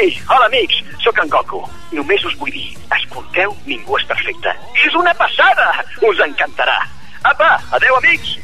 Ei, hola amics, sóc en Goku. Només us vull dir, escolteu Ningú és perfecte. És una passada! Us encantarà. Apa, adeu amics!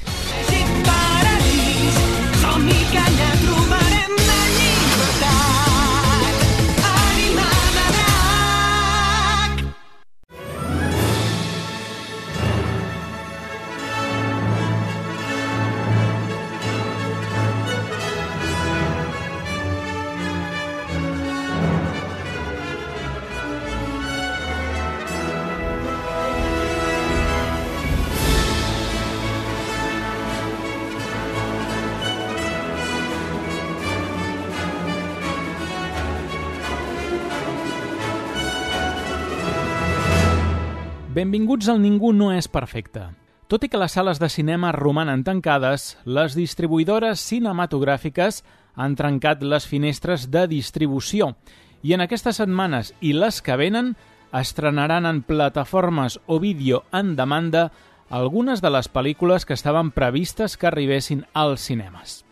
Benvinguts al Ningú no és perfecte. Tot i que les sales de cinema romanen tancades, les distribuïdores cinematogràfiques han trencat les finestres de distribució i en aquestes setmanes i les que venen estrenaran en plataformes o vídeo en demanda algunes de les pel·lícules que estaven previstes que arribessin als cinemes.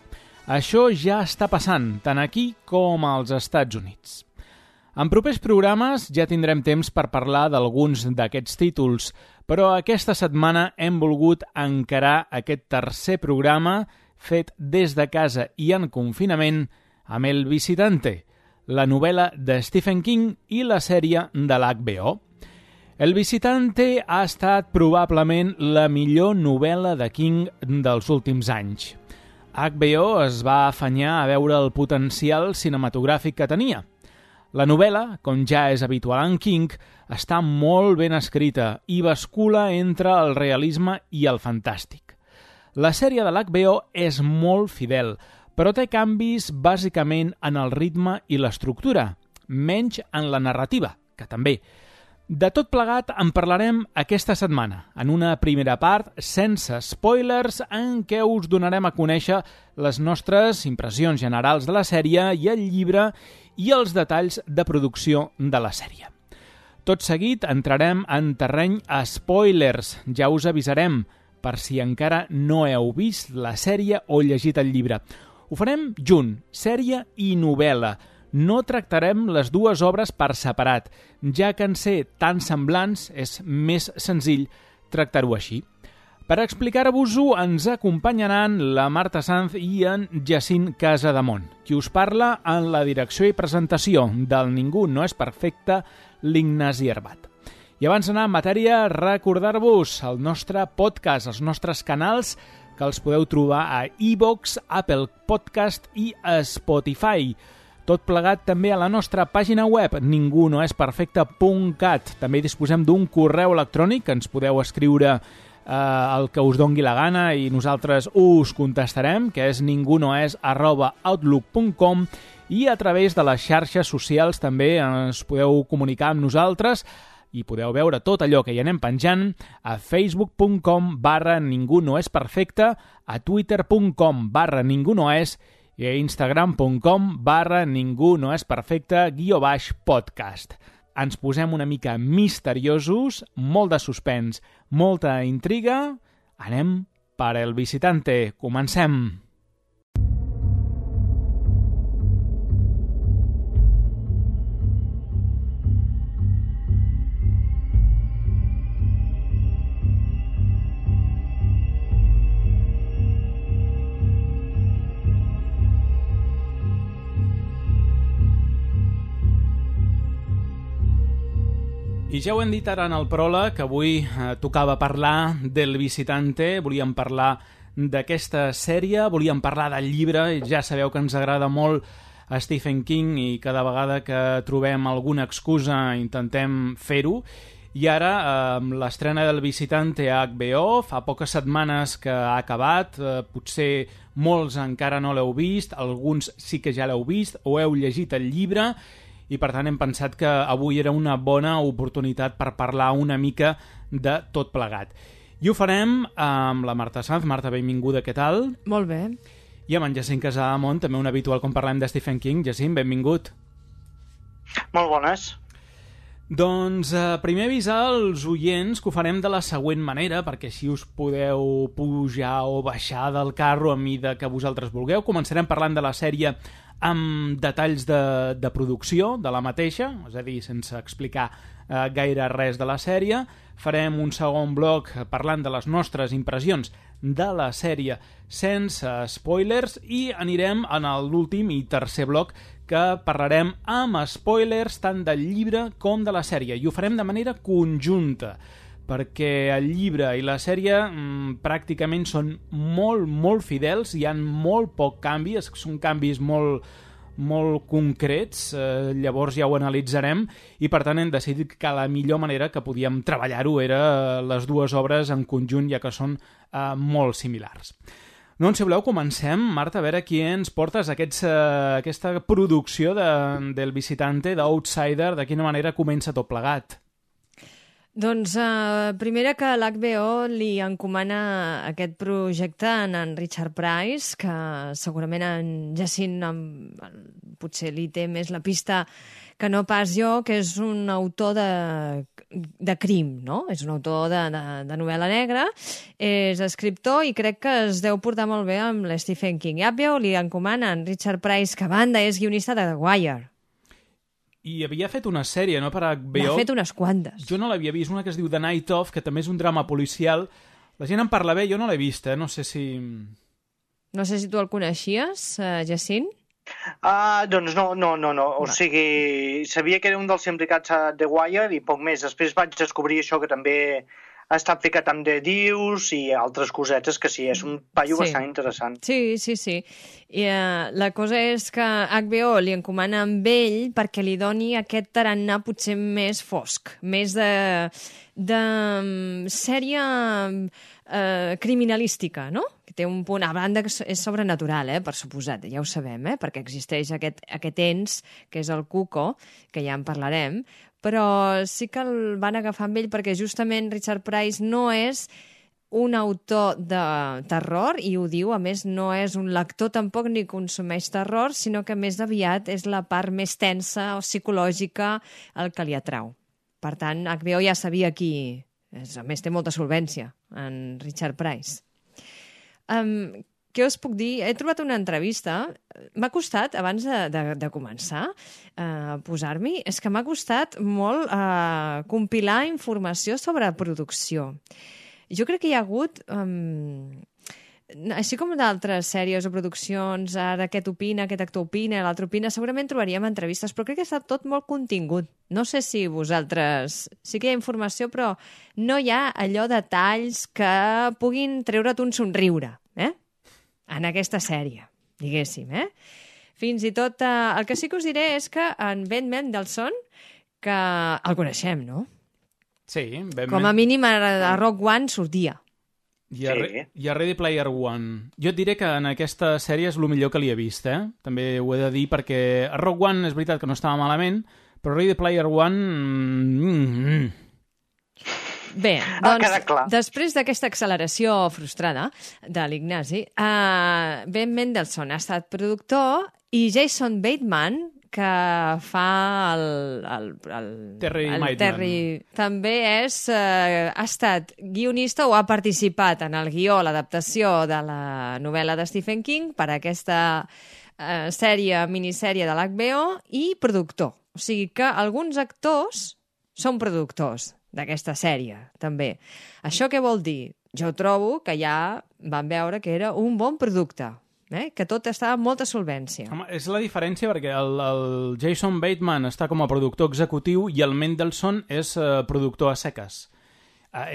Això ja està passant, tant aquí com als Estats Units. En propers programes ja tindrem temps per parlar d'alguns d'aquests títols, però aquesta setmana hem volgut encarar aquest tercer programa fet des de casa i en confinament amb El Visitante, la novel·la de Stephen King i la sèrie de l'HBO. El Visitante ha estat probablement la millor novel·la de King dels últims anys. HBO es va afanyar a veure el potencial cinematogràfic que tenia. La novel·la, com ja és habitual en King, està molt ben escrita i bascula entre el realisme i el fantàstic. La sèrie de l'HBO és molt fidel, però té canvis bàsicament en el ritme i l'estructura, menys en la narrativa, que també. De tot plegat en parlarem aquesta setmana, en una primera part sense spoilers en què us donarem a conèixer les nostres impressions generals de la sèrie i el llibre i els detalls de producció de la sèrie. Tot seguit entrarem en terreny a spoilers, ja us avisarem, per si encara no heu vist la sèrie o llegit el llibre. Ho farem junt, sèrie i novel·la. No tractarem les dues obres per separat, ja que en ser tan semblants és més senzill tractar-ho així. Per explicar-vos-ho ens acompanyaran la Marta Sanz i en Jacint Casademont, qui us parla en la direcció i presentació del Ningú no és perfecte, l'Ignasi Herbat. I abans d'anar en matèria, recordar-vos el nostre podcast, els nostres canals, que els podeu trobar a iVoox, Apple Podcast i a Spotify. Tot plegat també a la nostra pàgina web, ningunoesperfecte.cat. També disposem d'un correu electrònic que ens podeu escriure el que us dongui la gana i nosaltres us contestarem, que és ningunoes@outlook.com, i a través de les xarxes socials també ens podeu comunicar amb nosaltres i podeu veure tot allò que hi anem penjant a facebook.com/ningunoesperfecte, a twitter.com/ningunoes i a instagram.com/ningunoesperfecte_podcast. Ens posem una mica misteriosos, molt de suspens, molta intriga. Anem per El Visitante. Comencem! I ja ho hem dit ara en el pròleg, que avui tocava parlar del Visitante, volíem parlar d'aquesta sèrie, volíem parlar del llibre, ja sabeu que ens agrada molt a Stephen King i cada vegada que trobem alguna excusa intentem fer-ho. I ara, amb l'estrena del Visitante a HBO, fa poques setmanes que ha acabat, potser molts encara no l'heu vist, alguns sí que ja l'heu vist o heu llegit el llibre, i per tant hem pensat que avui era una bona oportunitat per parlar una mica de tot plegat. I ho farem amb la Marta Sanz. Marta, benvinguda, què tal? Molt bé. I amb en Jacint Casademont, també un habitual quan parlem de Stephen King. Jacint, benvingut. Molt bones. Doncs primer avisar als oients que ho farem de la següent manera, perquè així us podeu pujar o baixar del carro a mida que vosaltres vulgueu. Començarem parlant de la sèrie amb detalls de producció de la mateixa, és a dir, sense explicar gaire res de la sèrie. Farem un segon bloc parlant de les nostres impressions de la sèrie sense spoilers i anirem en l'últim i tercer bloc que parlarem amb spoilers tant del llibre com de la sèrie i ho farem de manera conjunta perquè el llibre i la sèrie pràcticament són molt fidels, hi ha molt poc canvi, són canvis molt concrets, llavors ja ho analitzarem i per tant hem decidit que la millor manera que podíem treballar-ho era les dues obres en conjunt ja que són molt similars. Doncs si voleu comencem, Marta, a veure qui ens portes aquesta producció del Visitante, d'Outsider, de quina manera comença tot plegat. Doncs primera que l'HBO li encomana aquest projecte a en Richard Price, que segurament en Jacint potser li té més la pista que no pas jo, que és un autor de crim, no? És un autor de novel·la negra, és escriptor i crec que es deu portar molt bé amb l'Stephen King. HBO li encomana a en Richard Price, que a banda és guionista de The Wire. I havia fet una sèrie, no?, per HBO. N'ha fet unes quantes. Jo no l'havia vist, una que es diu The Night Of, que també és un drama policial. La gent en parla bé, jo no l'he vist, no sé si... No sé si tu el coneixies, Jacint? Doncs no. O sigui, sabia que era un dels implicats a The Wire i poc més. Després vaig descobrir això que també ha estat ficat amb The Deuce i altres cosetes que sí, és un paio bastant interessant. Sí. I la cosa és que HBO li encomana amb ell perquè li doni aquest tarannà potser més fosc, més de sèrie criminalística, no? Que té un punt, a banda que és sobrenatural, per suposat, ja ho sabem, perquè existeix aquest ens, que és el Cuco, que ja en parlarem, però sí que el van agafar amb ell perquè justament Richard Price no és un autor de terror i ho diu, a més no és un lector tampoc ni consumeix terror, sinó que més aviat és la part més tensa o psicològica el que li atrau. Per tant, HBO ja sabia qui... A més, té molta solvència, en Richard Price. Què us puc dir? He trobat una entrevista. M'ha costat, abans de començar a posar-m'hi, és que m'ha costat molt compilar informació sobre producció. Jo crec que hi ha hagut, així com d'altres sèries o produccions, ara aquest opina, aquest actor opina, l'altre opina, segurament trobaríem entrevistes, però crec que està tot molt contingut. No sé si vosaltres... Sí que hi ha informació, però no hi ha allò de detalls que puguin treure't un somriure, en aquesta sèrie, diguéssim, Fins i tot, el que sí que us diré és que en Ben Mendelsohn, que el coneixem, no? Sí, Ben com a mínim a Rock One sortia. I a Ready Player One. Jo et diré que en aquesta sèrie és el millor que li he vist, També ho he de dir perquè a Rock One és veritat que no estava malament, però Ready Player One... Bé, doncs, després d'aquesta acceleració frustrada de l'Ignasi, Ben Mendelsohn ha estat productor i Jason Bateman, que fa el Terry també ha estat guionista o ha participat en el guió, l'adaptació de la novel·la de Stephen King per a aquesta minissèrie de l'HBO i productor. O sigui que alguns actors són productors d'aquesta sèrie, també. Això què vol dir? Jo trobo que ja vam veure que era un bon producte, que tot estava amb molta solvència. Home, és la diferència perquè el Jason Bateman està com a productor executiu i el Mendelsohn és productor a seques.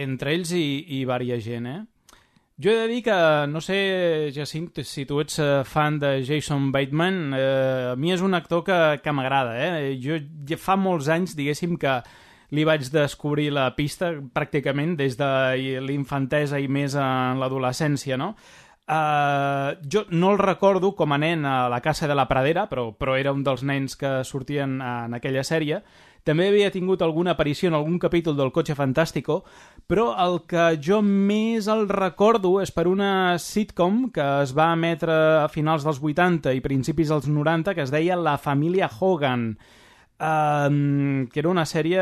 Entre ells i varia gent, Jo he de dir que, no sé, Jacint, si tu ets fan de Jason Bateman, a mi és un actor que m'agrada, Jo ja fa molts anys, diguéssim, que li vaig descobrir la pista pràcticament des de l'infantesa i més en l'adolescència, no? Jo no el recordo com a nen a La Casa de la Pradera, però era un dels nens que sortien en aquella sèrie. També havia tingut alguna aparició en algun capítol del Cotxe Fantàstico, però el que jo més el recordo és per una sitcom que es va emetre a finals dels 80 i principis dels 90 que es deia La família Hogan, que era una sèrie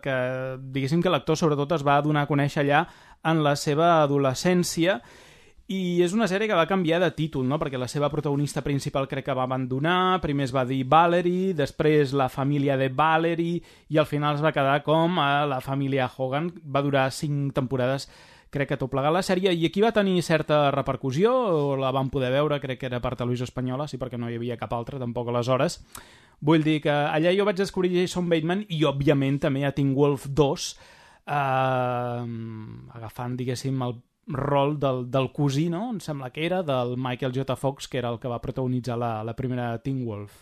que, diguéssim que l'actor sobretot es va donar a conèixer allà en la seva adolescència I és una sèrie que va canviar de títol, no? Perquè la seva protagonista principal crec que va abandonar, primer es va dir Valerie, després la família de Valerie, i al final es va quedar com a la família Hogan. Va durar 5 temporades, crec que tot plegat la sèrie, i aquí va tenir certa repercussió, o la vam poder veure, crec que era per Televisió Espanyola, sí, perquè no hi havia cap altra, tampoc aleshores. Vull dir que allà jo vaig descobrir Jason Bateman i, òbviament, també a Teen Wolf 2, agafant, diguéssim, el rol del cosí, no? Em sembla que era, del Michael J. Fox, que era el que va protagonitzar la primera Teen Wolf.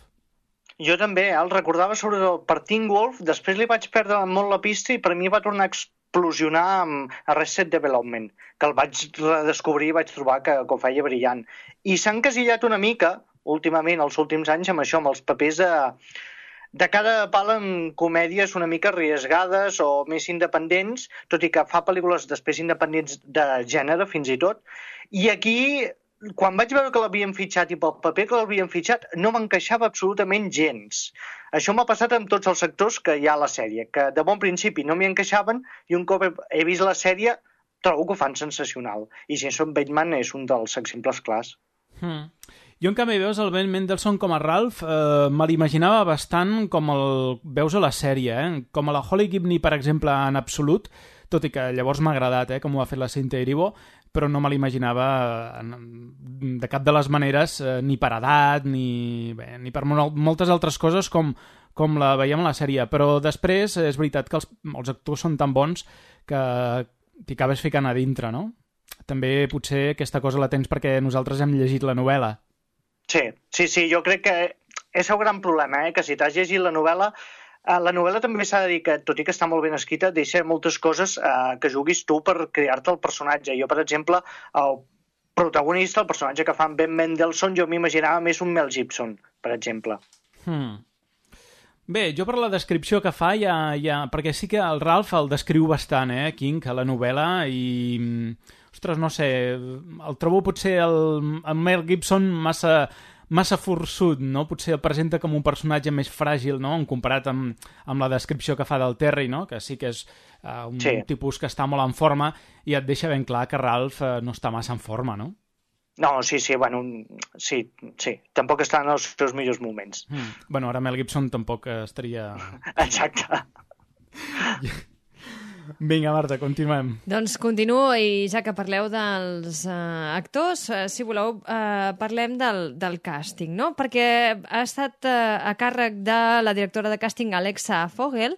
Jo també, el recordava sobretot per Teen Wolf, després li vaig perdre molt la pista i per mi va tornar a explosionar amb Arrested Development, que el vaig redescobrir i vaig trobar que ho feia brillant. I s'ha encasillat una mica, últimament, els últims anys, amb això, amb els papers de cada pal en comèdies una mica arriesgades o més independents, tot i que fa pel·lícules després independents de gènere, fins i tot. I aquí, quan vaig veure que l'havien fitxat i pel paper que l'havien fitxat, no m'encaixava absolutament gens. Això m'ha passat amb tots els sectors que hi ha a la sèrie, que de bon principi no m'hi encaixaven i un cop he vist la sèrie trobo que ho fan sensacional. I Jason Bateman és un dels exemples clars. Jo, en canvi, veus el Ben Mendelsohn com a Ralph, me l'imaginava bastant com el veus a la sèrie, com a la Holly Gibney, per exemple, en absolut, tot i que llavors m'ha agradat, com ho ha fet la Cynthia Erivo, però no me l'imaginava de cap de les maneres, ni per edat, ni per moltes altres coses com la veiem a la sèrie. Però després és veritat que els actors són tan bons que t'hi acabes ficant a dintre, no? També potser aquesta cosa la tens perquè nosaltres hem llegit la novel·la. Sí, jo crec que és el gran problema, que si t'has llegit la novel·la també s'ha de dir que, tot i que està molt ben escrita, deixa moltes coses que juguis tu per crear-te el personatge. Jo, per exemple, el protagonista, el personatge que fa en Ben Mendelsohn, jo m'imaginava més un Mel Gibson, per exemple. Bé, jo per la descripció que fa perquè sí que el Ralph el descriu bastant, King, a la novel·la, i ostres, no sé, el trobo potser el Mel Gibson massa forçut, no? Potser el presenta com un personatge més fràgil, no? Comparat amb la descripció que fa del Terry, no? Que sí que és un tipus que està molt en forma i et deixa ben clar que Ralph no està massa en forma, no? No, sí, tampoc està en els seus millors moments. Bueno, ara Mel Gibson tampoc estaria... Exacte. Vinga, Marta, continuem. Doncs continuo, i ja que parleu dels actors, si voleu, parlem del càsting, no? Perquè ha estat a càrrec de la directora de càsting, Alexa Fogel,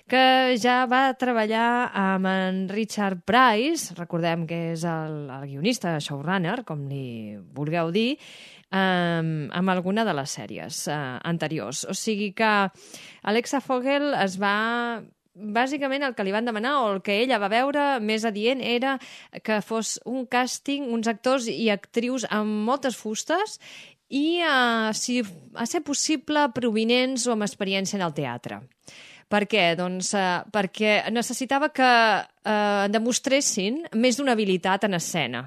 que ja va treballar amb en Richard Price, recordem que és el guionista, showrunner, com li vulgueu dir, amb alguna de les sèries anteriors. O sigui que Alexa Fogel es va... Bàsicament el que li van demanar, o el que ella va veure més adient, era que fos un càsting, uns actors i actrius amb moltes fustes i, si a ser possible, provinents o amb experiència en el teatre. Per què? Doncs perquè necessitava que demostressin més d'una habilitat en escena.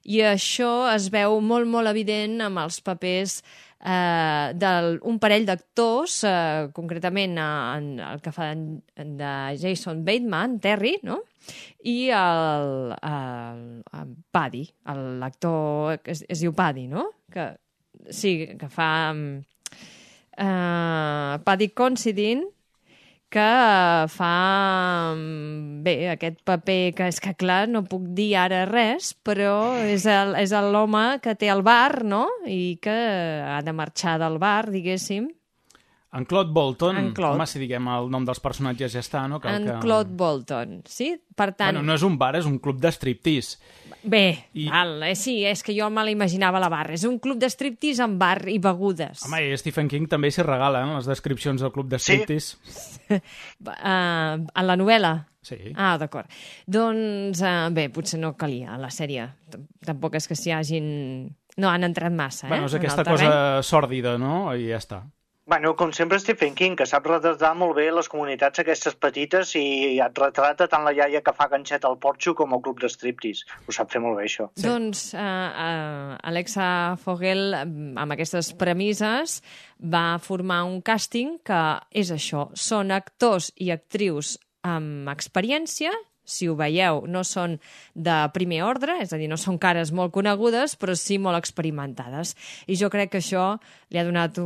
I això es veu molt, molt evident amb els papers d'un parell d'actors, concretament el que fa de Jason Bateman, Terry, no? I el Paddy, l'actor que es diu Paddy, no? Que fa Paddy Considine, que fa aquest paper que és que, clar, no puc dir ara res, però és l'home que té el bar, no? I que ha de marxar del bar, diguéssim. En Claude Bolton, home, si diguem el nom dels personatges ja està, no? Claude Bolton, sí? Per tant... Bueno, no és un bar, és un club de striptease. Bé, sí, és que jo me l'imaginava a la barra. És un club de striptease amb bar i begudes. Home, i Stephen King també s'hi regala, les descripcions del club de striptease. Sí. A la novel·la? Sí. Ah, d'acord. Doncs, bé, potser no calia a la sèrie. Tampoc és que s'hi hagin... No han entrat massa, Bueno, és aquesta cosa sòrdida, no? I ja està. Bueno, com sempre Stephen King, que sap retratar molt bé les comunitats aquestes petites i et retrata tant la iaia que fa ganxet al porxo com el club de striptease. Ho sap fer molt bé, això. Sí. Doncs Alexa Fogel, amb aquestes premisses, va formar un càsting que és això. Són actors i actrius amb experiència, si ho veieu, no són de primer ordre, és a dir, no són cares molt conegudes, però sí molt experimentades. I jo crec que això li ha donat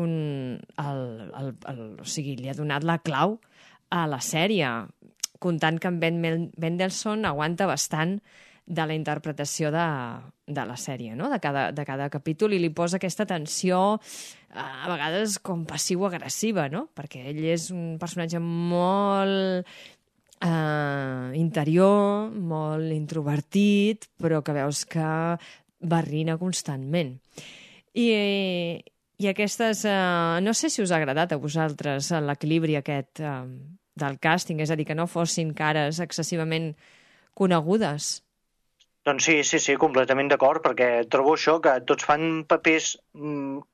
li ha donat la clau a la sèrie, comptant que en Ben Mendelsohn aguanta bastant de la interpretació de la sèrie, no? de cada capítol, i li posa aquesta tensió a vegades com passiu-agressiva, no? Perquè ell és un personatge molt interior, molt introvertit, però que veus que barrina constantment. I aquestes... no sé si us ha agradat a vosaltres l'equilibri aquest del càsting, és a dir, que no fossin cares excessivament conegudes. Doncs sí, completament d'acord, perquè trobo això, que tots fan papers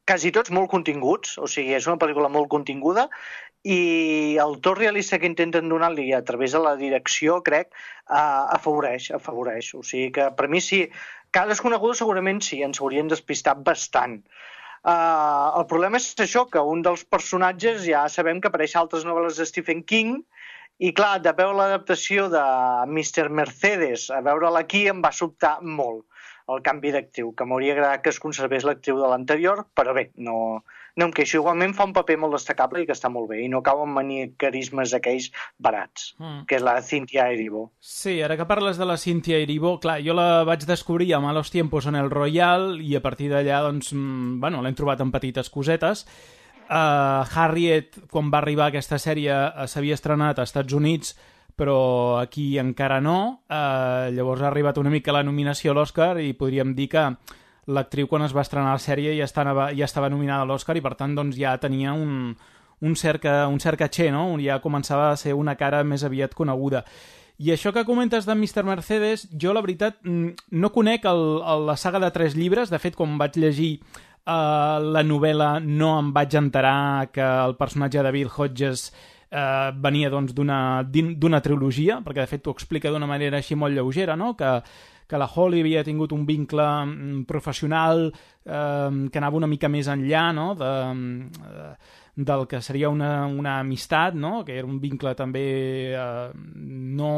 quasi tots molt continguts, o sigui, és una pel·lícula molt continguda, i el to realista que intenten donar-li a través de la direcció, crec, afavoreix. O sigui que, per mi, sí, cares conegudes segurament sí, ens haurien despistat bastant. El problema és això, que un dels personatges ja sabem que apareix a altres novel·les de Stephen King, i clar, de veure l'adaptació de Mr. Mercedes a veure-la aquí em va sobtar molt el canvi d'actriu, que m'hauria agradat que es conservés l'actriu de l'anterior, però bé, no em queixo. Igualment fa un paper molt destacable i que està molt bé, i no cau en maniquerismes aquells barats, que és la Cynthia Erivo. Sí, ara que parles de la Cynthia Erivo, clar, jo la vaig descobrir a Malos Tiempos en el Royal, i a partir d'allà, doncs, bueno, l'hem trobat en petites cosetes. Harriet, quan va arribar aquesta sèrie, s'havia estrenat als Estats Units, però aquí encara no. Llavors ha arribat una mica la nominació a l'Oscar i podríem dir que l'actriu, quan es va estrenar la sèrie, ja estava nominada a l'Oscar i per tant doncs, ja tenia un cert caché, no? Ja començava a ser una cara més aviat coneguda. I això que comentes de Mr. Mercedes, jo la veritat no conec la saga de 3 llibres. De fet, quan vaig llegir la novel·la no em vaig enterar que el personatge de Bill Hodges venia doncs, d'una trilogia, perquè de fet t'ho explica d'una manera així molt lleugera, no? Que la Holly havia tingut un vincle professional que anava una mica més enllà, no? Del que seria una amistat, no? Que era un vincle també no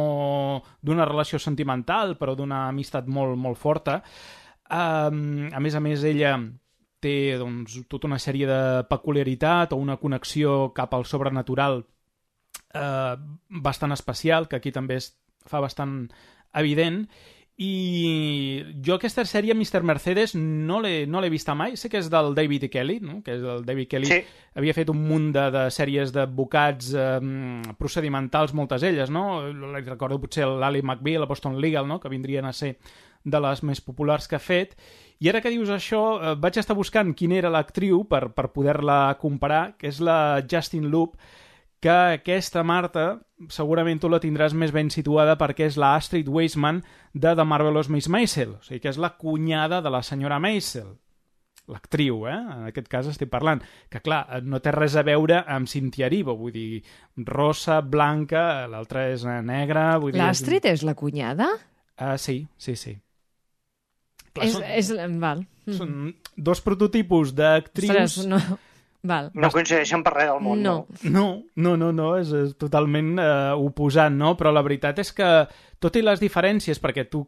d'una relació sentimental, però d'una amistat molt, molt forta. A més, ella té doncs, tota una sèrie de peculiaritat o una connexió cap al sobrenatural bastant especial, que aquí també es fa bastant evident. I jo aquesta sèrie, Mr. Mercedes, no l'he vista mai. Sé que és del David E. Kelly, no? Que és el David Kelly. Sí. Havia fet un munt de sèries d'advocats procedimentals, moltes elles, no? Recordo potser l'Ally McBeal, la Boston Legal, no? Que vindrien a ser de les més populars que ha fet. I ara que dius això, vaig estar buscant quina era l'actriu per poder-la comparar, que és la Justin Loop, que aquesta, Marta, segurament tu la tindràs més ben situada perquè és la Astrid Weissman de The Marvelous Miss Maisel, o sigui que és la cunyada de la senyora Maisel, l'actriu, en aquest cas estic parlant, que clar, no té res a veure amb Cynthia Erivo, vull dir, rossa, blanca, l'altra és negra... L'Astrid és la cunyada? Sí. Clar, val. Són dos prototipus d'actrius... Ostres, no... Val. No coincideixen per res del món, no, és totalment oposant, no? Però la veritat és que, tot i les diferències, perquè tu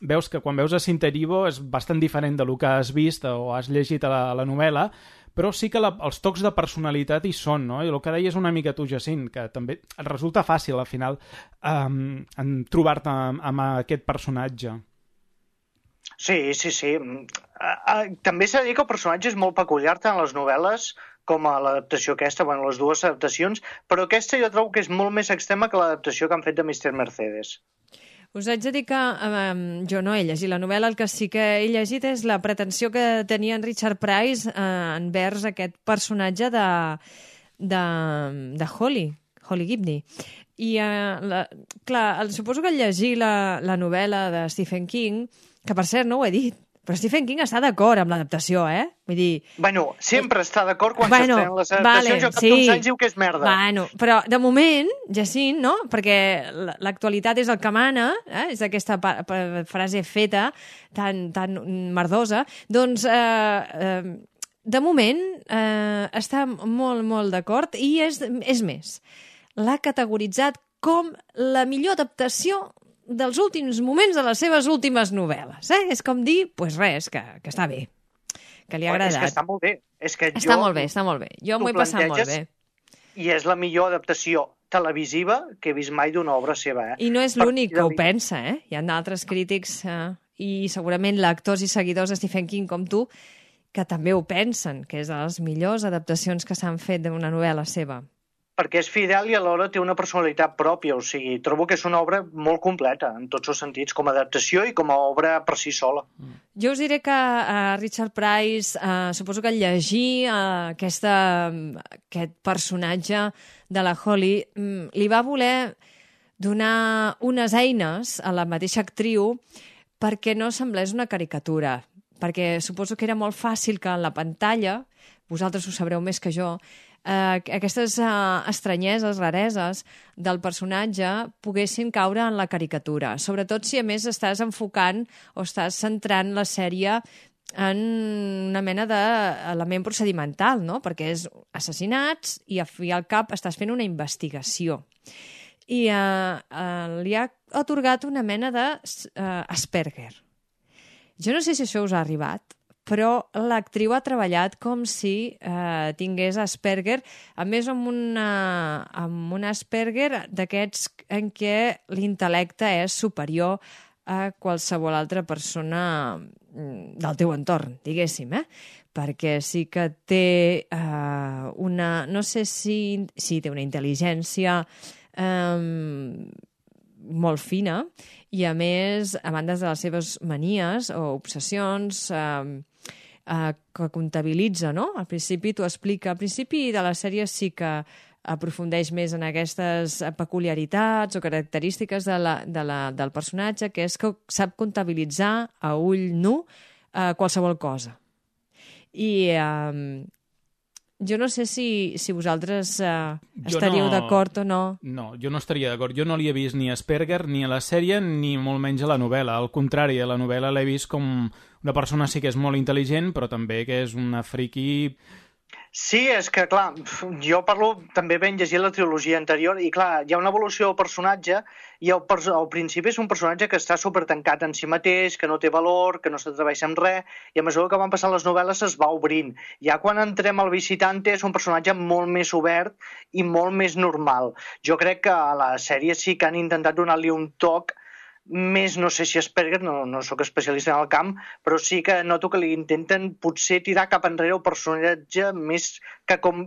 veus que quan veus a Cynthia Erivo és bastant diferent del que has vist o has llegit a la novel·la, però sí que els tocs de personalitat hi són, no? I el que deies una mica tu, Jacint, que també et resulta fàcil, al final, trobar-te amb aquest personatge. Sí. També s'ha de dir que el personatge és molt peculiar tant a les novel·les com a l'adaptació aquesta, bueno, les dues adaptacions, però aquesta jo trobo que és molt més extrema que l'adaptació que han fet de Mr. Mercedes. Us haig de dir que jo no he llegit la novel·la, el que sí que he llegit és la pretensió que tenia en Richard Price envers aquest personatge de Holly Gibney. I, clar, suposo que al llegir la novel·la de Stephen King, que per cert no ho he dit, però Stephen King està d'acord amb l'adaptació, Vull dir... Bueno, sempre està d'acord quan s'estrenen les adaptacions, cap d'uns anys diu que és merda. Bueno, però de moment, Jacint, no? Perquè l'actualitat és el que mana, és aquesta frase feta tan merdosa, doncs... de moment està molt, molt d'acord i és més, l'ha categoritzat com la millor adaptació dels últims moments de les seves últimes novel·les. És com dir, doncs res, que està bé, que li ha agradat. És que està molt bé. Està molt bé. Jo m'ho he passat molt bé. I és la millor adaptació televisiva que he vist mai d'una obra seva. I no és l'únic que ho pensa, Hi ha d'altres crítics i segurament lectors i seguidors de Stephen King com tu que també ho pensen, que és de les millors adaptacions que s'han fet d'una novel·la seva. Perquè és fidel i alhora té una personalitat pròpia, o sigui, trobo que és una obra molt completa, en tots els sentits, com a adaptació i com a obra per si sola. Jo us diré que Richard Price, suposo que al llegir aquest personatge de la Holly, li va voler donar unes eines a la mateixa actriu perquè no semblés una caricatura, perquè suposo que era molt fàcil que en la pantalla, vosaltres ho sabreu més que jo, aquestes estranyeses, rareses del personatge poguessin caure en la caricatura, sobretot si a més estàs enfocant o estàs centrant la sèrie en una mena d'element procedimental, no? Perquè és assassinats i al cap estàs fent una investigació. I li ha atorgat una mena d'Asperger. Jo no sé si això us ha arribat, però l'actriu ha treballat com si tingués Asperger, a més amb un Asperger d'aquests en què l'intel·lecte és superior a qualsevol altra persona del teu entorn, diguéssim, perquè sí que té una... no sé si té una intel·ligència molt fina i, a més, a banda de les seves manies o obsessions que comptabilitza, no? Al principi t'ho explica. Al principi de la sèrie sí que aprofundeix més en aquestes peculiaritats o característiques del personatge, que és que sap comptabilitzar a ull nu qualsevol cosa. I jo no sé si vosaltres estaríeu d'acord o no. No, jo no estaria d'acord. Jo no li he vist ni Asperger ni a la sèrie ni molt menys a la novel·la. Al contrari, a la novel·la l'he vist com una persona sí que és molt intel·ligent, però també que és una friqui... Sí, és que, clar, jo parlo, també ben llegir la trilogia anterior, i clar, hi ha una evolució del personatge, i al principi és un personatge que està supertancat en si mateix, que no té valor, que no s'atreveix amb res, i a mesura que van passant les novel·les es va obrint. Ja quan entrem al Visitante és un personatge molt més obert i molt més normal. Jo crec que a la sèrie sí que han intentat donar-li un toc més, no sé si Asperger, no sóc especialista en el camp, però sí que noto que li intenten potser tirar cap enrere el personatge més que com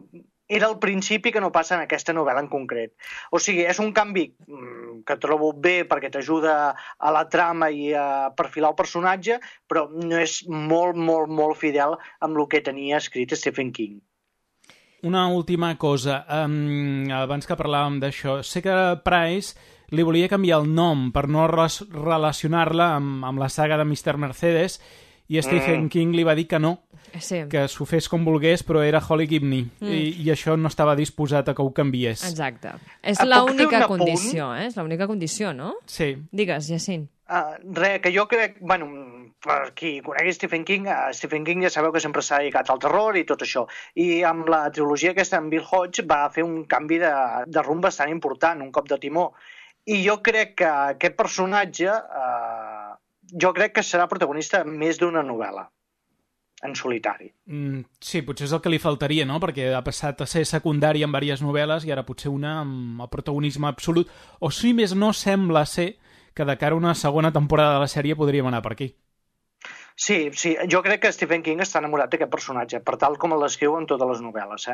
era al principi, que no passa en aquesta novel·la en concret. O sigui, és un canvi que trobo bé perquè t'ajuda a la trama i a perfilar el personatge, però no és molt, molt, molt fidel amb el que tenia escrit Stephen King. Una última cosa, abans que parlàvem d'això, sé que Price li volia canviar el nom per no relacionar-la amb la saga de Mr. Mercedes, i Stephen King li va dir que no, que s'ho fes com volgués, però era Holly Gibney, i això no estava disposat a que ho canviés. Exacte. És l'única condició, és l'única condició, no? Sí. Digues, Jacint. Res, que jo crec, bueno, per qui conegui Stephen King ja sabeu que sempre s'ha dedicat al terror i tot això. I amb la trilogia aquesta, en Bill Hodge, va fer un canvi de rumb bastant important, un cop de timó. I jo crec que aquest personatge, jo crec que serà protagonista més d'una novel·la, en solitari. Sí, potser és el que li faltaria, no? Perquè ha passat a ser secundari en diverses novel·les i ara potser una amb el protagonisme absolut. O si més no, sembla ser que de cara a una segona temporada de la sèrie podríem anar per aquí. Sí, jo crec que Stephen King està enamorat d'aquest personatge, per tal com l'escriu en totes les novel·les,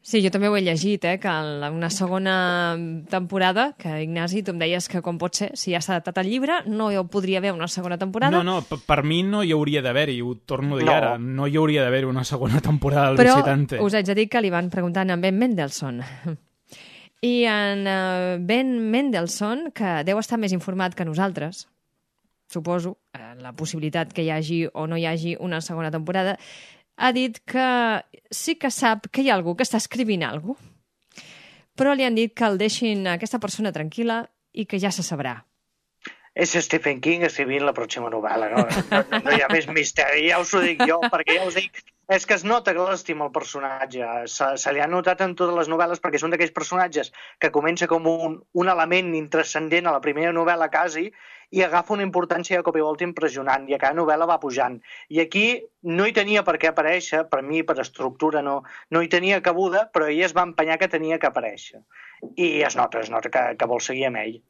Sí, jo també ho he llegit, que en una segona temporada, que Ignasi, tu em deies que com pot ser, si ja s'ha adaptat el llibre, no hi podria haver una segona temporada. No, per mi no hi hauria d'haver-hi, ho torno a dir ara, no hi hauria d'haver una segona temporada del Visitante. Però us haig de dir que li van preguntar a Ben Mendelsohn. I en Ben Mendelsohn, que deu estar més informat que nosaltres, suposo, la possibilitat que hi hagi o no hi hagi una segona temporada, ha dit que sí que sap que hi ha algú que està escrivint alguna cosa, però li han dit que el deixin aquesta persona tranquil·la i que ja se sabrà. És Stephen King escrivint la pròxima novel·la, no hi ha més misteri, ja us ho dic jo, perquè ja us dic És que es nota que l'estima el personatge. Se li ha notat en totes les novel·les perquè són d'aquells personatges que comença com un element intranscendent a la primera novel·la quasi i agafa una importància de cop i volta impressionant i a cada novel·la va pujant. I aquí no hi tenia per què aparèixer, per mi, per estructura, no hi tenia cabuda, però ell es va empenyar que tenia que aparèixer. I es nota que vol seguir amb ell.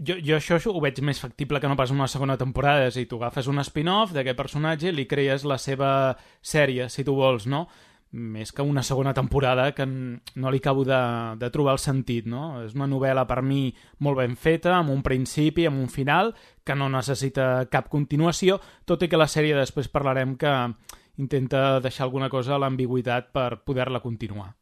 Jo això ho veig més factible que no pas una segona temporada. És a dir, tu agafes un spin-off d'aquest personatge i li crees la seva sèrie, si tu vols, no? Més que una segona temporada que no li acabo de trobar el sentit, no? És una novel·la, per mi, molt ben feta, amb un principi, amb un final, que no necessita cap continuació, tot i que la sèrie després parlarem que intenta deixar alguna cosa a l'ambigüitat per poder-la continuar.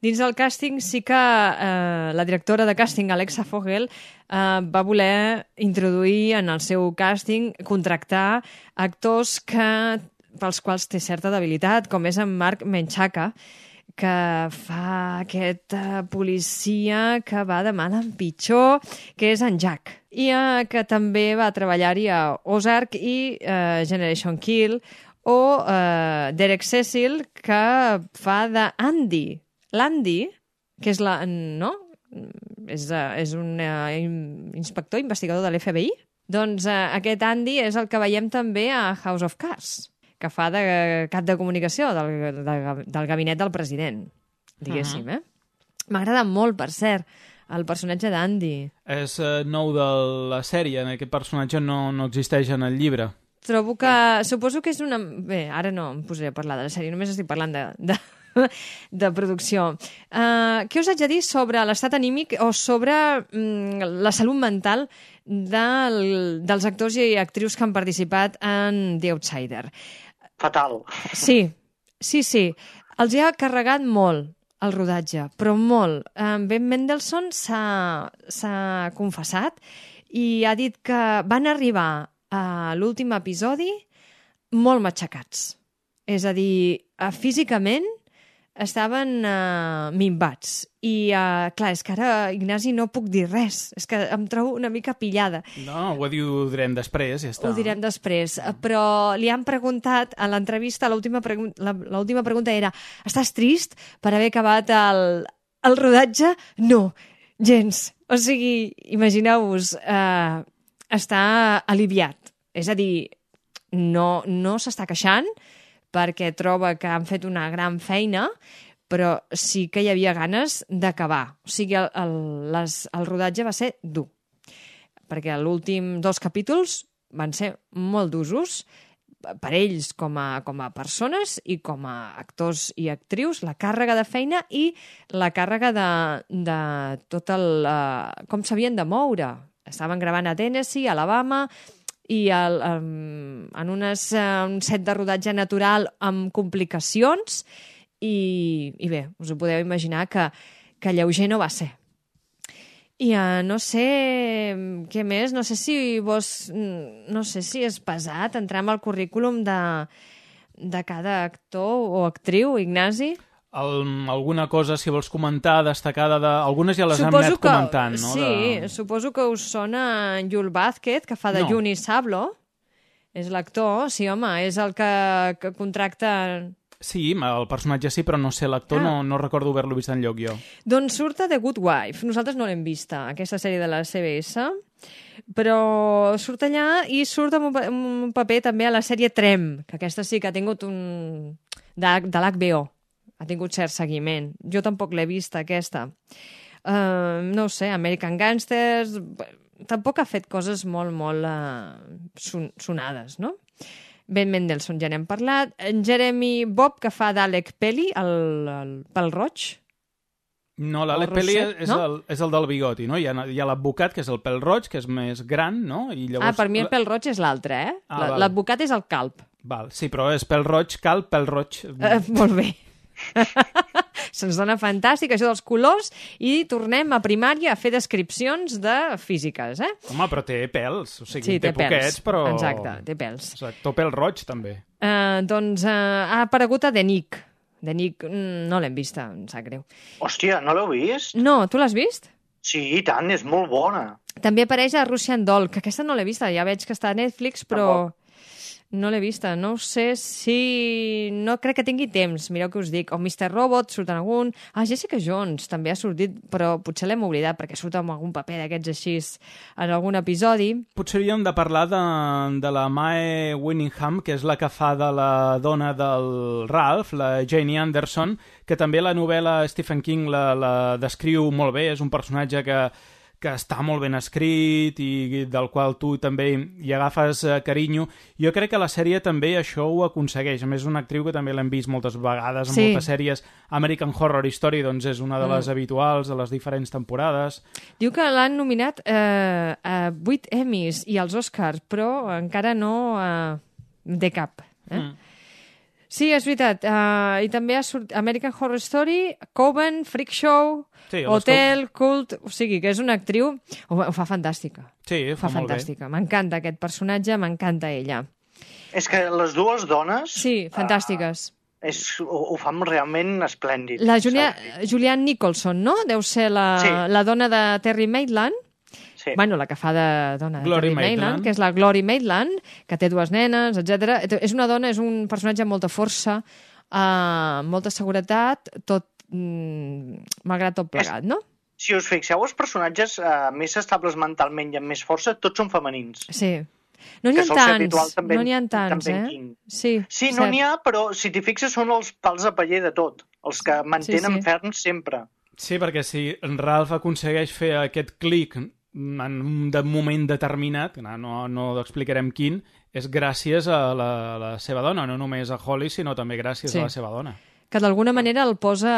Dins del càsting sí que la directora de càsting, Alexa Fogel, va voler introduir en el seu càsting, contractar actors pels quals té certa debilitat, com és en Mark Menchaca, que fa aquest policia que va de mal en pitjor, que és en Jack. I que també va treballar-hi a Ozark i Generation Kill, o Derek Cecil, que fa d'Andy. L'Andy, que és és un inspector, investigador de l'FBI, doncs aquest Andy és el que veiem també a House of Cards, que fa de cap de comunicació del gabinet del president, diguéssim. M'agrada molt, per cert, el personatge d'Andy. És nou de la sèrie, aquest personatge no existeix en el llibre. Trobo que... Suposo que és una... Bé, ara no em posaré a parlar de la sèrie, només estic parlant de producció. Què us haig de dir sobre l'estat anímic o sobre la salut mental dels actors i actrius que han participat en The Outsider? Fatal. Sí. Els hi ha carregat molt el rodatge, però molt. Ben Mendelsohn s'ha confessat i ha dit que van arribar a l'últim episodi molt matxacats. És a dir, físicament estaven minvats. I, clar, és que ara, Ignasi, no puc dir res. És que em trobo una mica pillada. No, ho direm després, ja està. Ho direm després. Però li han preguntat a l'entrevista, l'última pregunta era: estàs trist per haver acabat el rodatge? No, gens. O sigui, imagineu-vos, està aliviat. És a dir, no s'està queixant, perquè troba que han fet una gran feina, però sí que hi havia ganes d'acabar. O sigui, el rodatge va ser dur, perquè els últims 2 capítols van ser molt d'usos per ells com a persones i com a actors i actrius, la càrrega de feina i la càrrega de tot com s'havien de moure. Estaven gravant a Tennessee, a Alabama, i en un set de rodatge natural amb complicacions i bé, us ho podeu imaginar que lleuger no va ser. I no sé què més, no sé si és pesat entrar amb el currículum de cada actor o actriu, Ignasi. Alguna cosa, si vols comentar, destacada algunes ja les hem anat comentant, no? Sí, suposo que us sona Yul Vázquez, que fa de Juni Sablo. És l'actor, sí, home, és el que contracta... Sí, el personatge sí, però no sé l'actor, no recordo haver-lo vist enlloc jo. Doncs surt a The Good Wife. Nosaltres no l'hem vista, aquesta sèrie de la CBS, però surt allà i surt amb un paper també a la sèrie Trem, que aquesta sí que ha tingut de l'HBO. Ha tingut cert seguiment. Jo tampoc l'he vista, aquesta. No ho sé, American Gangsters... Tampoc ha fet coses molt, molt sonades, no? Ben Mendelsohn, ja n'hem parlat. En Jeremy Bobb, que fa d'Alec Pelly, el pèl roig. No, l'Alec Pelly és el del bigoti, no? Hi ha l'advocat, que és el pèl roig, que és més gran, no? I llavors... per mi el pèl roig és l'altre, eh? L'advocat és el calb. Val, sí, però és pèl roig, calb, pèl roig. Molt bé. Se'ns dona fantàstic això dels colors i tornem a primària a fer descripcions de físiques, Home, però té pèls, o sigui, sí, té poquets, però... Exacte, té pèls. Exacte, pèl roig, també. Doncs ha aparegut a The Nick. The Nick no l'hem vista, em sap greu. Hòstia, no l'heu vist? No, tu l'has vist? Sí, i tant, és molt bona. També apareix a Russian Doll, que aquesta no l'he vista, ja veig que està a Netflix, però... No l'he vista. No sé si... No crec que tingui temps, mireu què us dic. O Mr. Robot, surt en algun... Jessica Jones també ha sortit, però potser l'hem oblidat perquè surt amb algun paper d'aquests així en algun episodi. Potser hauríem de parlar de la Mae Winningham, que és la que fa de la dona del Ralph, la Janie Anderson, que també la novel·la Stephen King la descriu molt bé. És un personatge que està molt ben escrit i del qual tu també hi agafes carinyo. Jo crec que la sèrie també això ho aconsegueix. A més, és una actriu que també l'hem vist moltes vegades en moltes sèries. American Horror Story doncs, és una de les habituals de les diferents temporades. Diu que l'han nominat a 8 Emmys i als Oscars, però encara no de cap. Sí, és veritat. I també ha sortit American Horror Story, Coven, Freak Show, Hotel, Cult... O sigui, que és una actriu... Ho fa fantàstica. Sí, ho fa molt fantàstica. M'encanta aquest personatge, m'encanta ella. És que les dues dones... Sí, fantàstiques. Ho fan realment esplèndid. La Julianne Nicholson, no? Deu ser la dona de Terry Maitland. Sí. Bueno, la que fa de dona de Glory Terry Maitland, que és la Glory Maitland, que té 2 nenes, etc. És una dona, és un personatge amb molta força, molta seguretat, tot malgrat tot plegat, no? Si us fixeu, els personatges més estables mentalment i amb més força, tots són femenins. Sí. No n'hi ha tants, no n'hi ha tants, Sí, no n'hi ha, però si t'hi fixes són els pals a paller de tot, els que mantenen ferms sempre. Sí, perquè si en Ralph aconsegueix fer aquest clic en un moment determinat, no explicarem quin, és gràcies a la seva dona, no només a Holly, sinó també gràcies a la seva dona. Que d'alguna manera el posa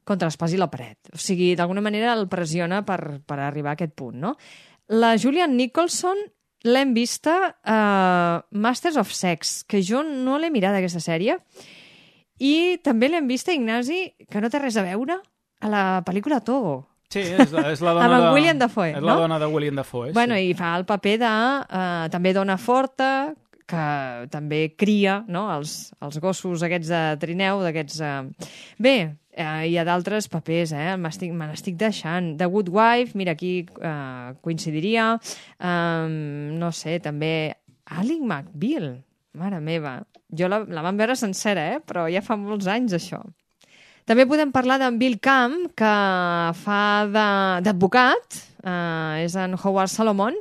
contra l'espàs i la paret. O sigui, d'alguna manera el pressiona per arribar a aquest punt, no? La Julianne Nicholson l'hem vista a Masters of Sex, que jo no l'he mirat, aquesta sèrie, i també l'hem vista, Ignasi, que no té res a veure, a la pel·lícula Togo. Sí, és la dona amb William Dafoe, és la dona de William Dafoe. Bueno, i fa el paper de també dona forta, que també cria, no?, els gossos aquests de trineu, d'aquests... Bé, hi ha d'altres papers, me n'estic deixant. The Good Wife, mira, aquí coincidiria. No sé, també Ally McBeal, mare meva. Jo la vam veure sencera, però ja fa molts anys, això. També podem parlar d'en Bill Camp, que fa d'advocat, és en Howard Solomon,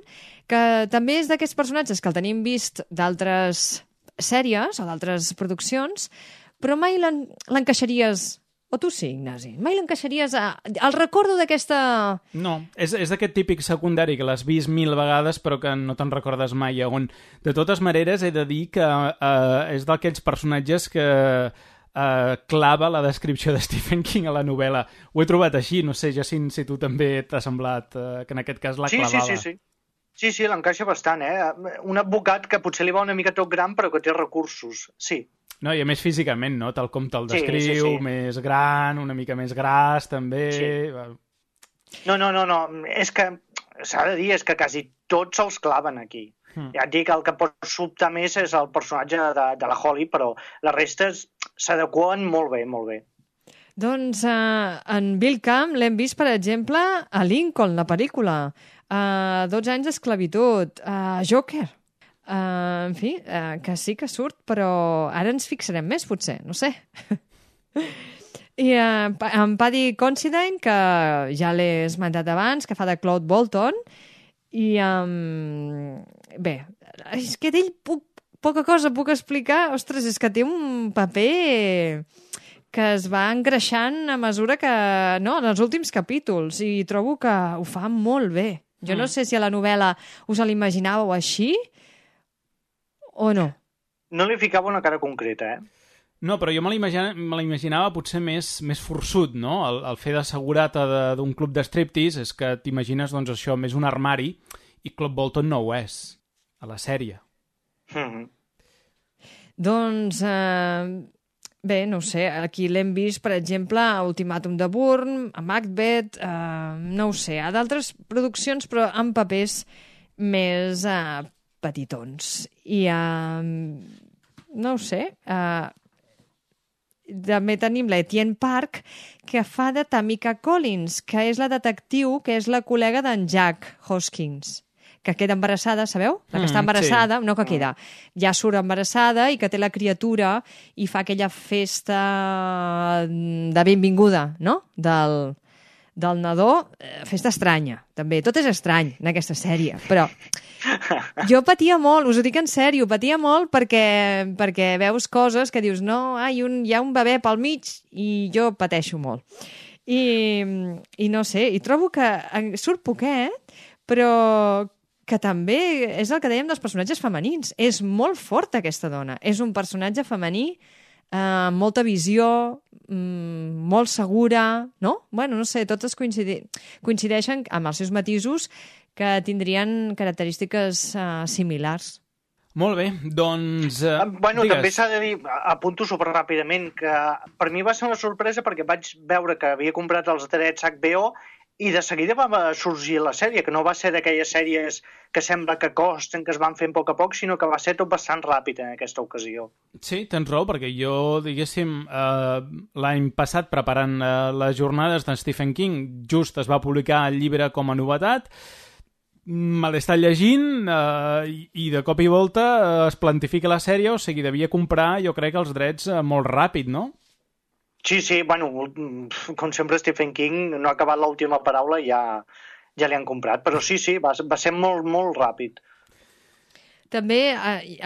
que també és d'aquests personatges que el tenim vist d'altres sèries o d'altres produccions, però mai l'encaixaries... O tu sí, Ignasi? Mai l'encaixaries al recordo d'aquesta... No, és d'aquest típic secundari que l'has vist 1000 vegades però que no te'n recordes mai. On, de totes maneres, he de dir que és d'aquests personatges que clava la descripció de Stephen King a la novel·la. Ho he trobat així, no sé, Jacint, si tu també t'ha semblat que en aquest cas la clavava. Sí, l'encaixa bastant, Un advocat que potser li va una mica tot gran però que té recursos, sí. No, i a més físicament, no? Tal com te'l descriu, més gran, una mica més gras, també... Sí. No, és que s'ha de dir, és que quasi tots se'ls claven aquí. Ja et dic, el que pot sobtar més és el personatge de la Holly, però la resta s'adequen molt bé, molt bé. Doncs en Bill Camp l'hem vist, per exemple, a Lincoln, la pel·lícula, 12 anys d'esclavitud, Joker, en fi, que sí que surt, però ara ens fixarem més, potser, no sé. I en Paddy Considine, que ja l'he esmentat abans, que fa de Claude Bolton, i bé, és que d'ell poca cosa puc explicar. Ostres, és que té un paper que es va engreixant a mesura que... No, en els últims capítols, i trobo que ho fa molt bé. Jo no sé si a la novel·la us l'imaginàveu així o no. No li ficava una cara concreta, No, però jo me l'imaginava potser més forçut, no? El fer de segurata d'un club de striptease és que t'imagines, doncs, això, més un armari, i Claude Bolton no ho és, a la sèrie. Doncs, bé, no ho sé, aquí l'hem vist, per exemple, a Ultimàtum de Bourne, a Macbeth, no ho sé, a d'altres produccions, però amb papers més petitons. I, no ho sé, també tenim la Etienne Park, que fa de Tamika Collins, que és la detectiu, que és la col·lega d'en Jack Hoskins, que queda embarassada, sabeu? La que està embarassada, no que queda, ja surt embarassada i que té la criatura i fa aquella festa de benvinguda, no?, del nadó, festa estranya, també. Tot és estrany en aquesta sèrie, però jo patia molt, us ho dic en sèrio, patia molt perquè veus coses que dius, no, hi ha un bebè pel mig i jo pateixo molt. I no sé, i trobo que surt poquet, però que també és el que dèiem dels personatges femenins. És molt forta aquesta dona. És un personatge femení amb molta visió, molt segura, no? Bueno, no sé, totes coincideixen amb els seus matisos que tindrien característiques similars. Molt bé, doncs... Bueno, digues. també s'ha de dir, apunto superràpidament, que per mi va ser una sorpresa perquè vaig veure que havia comprat els drets HBO i de seguida va sorgir la sèrie, que no va ser d'aquelles sèries que sembla que costen, que es van fent a poc, sinó que va ser tot bastant ràpid en aquesta ocasió. Sí, tens raó, perquè jo, diguéssim, l'any passat, preparant les jornades de Stephen King, just es va publicar el llibre com a novetat, me l'he estat llegint i de cop i volta es plantifica la sèrie, o sigui, devia comprar, jo crec, els drets molt ràpid, no? Sí, bueno, com sempre Stephen King no ha acabat l'última paraula i ja li han comprat, però sí, va ser molt, molt ràpid. També,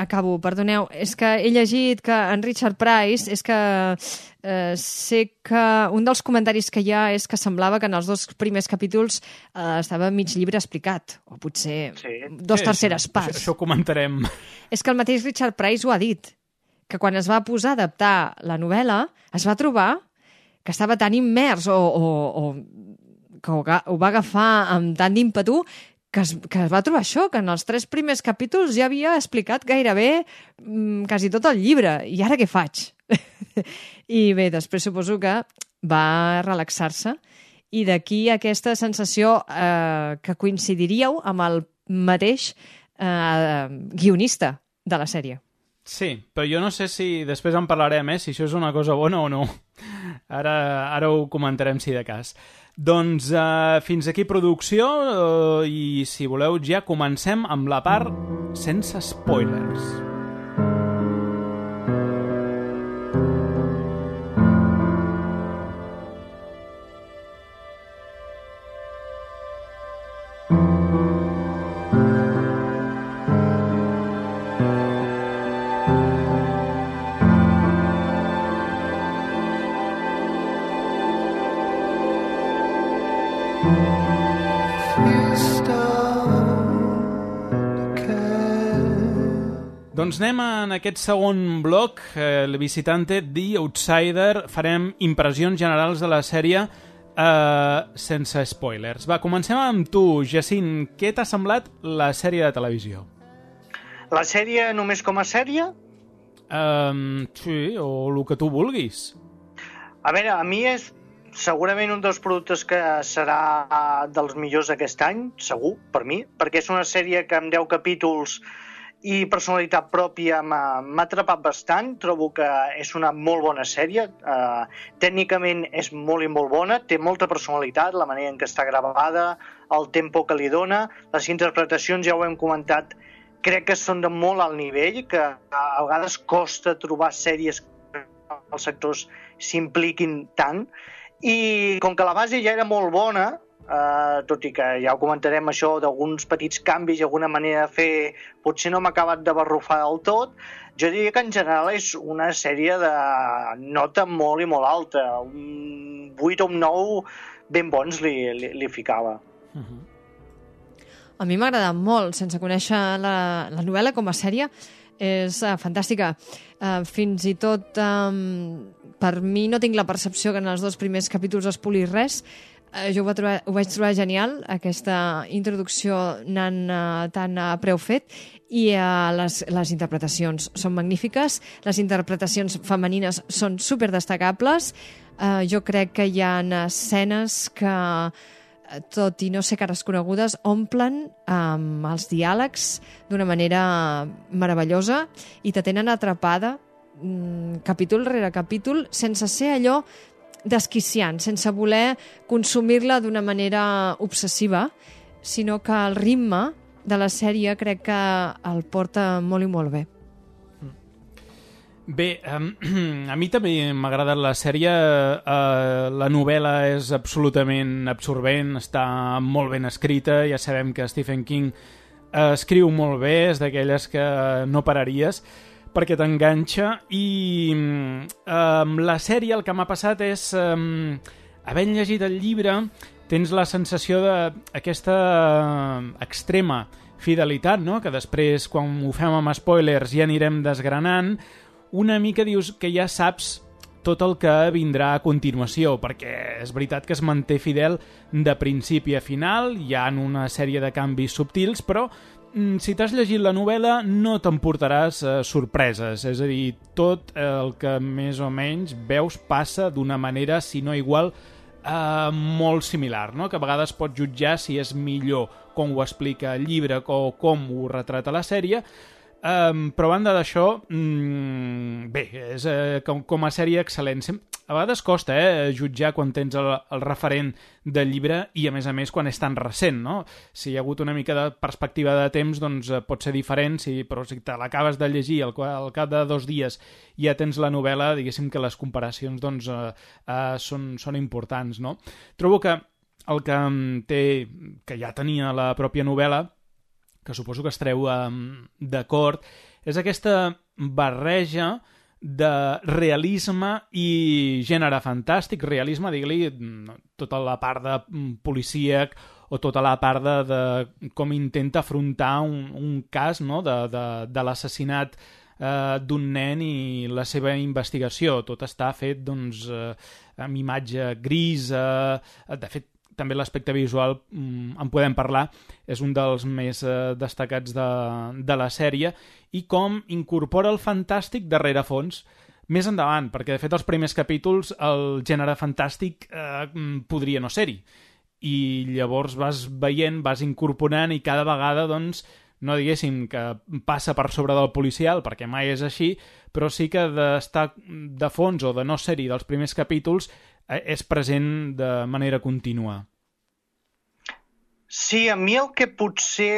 acabo, perdoneu, és que he llegit que en Richard Price, és que sé que un dels comentaris que hi ha és que semblava que en els 2 primers capítols estava mig llibre explicat, o potser 2 terceres parts. Això ho comentarem. És que el mateix Richard Price ho ha dit, que quan es va posar a adaptar la novel·la es va trobar que estava tan immers o que ho va agafar amb tant d'ímpetu que es va trobar això, que en els 3 primers capítols ja havia explicat gairebé quasi tot el llibre. I ara què faig? I bé, després suposo que va relaxar-se i d'aquí aquesta sensació que coincidiríeu amb el mateix guionista de la sèrie. Sí, però jo no sé si després en parlarem, si això és una cosa bona o no. Ara ho comentarem si de cas. Doncs fins aquí producció i si voleu ja comencem amb la part sense spoilers. Doncs anem en aquest segon bloc, el Visitante, The Outsider. Farem impressions generals de la sèrie sense spoilers. Va, comencem amb tu, Jacint. Què t'ha semblat la sèrie de televisió? La sèrie només com a sèrie? Sí, o el que tu vulguis. A veure, a mi és segurament un dels productes que serà dels millors d'aquest any, segur, per mi, perquè és una sèrie que amb 10 capítols i personalitat pròpia m'ha atrapat bastant. Trobo que és una molt bona sèrie. Tècnicament és molt i molt bona, té molta personalitat, la manera en què està gravada, el tempo que li dona, les interpretacions, ja ho hem comentat, crec que són de molt alt nivell, que a vegades costa trobar sèries que els sectors s'impliquin tant, i com que la base ja era molt bona, tot i que ja ho comentarem això d'alguns petits canvis i alguna manera de fer potser no m'ha acabat de barrufar del tot, jo diria que en general és una sèrie de nota molt i molt alta, un 8 o un 9 ben bons li ficava. A mi m'ha agradat molt, sense conèixer la novel·la com a sèrie, és fantàstica. Fins i tot per mi no tinc la percepció que en els 2 primers capítols es poli res. Jo ho vaig trobar genial, aquesta introducció anant tan a preu fet, i les interpretacions són magnífiques, les interpretacions femenines són superdestacables. Jo crec que hi ha escenes que, tot i no ser cares conegudes, omplen amb els diàlegs d'una manera meravellosa i te tenen atrapada capítol rere capítol sense ser allò desquiciant, sense voler consumir-la d'una manera obsessiva, sinó que el ritme de la sèrie crec que el porta molt i molt bé. Bé, a mi també m'ha agradat la sèrie. La novel·la és absolutament absorbent, està molt ben escrita. Ja sabem que Stephen King escriu molt bé, és d'aquelles que no pararies perquè t'enganxa, i amb la sèrie el que m'ha passat és, havent llegit el llibre, tens la sensació d'aquesta extrema fidelitat, no? Que després, quan ho fem amb spoilers, ja anirem desgranant, una mica dius que ja saps tot el que vindrà a continuació, perquè és veritat que es manté fidel de principi a final, hi ha una sèrie de canvis subtils, però si t'has llegit la novel·la no t'emportaràs sorpreses, és a dir, tot el que més o menys veus passa d'una manera, si no igual, molt similar, no? Que a vegades pots jutjar si és millor com ho explica el llibre o com ho retrata la sèrie, però a banda d'això, bé, és com a sèrie excel·lent. A vegades costa jutjar quan tens el referent del llibre i, a més, quan és tan recent, no? Si hi ha hagut una mica de perspectiva de temps, doncs pot ser diferent, però si te l'acabes de llegir al cap de 2 dies ja tens la novel·la, diguéssim que les comparacions doncs, són importants, no? Trobo que el que té, que ja tenia la pròpia novel·la, que suposo que estareu d'acord, és aquesta barreja de realisme i gènere fantàstic. Realisme, digue-li, tota la part de policíac o tota la part de com intenta afrontar un cas, no? de l'assassinat d'un nen i la seva investigació. Tot està fet doncs, amb imatge grisa, de fet, també l'aspecte visual, en podem parlar, és un dels més destacats de la sèrie, i com incorpora el fantàstic de rerefons més endavant, perquè de fet els primers capítols el gènere fantàstic podria no ser-hi, i llavors vas veient, vas incorporant, i cada vegada doncs, no diguéssim que passa per sobre del policial, perquè mai és així, però sí que d'estar de fons o de no ser-hi dels primers capítols és present de manera contínua. Sí, a mi el que potser...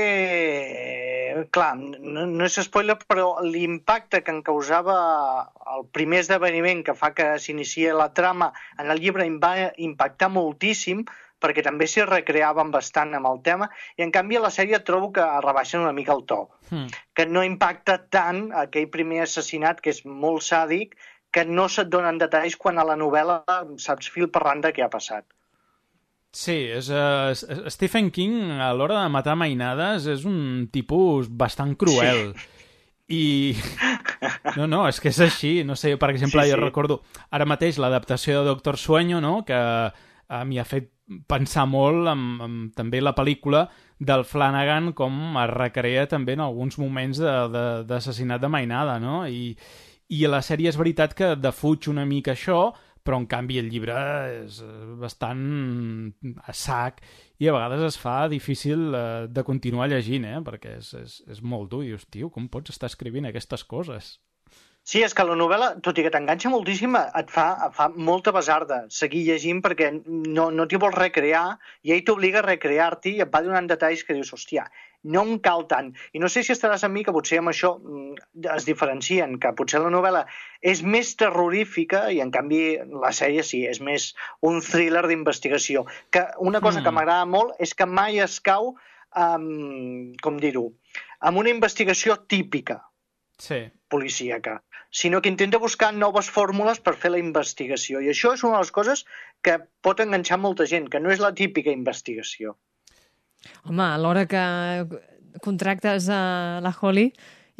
Clar, no és spoiler, però l'impacte que em causava el primer esdeveniment que fa que s'inicia la trama en el llibre em va impactar moltíssim, perquè també s'hi recreaven bastant amb el tema, i en canvi a la sèrie trobo que rebaixen una mica el to, que no impacta tant aquell primer assassinat, que és molt sàdic, que no se't donen detalls quan a la novel·la saps fil per randa què ha passat. Sí, Stephen King a l'hora de matar mainades és un tipus bastant cruel. Sí. I... No, és que és així. No sé, per exemple, jo recordo ara mateix l'adaptació de Doctor Sueño, no? Que m'hi ha fet pensar molt amb també la pel·lícula del Flanagan, com es recrea també en alguns moments d'assassinat de mainada, no? I a la sèrie és veritat que defuig una mica això, però en canvi el llibre és bastant a sac i a vegades es fa difícil de continuar llegint, perquè és molt dur. I dius, tio, com pots estar escrivint aquestes coses? Sí, és que la novel·la, tot i que t'enganxa moltíssim, et fa molta besarda seguir llegint perquè no t'hi vols recrear i ell t'obliga a recrear-t'hi i et va donant detalls que dius, hòstia, no em cal tant. I no sé si estaràs amb mi que potser amb això es diferencien, que potser la novel·la és més terrorífica i en canvi la sèrie sí, és més un thriller d'investigació. Que una cosa que m'agrada molt és que mai es cau, com dir-ho, amb una investigació típica policíaca, sinó que intenta buscar noves fórmules per fer la investigació. I això és una de les coses que pot enganxar molta gent, que no és la típica investigació. Home, a l'hora que contractes a la Holly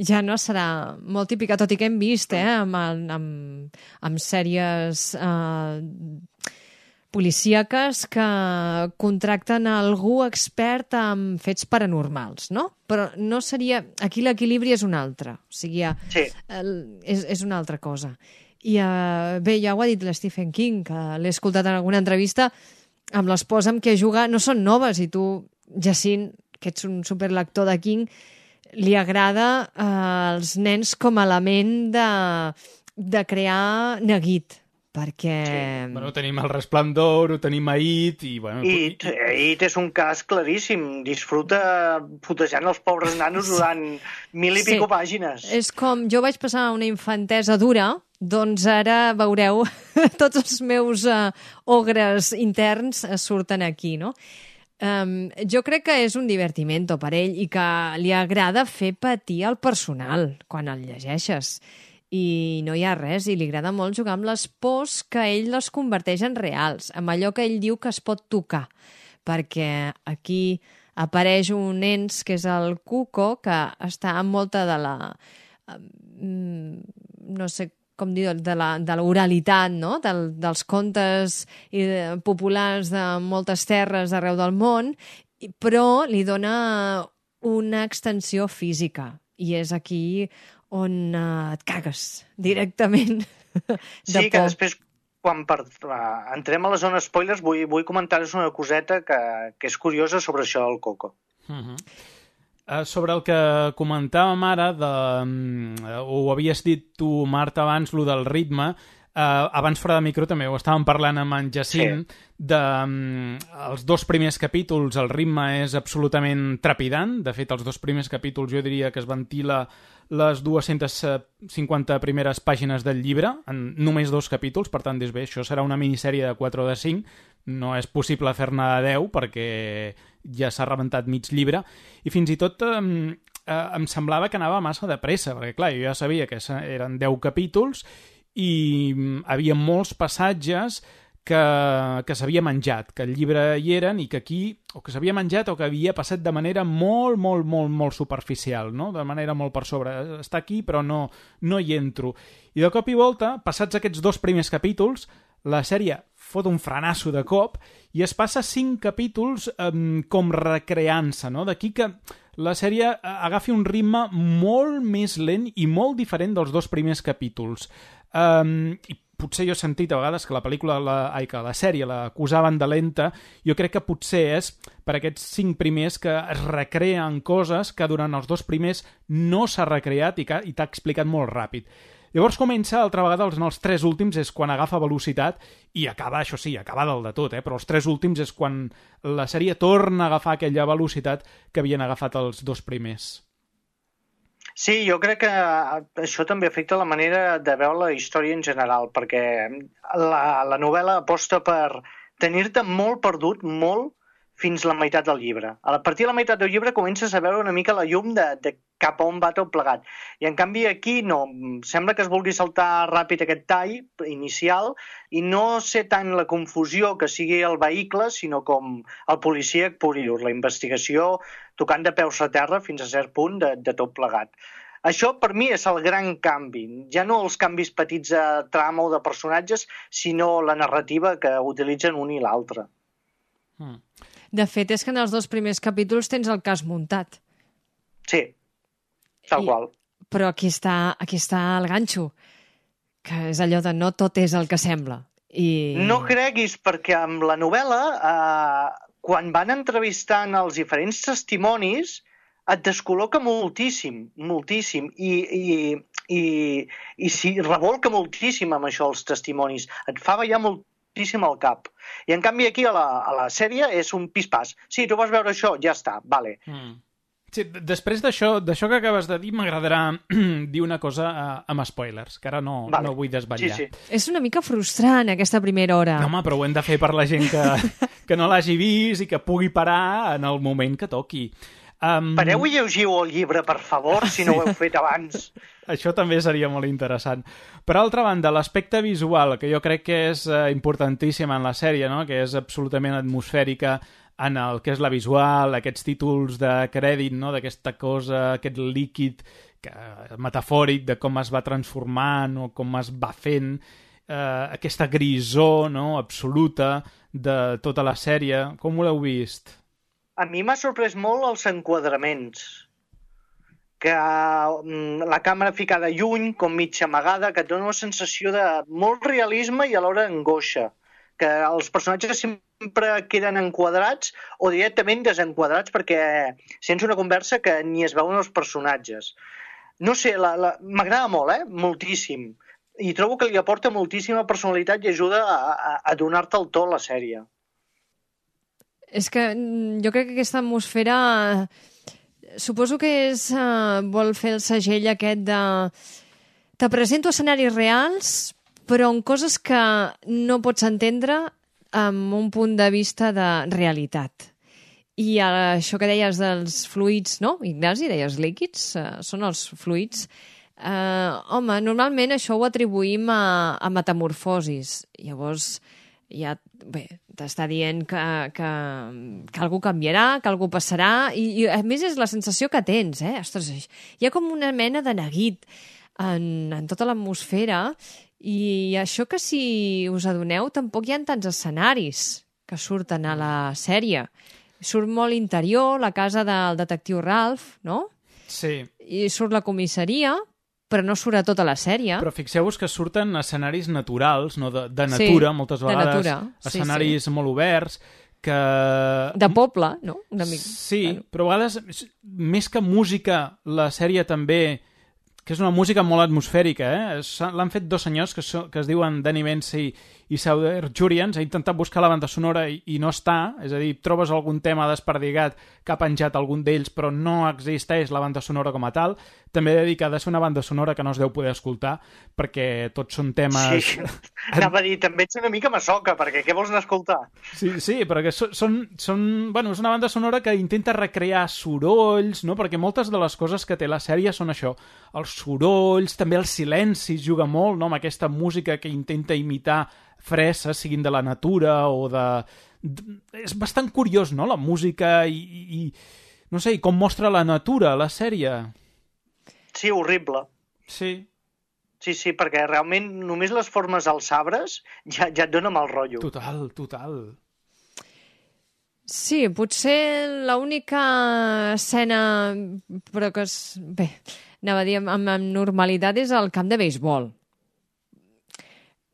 ja no serà molt típica, tot i que hem vist amb sèries policíaques que contracten algú expert en fets paranormals, no? Però no seria... Aquí l'equilibri és un altre, o sigui, és una altra cosa. I bé, ja ho ha dit l'Stephen King, que l'he escoltat en alguna entrevista, amb l'esposa amb què juga no són noves, i tu, Jacint, que ets un superlector de King, li agrada als nens com a element de crear neguit, perquè... Sí. Bueno, tenim El Resplendor, ho tenim a It, i... Bueno, It és un cas claríssim. Disfruta putejant els pobres nanos durant 1000 i pico pàgines. És com jo vaig passar una infantesa dura, doncs ara veureu tots els meus ogres interns surten aquí, no? Jo crec que és un divertimento per ell i que li agrada fer patir el personal quan el llegeixes. I no hi ha res, i li agrada molt jugar amb les pors que ell les converteix en reals, amb allò que ell diu que es pot tocar, perquè aquí apareix un ens que és el Cuco, que està amb molta de la... no sé com dir, de l'oralitat, no? Dels contes populars de moltes terres arreu del món, però li dona una extensió física, i és aquí on et cagues directament de sí, por. Que després, quan entrem a la zona spoilers, vull comentar-vos una coseta que és curiosa sobre això del Coco. Sobre el que comentàvem ara, ho havies dit tu, Marta, abans, lo del ritme, abans fora de micro també ho estàvem parlant amb en Jacint, els dos primers capítols el ritme és absolutament trepidant. De fet, els dos primers capítols jo diria que es ventila les 250 primeres pàgines del llibre en només 2 capítols, per tant, bé, això serà una minissèrie de 4 o de 5, no és possible fer-ne 10 perquè ja s'ha rebentat mig llibre, i fins i tot em semblava que anava massa de pressa, perquè clar, jo ja sabia que eren 10 capítols i havia molts passatges que s'havia menjat, que el llibre hi eren i que aquí, o que s'havia menjat o que havia passat de manera molt, molt, molt, molt superficial, no? De manera molt per sobre. Està aquí però no hi entro. I de cop i volta, passats aquests 2 primers capítols, la sèrie fot un frenasso de cop i es passa 5 capítols com recreant-se, no? D'aquí que la sèrie agafi un ritme molt més lent i molt diferent dels 2 primers capítols. I potser jo he sentit a vegades que que la sèrie l'acusaven de lenta. Jo crec que potser és per aquests 5 primers que es recreen coses que durant els 2 primers no s'ha recreat i t'ha explicat molt ràpid. Llavors comença, altra vegada, en els 3 últims és quan agafa velocitat i acaba, això sí, acaba del de tot, però els 3 últims és quan la sèrie torna a agafar aquella velocitat que havien agafat els 2 primers. Sí, jo crec que això també afecta la manera de veure la història en general, perquè la novel·la aposta per tenir-te molt perdut, molt, fins la meitat del llibre. A partir de la meitat del llibre comences a veure una mica la llum de cap a on va tot plegat. I en canvi aquí no, sembla que es vulgui saltar ràpid aquest tall inicial i no sé tant la confusió que sigui el vehicle, sinó com el policíac pur i dur, la investigació tocant de peus a terra fins a cert punt de tot plegat. Això per mi és el gran canvi, ja no els canvis petits de trama o de personatges, sinó la narrativa que utilitzen un i l'altre. De fet, és que en els 2 primers capítols tens el cas muntat. Sí, tal qual. Però aquí està el ganxo, que és allò de no tot és el que sembla. No creguis, perquè amb la novel·la, quan van entrevistant els diferents testimonis, et descol·loca moltíssim, moltíssim, i s'hi revolca moltíssim amb això els testimonis. Et fa ballar moltíssim al cap. I en canvi aquí a la sèrie és un pis-pas. Sí, tu vas veure això, ja està, vale. Sí, després d'això que acabes de dir, m'agradarà dir una cosa amb spoilers, que ara no vull desvetllar. Sí. És una mica frustrant aquesta primera hora. No, home, però ho hem de fer per la gent que no l'hagi vist i que pugui parar en el moment que toqui. Pareu i llegiu el llibre, per favor, si no ho heu fet abans. Això també seria molt interessant. Per altra banda, l'aspecte visual, que jo crec que és importantíssim en la sèrie, no? Que és absolutament atmosfèrica en el que és la visual, aquests títols de crèdit, no? D'aquesta cosa, aquest líquid metafòric de com es va transformant o com es va fent, aquesta grisor, no? Absoluta de tota la sèrie. Com ho l'heu vist? A mi m'ha sorprès molt els enquadraments, que la càmera ficada lluny, com mitja amagada, que et dona una sensació de molt realisme i alhora angoixa, que els personatges sempre queden enquadrats o directament desenquadrats perquè sents una conversa que ni es veuen els personatges. No sé, m'agrada molt, moltíssim. i trobo que li aporta moltíssima personalitat i ajuda a donar-te el to a la sèrie. És que jo crec que aquesta atmosfera... Suposo que vol fer el segell aquest de... Te presento escenaris reals, però en coses que no pots entendre amb un punt de vista de realitat. I això que deies dels fluids, no, Ignasi? Deies líquids? Són els fluids. Home, normalment això ho atribuïm a metamorfosis. Llavors, ja, bé, t'està dient que algú canviarà, que algú passarà, i a més és la sensació que tens, Ostres, hi ha com una mena de neguit en tota l'atmosfera, i això que, si us adoneu, tampoc hi ha tants escenaris que surten a la sèrie. Surt molt interior, la casa del detectiu Ralph, no? Sí. I surt la comissaria, però no surt a tota la sèrie. Però fixeu-vos que surten escenaris naturals, no? De natura, moltes vegades. De natura, escenaris molt oberts, que... De poble, no? Una mica. Sí, però a vegades, més que música, la sèrie també... que és una música molt atmosfèrica, L'han fet dos senyors que es diuen Danny Vance i Sauder Jurians. He intentat buscar la banda sonora i no està, és a dir, trobes algun tema desperdigat que ha penjat algun d'ells, però no existeix la banda sonora com a tal. També he de dir que ha de ser una banda sonora que no es deu poder escoltar, perquè tots són temes... Sí, anava a dir, també ets una mica massoca, perquè què vols anar a escoltar? Sí, perquè bueno, és una banda sonora que intenta recrear sorolls, no? Perquè moltes de les coses que té la sèrie són això, els sorolls, també el silenci juga molt, no? Amb aquesta música que intenta imitar freses, siguin de la natura o de... És bastant curiós, no?, la música i no sé, i com mostra la natura, la sèrie. Sí, horrible. Sí. Sí, perquè realment només les formes als arbres ja et dona mal rotllo. Total. Sí, potser l'única escena, però que és... Bé, anava a dir amb normalitat, és el camp de beisbol.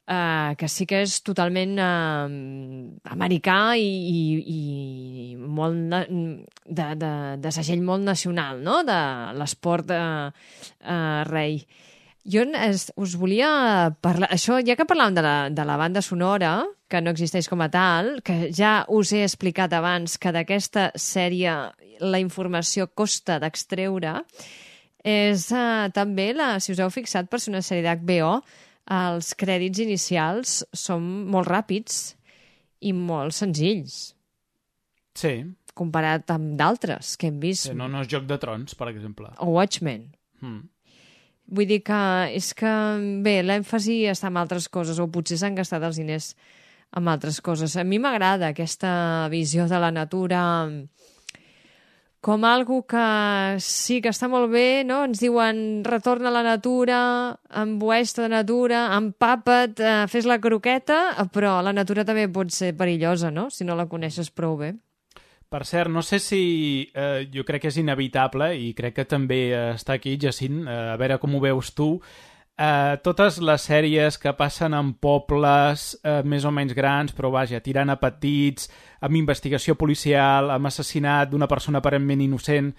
Que sí que és totalment americà i molt de segell molt nacional, no?, de l'esport rei. Jo us volia parlar... Això, ja que parlàvem de la banda sonora, que no existeix com a tal, que ja us he explicat abans que d'aquesta sèrie la informació costa d'extreure, és també, si us heu fixat, per ser una sèrie d'HBO, els crèdits inicials són molt ràpids i molt senzills. Sí. Comparat amb d'altres que hem vist. Sí, no és Joc de Trons, per exemple. O Watchmen. Vull dir que és que, bé, l'èmfasi està en altres coses, o potser s'han gastat els diners en altres coses. A mi m'agrada aquesta visió de la natura com algo que sí que està molt bé, no? Ens diuen retorna a la natura, embueix-te de natura, empapa't, fes la croqueta, però la natura també pot ser perillosa, no?, si no la coneixes prou bé. Per cert, no sé si... jo crec que és inevitable, i crec que també està aquí, Jacint, a veure com ho veus tu. Totes les sèries que passen en pobles més o menys grans, però vaja, tirant a petits, amb investigació policial, amb assassinat d'una persona aparentment innocent,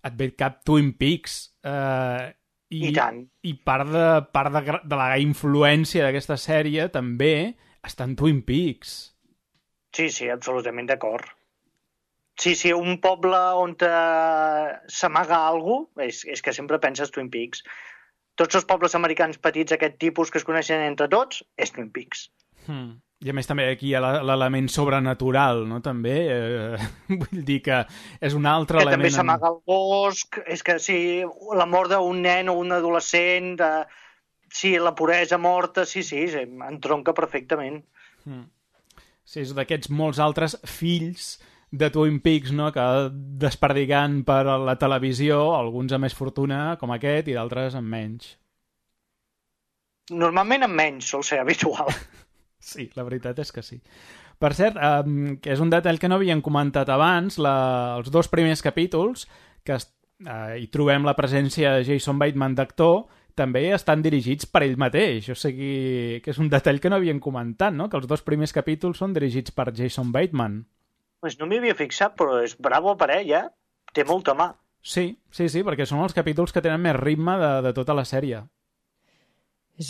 et ve cap Twin Peaks. I tant. I part de la influència d'aquesta sèrie també està en Twin Peaks. Sí, absolutament d'acord. Sí, un poble on s'amaga alguna cosa, és que sempre penses Twin Peaks. Tots els pobles americans petits, aquest tipus que es coneixen entre tots, és Twin Peaks. I a més també aquí hi ha l'element sobrenatural, no?, també. Vull dir que és un altre element... Que també s'amaga al bosc, és que sí, la mort d'un nen o un adolescent, sí, la puresa morta, sí, entronca perfectament. Sí, és d'aquests molts altres fills de Twin Peaks, no?, que desperdigant per la televisió, alguns amb més fortuna, com aquest, i d'altres amb menys. Normalment amb menys, sol ser habitual. Sí, la veritat és que sí. Per cert, que és un detall que no havíem comentat abans, els dos primers capítols, que hi trobem la presència de Jason Bateman d'actor, també estan dirigits per ell mateix. O sigui, que és un detall que no havíem comentat, no?, que els dos primers capítols són dirigits per Jason Bateman. Pues no m'hi havia fixat, però és bravo per ell, Té molta mà. Sí, perquè són els capítols que tenen més ritme de tota la sèrie.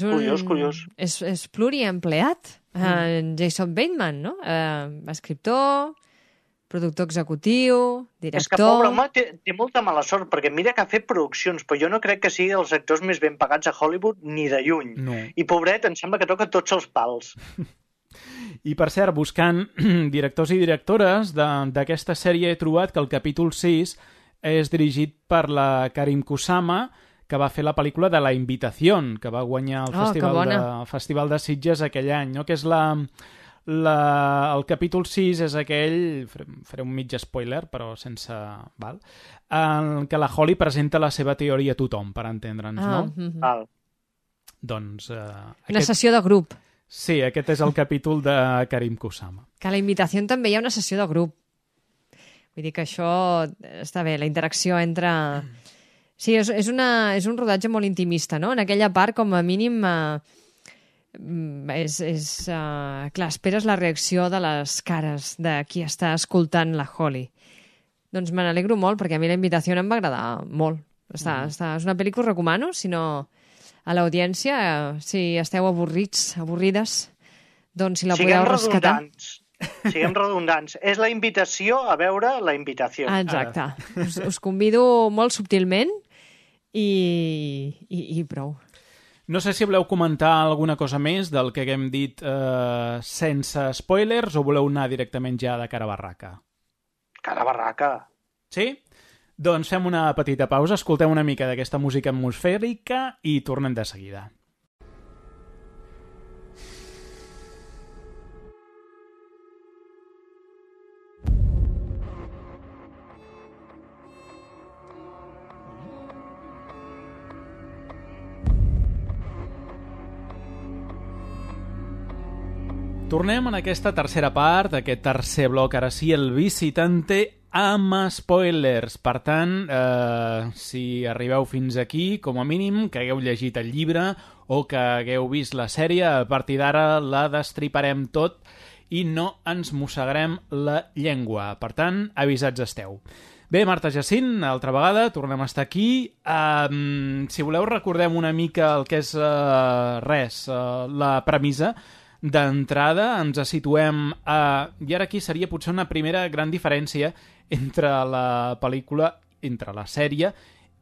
Curiós. És pluriempleat. Jason Bateman, no? Escriptor, productor executiu, director... És que, pobre home, té molta mala sort, perquè mira que ha fet produccions, però jo no crec que sigui dels actors més ben pagats a Hollywood ni de lluny. No. I, pobret, em sembla que toca tots els pals. I, per cert, buscant directors i directores d'aquesta sèrie he trobat que el capítol 6 és dirigit per la Karim Kusama, que va fer la pel·lícula de La Invitación, que va guanyar el Festival de Sitges aquell any, no? Que és el capítol 6 és aquell, faré un mig spoiler, però sense... Val? En què la Holly presenta la seva teoria a tothom, per entendre'ns, no? Val. Doncs... Una sessió de grup. Sí, aquest és el capítol de Karim Kusama. Que a La Invitació també hi ha una sessió de grup. Vull dir que això està bé, la interacció entre... Sí, és un rodatge molt intimista, no? En aquella part, com a mínim... clar, esperes la reacció de les cares de qui està escoltant la Holly. Doncs me n'alegro molt, perquè a mi La Invitació em va agradar molt. És una pel·li que us recomano, si no a l'audiència, si esteu avorrides, doncs si la podeu rescatar. Siguem redundants. És la invitació a veure La Invitació. Exacte. Us convido molt subtilment i prou. No sé si voleu comentar alguna cosa més del que haguem dit sense spoilers o voleu anar directament ja de cara a barraca? Cara a barraca. Sí? Doncs fem una petita pausa, escoltem una mica d'aquesta música atmosfèrica i tornem de seguida. Tornem en aquesta tercera part, aquest tercer bloc, ara sí, el visitante amb spoilers. Per tant, si arribeu fins aquí, com a mínim, que hagueu llegit el llibre o que hagueu vist la sèrie, a partir d'ara la destriparem tot i no ens mossegarem la llengua. Per tant, avisats esteu. Bé, Marta Jacint, altra vegada, tornem a estar aquí. Si voleu, recordem una mica el que és la premissa. D'entrada ens situem i ara aquí seria potser una primera gran diferència entre la pel·lícula, entre la sèrie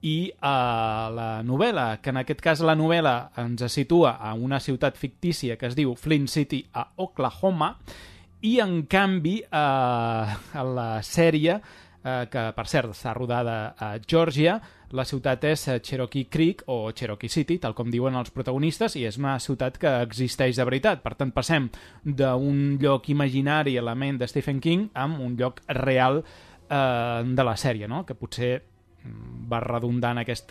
i la novel·la, que en aquest cas la novel·la ens situa a una ciutat fictícia que es diu Flint City a Oklahoma i en canvi a la sèrie, que per cert està rodada a Georgia, la ciutat és Cherokee Creek o Cherokee City, tal com diuen els protagonistes, i és una ciutat que existeix de veritat. Per tant, passem d'un lloc imaginari a la ment de Stephen King a un lloc real de la sèrie, no? Que potser va redundar en aquest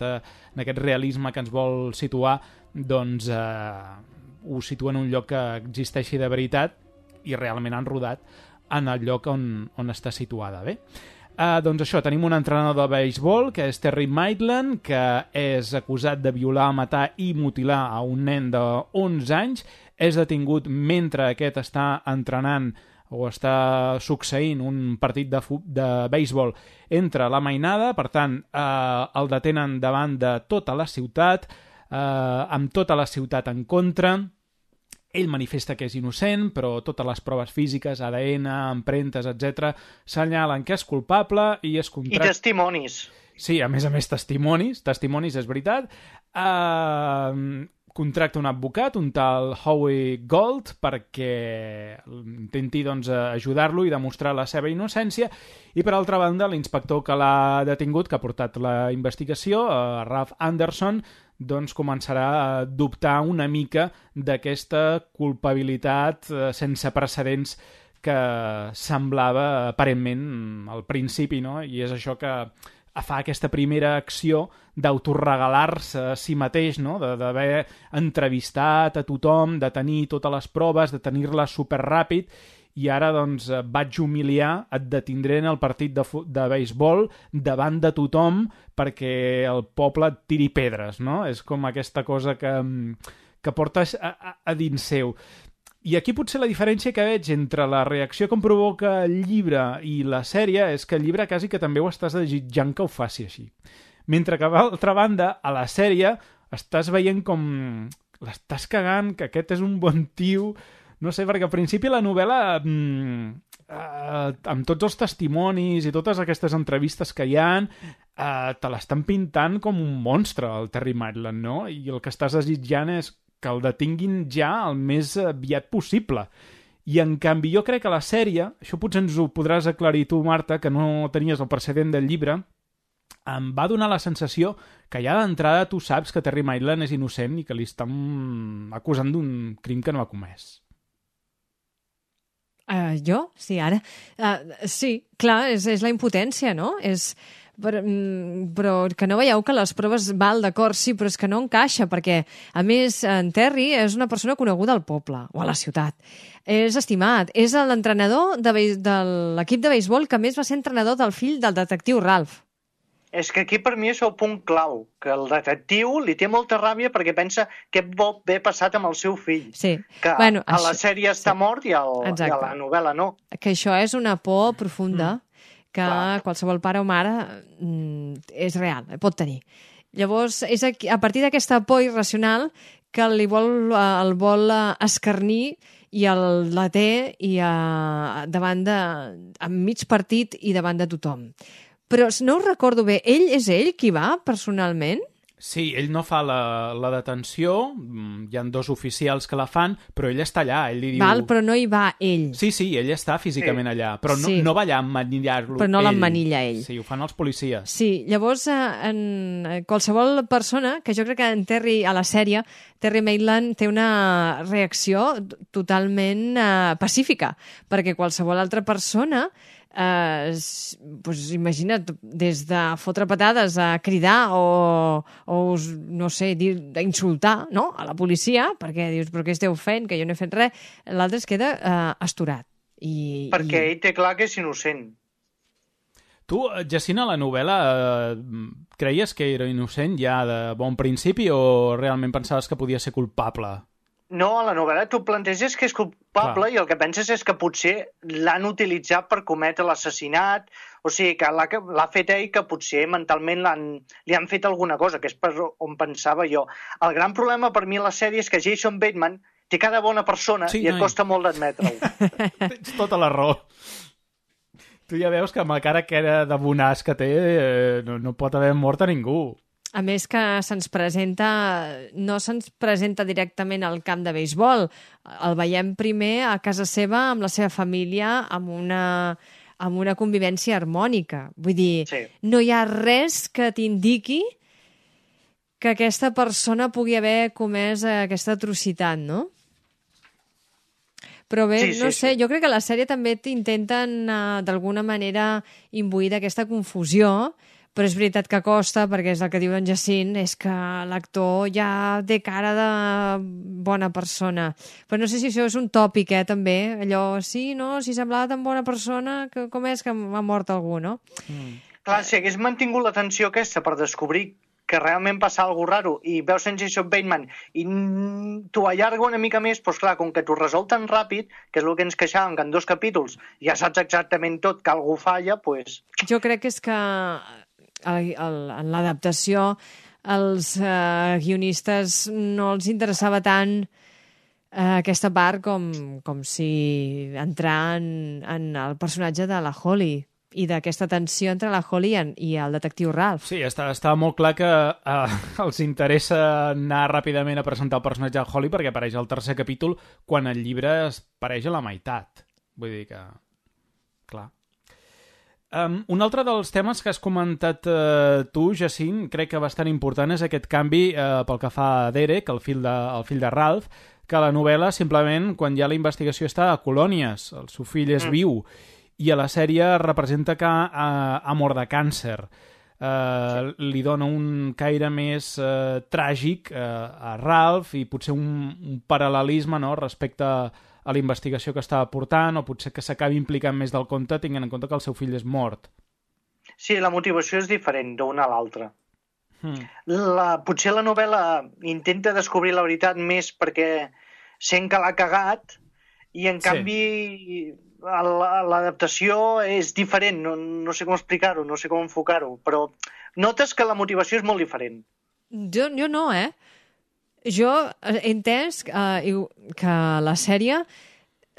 realisme que ens vol situar, doncs ho situa en un lloc que existeixi de veritat i realment han rodat en el lloc on està situada, bé? Doncs això, tenim un entrenador de béisbol, que és Terry Maitland, que és acusat de violar, matar i mutilar a un nen de 11 anys. És detingut mentre aquest està entrenant o està succeint un partit de béisbol entre la mainada. Per tant, el detenen davant de tota la ciutat, amb tota la ciutat en contra. Ell manifesta que és innocent, però totes les proves físiques, ADN, empremtes, etc., senyalen que és culpable i es contracta... I testimonis. Sí, a més testimonis és veritat. Contracta un advocat, un tal Howie Gold, perquè intenti ajudar-lo i demostrar la seva innocència. I, per altra banda, l'inspector que l'ha detingut, que ha portat la investigació, Ralph Anderson, doncs començarà a dubtar una mica d'aquesta culpabilitat sense precedents que semblava aparentment al principi, no? I és això que fa aquesta primera acció d'autoregalar-se a si mateix, no? D'haver entrevistat a tothom, de tenir totes les proves, de tenir-les superràpid, i ara doncs vaig humiliar, et detindré en el partit de béisbol davant de tothom perquè el poble et tiri pedres, no? És com aquesta cosa que portes a dins seu. I aquí potser la diferència que veig entre la reacció que em provoca el llibre i la sèrie és que el llibre quasi que també ho estàs desitjant que ho faci així. Mentre que, d'altra banda, a la sèrie estàs veient com l'estàs cagant, que aquest és un bon tio... No sé, perquè al principi la novel·la, amb tots els testimonis i totes aquestes entrevistes que hi ha, te l'estan pintant com un monstre, el Terry Maitland, no? I el que estàs desitjant és que el detinguin ja el més aviat possible. I, en canvi, jo crec que la sèrie, això potser ens ho podràs aclarir tu, Marta, que no tenies el precedent del llibre, em va donar la sensació que ja d'entrada tu saps que Terry Maitland és innocent i que li estan acusant d'un crim que no ha comès. Jo? Sí, ara. Sí, clar, és la impotència, no? Però que no veieu que les proves val d'acord, sí, però és que no encaixa, perquè, a més, en Terry és una persona coneguda al poble o a la ciutat. És estimat. És l'entrenador de l'equip de béisbol que més va ser entrenador del fill del detectiu Ralph. És que aquí per mi és el punt clau, que el detectiu li té molta ràbia perquè pensa què pot haver passat amb el seu fill. Sí. Que bueno, a la sèrie està mort i a la novel·la no. Que això és una por profunda que qualsevol pare o mare és real, pot tenir. Llavors, és a partir d'aquesta por irracional que el vol escarnir i la té enmig partit i davant de tothom. Però no ho recordo bé, és ell qui va personalment? Sí, ell no fa la detenció, hi ha 2 oficials que la fan, però ell està allà, ell li diu... Val, però no hi va ell. Sí, ell està físicament allà, però no va allà a emmanillar-lo ell. Però no l'emmanilla ell. Sí, ho fan els policies. Sí, llavors, en qualsevol persona, que jo crec que en Terry, a la sèrie, Terry Maitland té una reacció totalment pacífica, perquè qualsevol altra persona... imagina't, des de fotre patades a cridar o no sé, d'insultar, no?, a la policia, perquè dius, però què esteu fent, que jo no he fet res, l'altre es queda astorat. Perquè ell té clar que és innocent. Tu, Jacint, a la novel·la creies que era innocent ja de bon principi o realment pensaves que podia ser culpable? No, a la novel·la tu planteges que és culpable i el que penses és que potser l'han utilitzat per cometre l'assassinat, o sigui, que l'ha fet ell, que potser mentalment li han fet alguna cosa, que és per on pensava jo. El gran problema per mi a la sèrie és que Jason Bateman té cara de bona persona i et costa molt d'admetre-ho. Tens tota la raó. Tu ja veus que amb la cara que era de bonàs que té no pot haver mort a ningú. A més que no se'ns presenta directament al camp de béisbol. El veiem primer a casa seva, amb la seva família, amb una convivència harmònica. Vull dir, no hi ha res que t'indiqui que aquesta persona pugui haver comès aquesta atrocitat, no? Però bé, no sé, jo crec que la sèrie també t'intenten d'alguna manera imbuir d'aquesta confusió, però és veritat que costa, perquè és el que diu en Jacint, és que l'actor ja té cara de bona persona. Però no sé si això és un tòpic, també, allò, sí, no, si semblava tan bona persona, com és que ha mort algú, no? Clar, si hagués mantingut l'atenció aquesta per descobrir que realment passa alguna raro i veus en Jason Bateman i t'ho allarga una mica més, doncs clar, com que t'ho resol tan ràpid, que és el que ens queixàvem, que en 2 capítols ja saps exactament tot, que algú falla, doncs... Jo crec que és que en l'adaptació els guionistes no els interessava tant aquesta part com si entrar en el personatge de la Holly i d'aquesta tensió entre la Holly i el detectiu Ralph. Sí, està molt clar que els interessa anar ràpidament a presentar el personatge de Holly perquè apareix al 3è capítol quan el llibre apareix a la meitat. Vull dir que... Clar. Un altre dels temes que has comentat tu, Jacint, crec que bastant important és aquest canvi pel que fa a Derek, el fill de Ralph, que a la novel·la simplement quan hi ha la investigació està a colònies, el seu fill és viu, i a la sèrie representa que ha mort de càncer. Li dona un caire més tràgic a Ralph i potser un paral·lelisme, no?, respecte a la investigació que estava portant, o potser que s'acabi implicant més del compte, tinguent en compte que el seu fill és mort. Sí, la motivació és diferent d'una a l'altra. Potser la novel·la intenta descobrir la veritat més perquè sent que l'ha cagat i, en canvi, l'adaptació és diferent. No sé com explicar-ho, no sé com enfocar-ho, però notes que la motivació és molt diferent. Jo no, Jo he entès que la sèrie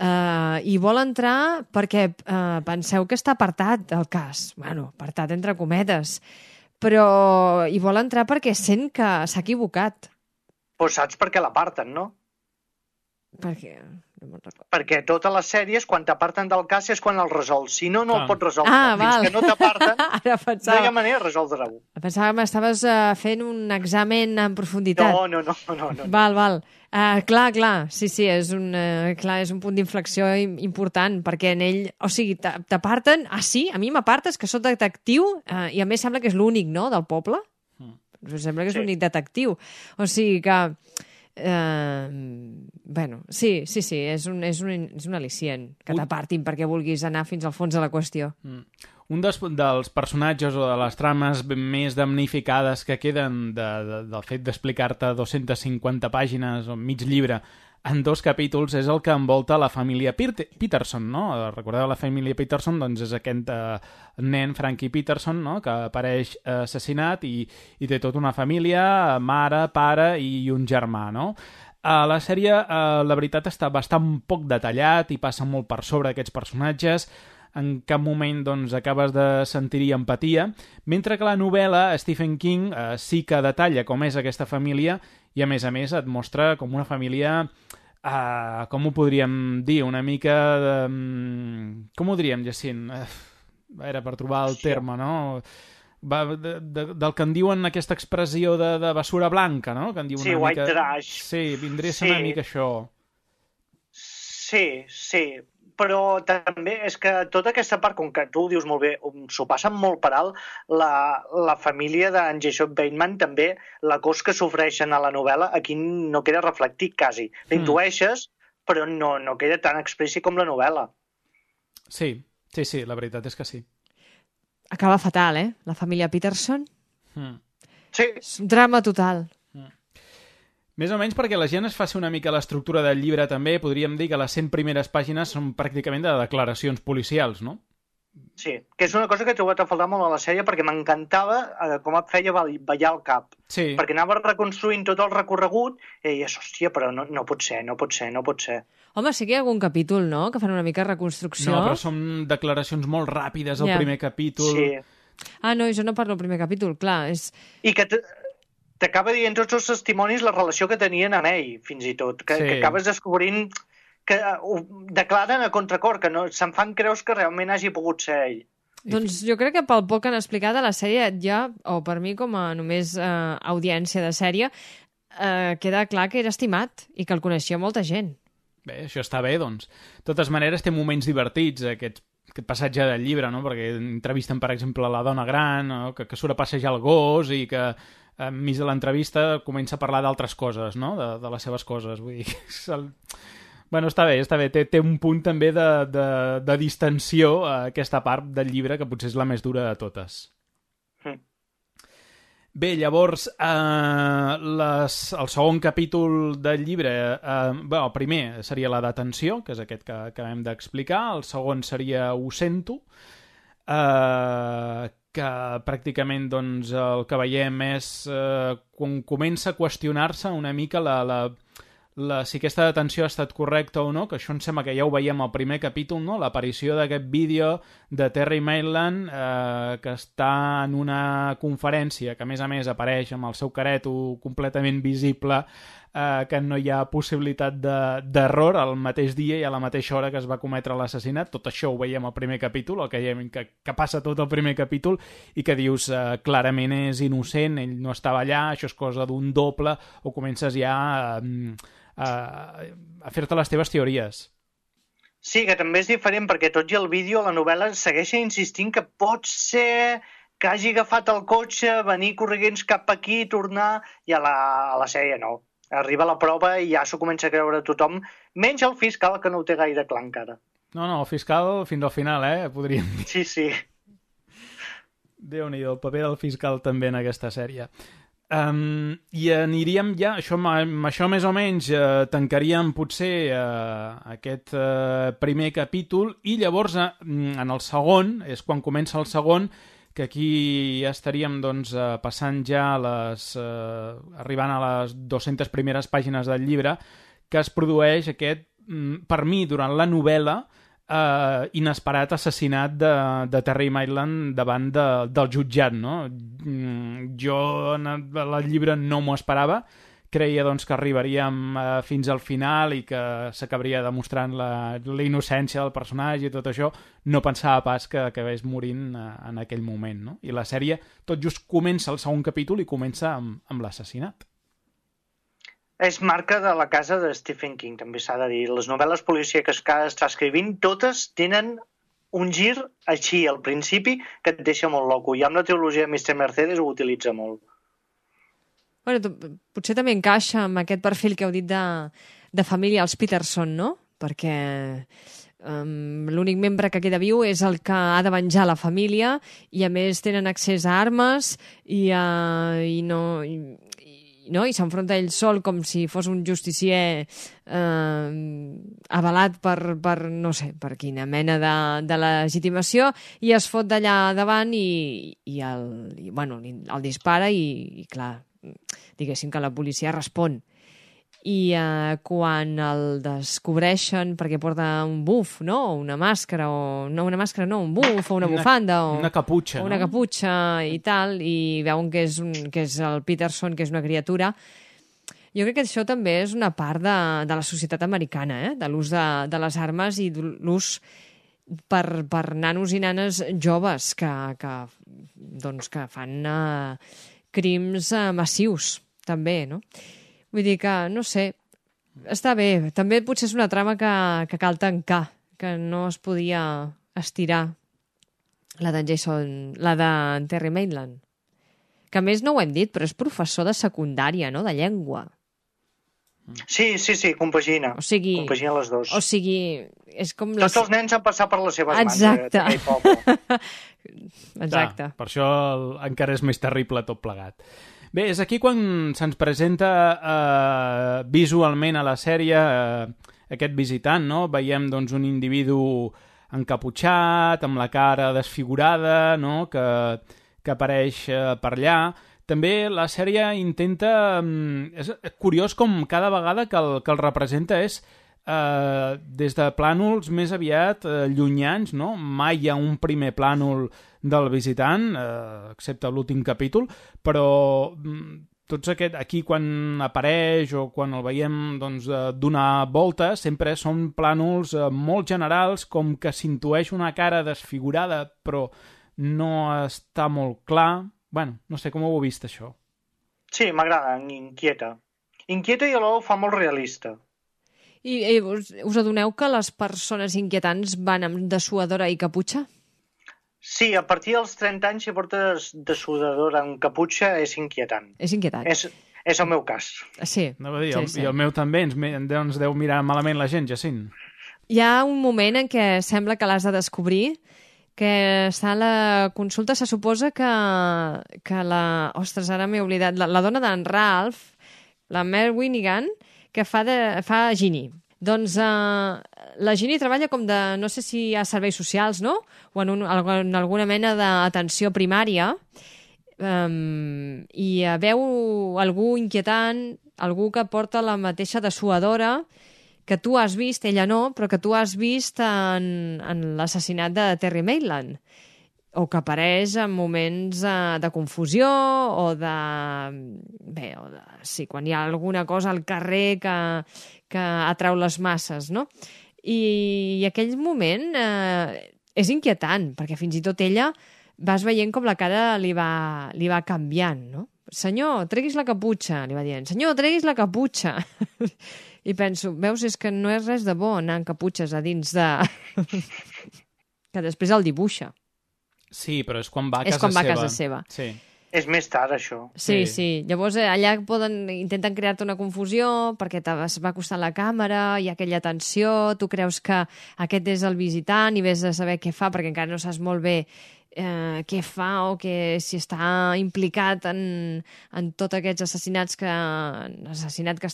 hi vol entrar perquè penseu que està apartat del cas. Bueno, apartat entre cometes. Però hi vol entrar perquè sent que s'ha equivocat. Pues saps per què l'aparten, no? Per què? No me'n recordo. Perquè totes les sèries, quan t'aparten del cas, és quan el resols. Si no, no el pots resoldre. val. Fins que no t'aparten, Ara no pensava, hi ha manera de resoldre-ho. pensava que m'estaves fent un examen en profunditat. No. Val. Clar, sí, és un punt d'inflexió important, perquè en ell, o sigui, t'aparten, sí, a mi m'apartes que soc detectiu, i a més sembla que és l'únic, no?, del poble. Sembla que és l'únic detectiu. O sigui que, bueno, sí, és un al·licient que t'apartin perquè vulguis anar fins al fons de la qüestió. Un dels personatges o de les trames més damnificades que queden del fet d'explicar-te 250 pàgines o mig llibre en 2 capítols és el que envolta la família Peterson, no? Recordeu la família Peterson? Doncs és aquest nen, Frankie Peterson, no?, que apareix assassinat i té tota una família, mare, pare i un germà, no? A la sèrie, la veritat, està bastant poc detallat i passa molt per sobre aquests personatges. En cap moment doncs, acabes de sentir-hi empatia, mentre que la novel·la Stephen King sí que detalla com és aquesta família i a més et mostra com una família, com ho podríem dir, una mica de... Com ho diríem, Jacint? Era per trobar el terme, no? Del que en diuen aquesta expressió de basura blanca, no? Que en diuen sí, una white mica... trash. Sí, vindria a ser una mica això. Sí. Però també és que tota aquesta part, com que tu ho dius molt bé, s'ho passen molt per alt, la família d'en Jason Bateman també, la cos que sofreixen a la novel·la, aquí no queda reflectit quasi. L'intueixes, però no queda tan explícit com la novel·la. Sí, la veritat és que sí. Acaba fatal, La família Peterson. Sí. És un drama total. Més o menys perquè la gent es faci una mica l'estructura del llibre també, podríem dir que les 100 primeres pàgines són pràcticament de declaracions policials, no? Sí, que és una cosa que he trobat a faltar molt a la sèrie perquè m'encantava com et feia ballar el cap. Sí. Perquè anava reconstruint tot el recorregut i deies, hòstia, però no pot ser. Home, sí que hi ha algun capítol, no?, que fan una mica de reconstrucció. No, però són declaracions molt ràpides al primer capítol. Sí. No, jo no parlo del primer capítol, clar. I que t'acaba dient tots els testimonis la relació que tenien amb ell, fins i tot. Que acabes descobrint que ho declaren a contracor, que no se'n fan creus que realment hagi pogut ser ell. Doncs jo crec que pel poc que han explicat a la sèrie ja, o per mi com a només audiència de sèrie, queda clar que era estimat i que el coneixia molta gent. Bé, això està bé, doncs. De totes maneres, té moments divertits, aquest passatge del llibre, no? Perquè entrevisten, per exemple, la dona gran, no? que surt a passejar el gos i que enmig de l'entrevista comença a parlar d'altres coses, no? De les seves coses. Vull dir, bueno, està bé. Té un punt també de distensió a aquesta part del llibre que potser és la més dura de totes. Bé, llavors, el segon capítol del llibre, el primer seria la detenció, que és aquest que acabem d'explicar, el segon seria Ho sento, que pràcticament doncs, el que veiem és quan comença a qüestionar-se una mica si aquesta detenció ha estat correcta o no, que això em sembla que ja ho veiem al primer capítol, no? L'aparició d'aquest vídeo de Terry Maitland que està en una conferència que a més apareix amb el seu careto completament visible, que no hi ha possibilitat d'error al mateix dia i a la mateixa hora que es va cometre l'assassinat. Tot això ho veiem al primer capítol, el que passa tot el primer capítol i que dius clarament és innocent, ell no estava allà, això és cosa d'un doble, o comences ja a fer-te les teves teories. Sí, que també és diferent perquè tot i el vídeo, la novel·la segueix insistint que pot ser que hagi agafat el cotxe, venir corrents cap aquí, tornar, i a la sèrie no. Arriba la prova i ja s'ho comença a creure tothom, menys el fiscal, que no ho té gaire clar encara. No, el fiscal fins al final, podríem dir. Sí. Déu-n'hi-do, el paper del fiscal també en aquesta sèrie. I aniríem ja, amb això més o menys tancaríem potser aquest primer capítol i llavors en el segon, és quan comença el segon, que aquí estaríem doncs, passant ja arribant a les 200 primeres pàgines del llibre, que es produeix aquest, per mi, durant la novel·la, inesperat assassinat de Terry Maitland davant del jutjat, no? Jo el llibre no m'ho esperava, creia doncs, que arribaríem fins al final i que s'acabaria demostrant la innocència del personatge i tot això. No pensava pas que acabés morint en aquell moment, no? I la sèrie tot just comença el segon capítol i comença amb l'assassinat. És marca de la casa de Stephen King, també s'ha de dir. Les novel·les policíaques que està escrivint, totes tenen un gir així al principi que et deixa molt loco. I amb la trilogia de Mr. Mercedes ho utilitza molt. Bueno, potser també encaixa amb aquest perfil que heu dit de família, els Peterson, no? Perquè l'únic membre que queda viu és el que ha de venjar la família i a més tenen accés a armes i s'enfronta ell sol com si fos un justicier avalat per no sé, per quina mena de legitimació, i es fot d'allà davant i el dispara i clar, diguéssim que la policia respon. I quan el descobreixen perquè porta un buf, no? O una màscara, un buf, o una bufanda, o una caputxa, una caputxa i tal, i veuen que és el Peterson, que és una criatura. Jo crec que això també és una part de la societat americana, de l'ús de les armes i l'ús per nanos i nanes joves que fan crims massius, també, no? Vull dir que, no sé, està bé. També potser és una trama que cal tancar, que no es podia estirar, la de Terry Maitland. Que a més no ho hem dit, però és professor de secundària, no?, de llengua. Sí, compagina. O sigui, compagina les dues. O sigui, és com... Tots els nens han passat per les seves mans. Exacte. Exacte. Per això encara és més terrible tot plegat. Bé, és aquí quan se'ns presenta visualment a la sèrie aquest visitant, no? Veiem doncs, un individu encaputxat, amb la cara desfigurada, no? que apareix per allà. També la sèrie intenta... És curiós com cada vegada que el representa és des de plànols més aviat llunyans, no? Mai hi ha un primer plànol del visitant, excepte l'últim capítol, però tots aquí quan apareix o quan el veiem doncs, donar voltes, sempre són plànols molt generals, com que s'intueix una cara desfigurada, però no està molt clar. Bueno, no sé com ho heu vist, això. Sí, m'agrada, inquieta. Inquieta i alhora ho fa molt realista. I us adoneu que les persones inquietants van amb dessuadora i caputxa? Sí, a partir dels 30 anys, si portes dessuadora amb caputxa, és inquietant. És inquietant. És el meu cas. Sí. No, dir, sí. I el meu també, ens deu mirar malament la gent, Jacint. Hi ha un moment en què sembla que l'has de descobrir, que està a la consulta, se suposa que la... Ostres, ara m'he oblidat. La dona d'en Ralph, la Mare Winnigan, que fa Ginny. Doncs la Ginny treballa com de, no sé si hi ha serveis socials, no? O en alguna mena d'atenció primària, i veu algú inquietant, algú que porta la mateixa dessuadora que tu has vist, ella no, però que tu has vist en l'assassinat de Terry Maitland, o que apareix en moments de confusió o de... Bé, sí, quan hi ha alguna cosa al carrer que atrau les masses, no? I aquell moment és inquietant, perquè fins i tot ella vas veient com la cara li va canviant, no? Senyor, treguis la caputxa, li va dient. Senyor, treguis la caputxa. I penso, veus, és que no és res de bo anar amb caputxes a dins de... que després el dibuixa. Sí, però és quan va a casa seva. Sí. És més tard, això. Sí. Llavors, allà intenten crear-te una confusió perquè va costant la càmera, hi ha aquella tensió, tu creus que aquest és el visitant i vés a saber què fa perquè encara no saps molt bé què fa o si està implicat en tots aquests assassinat que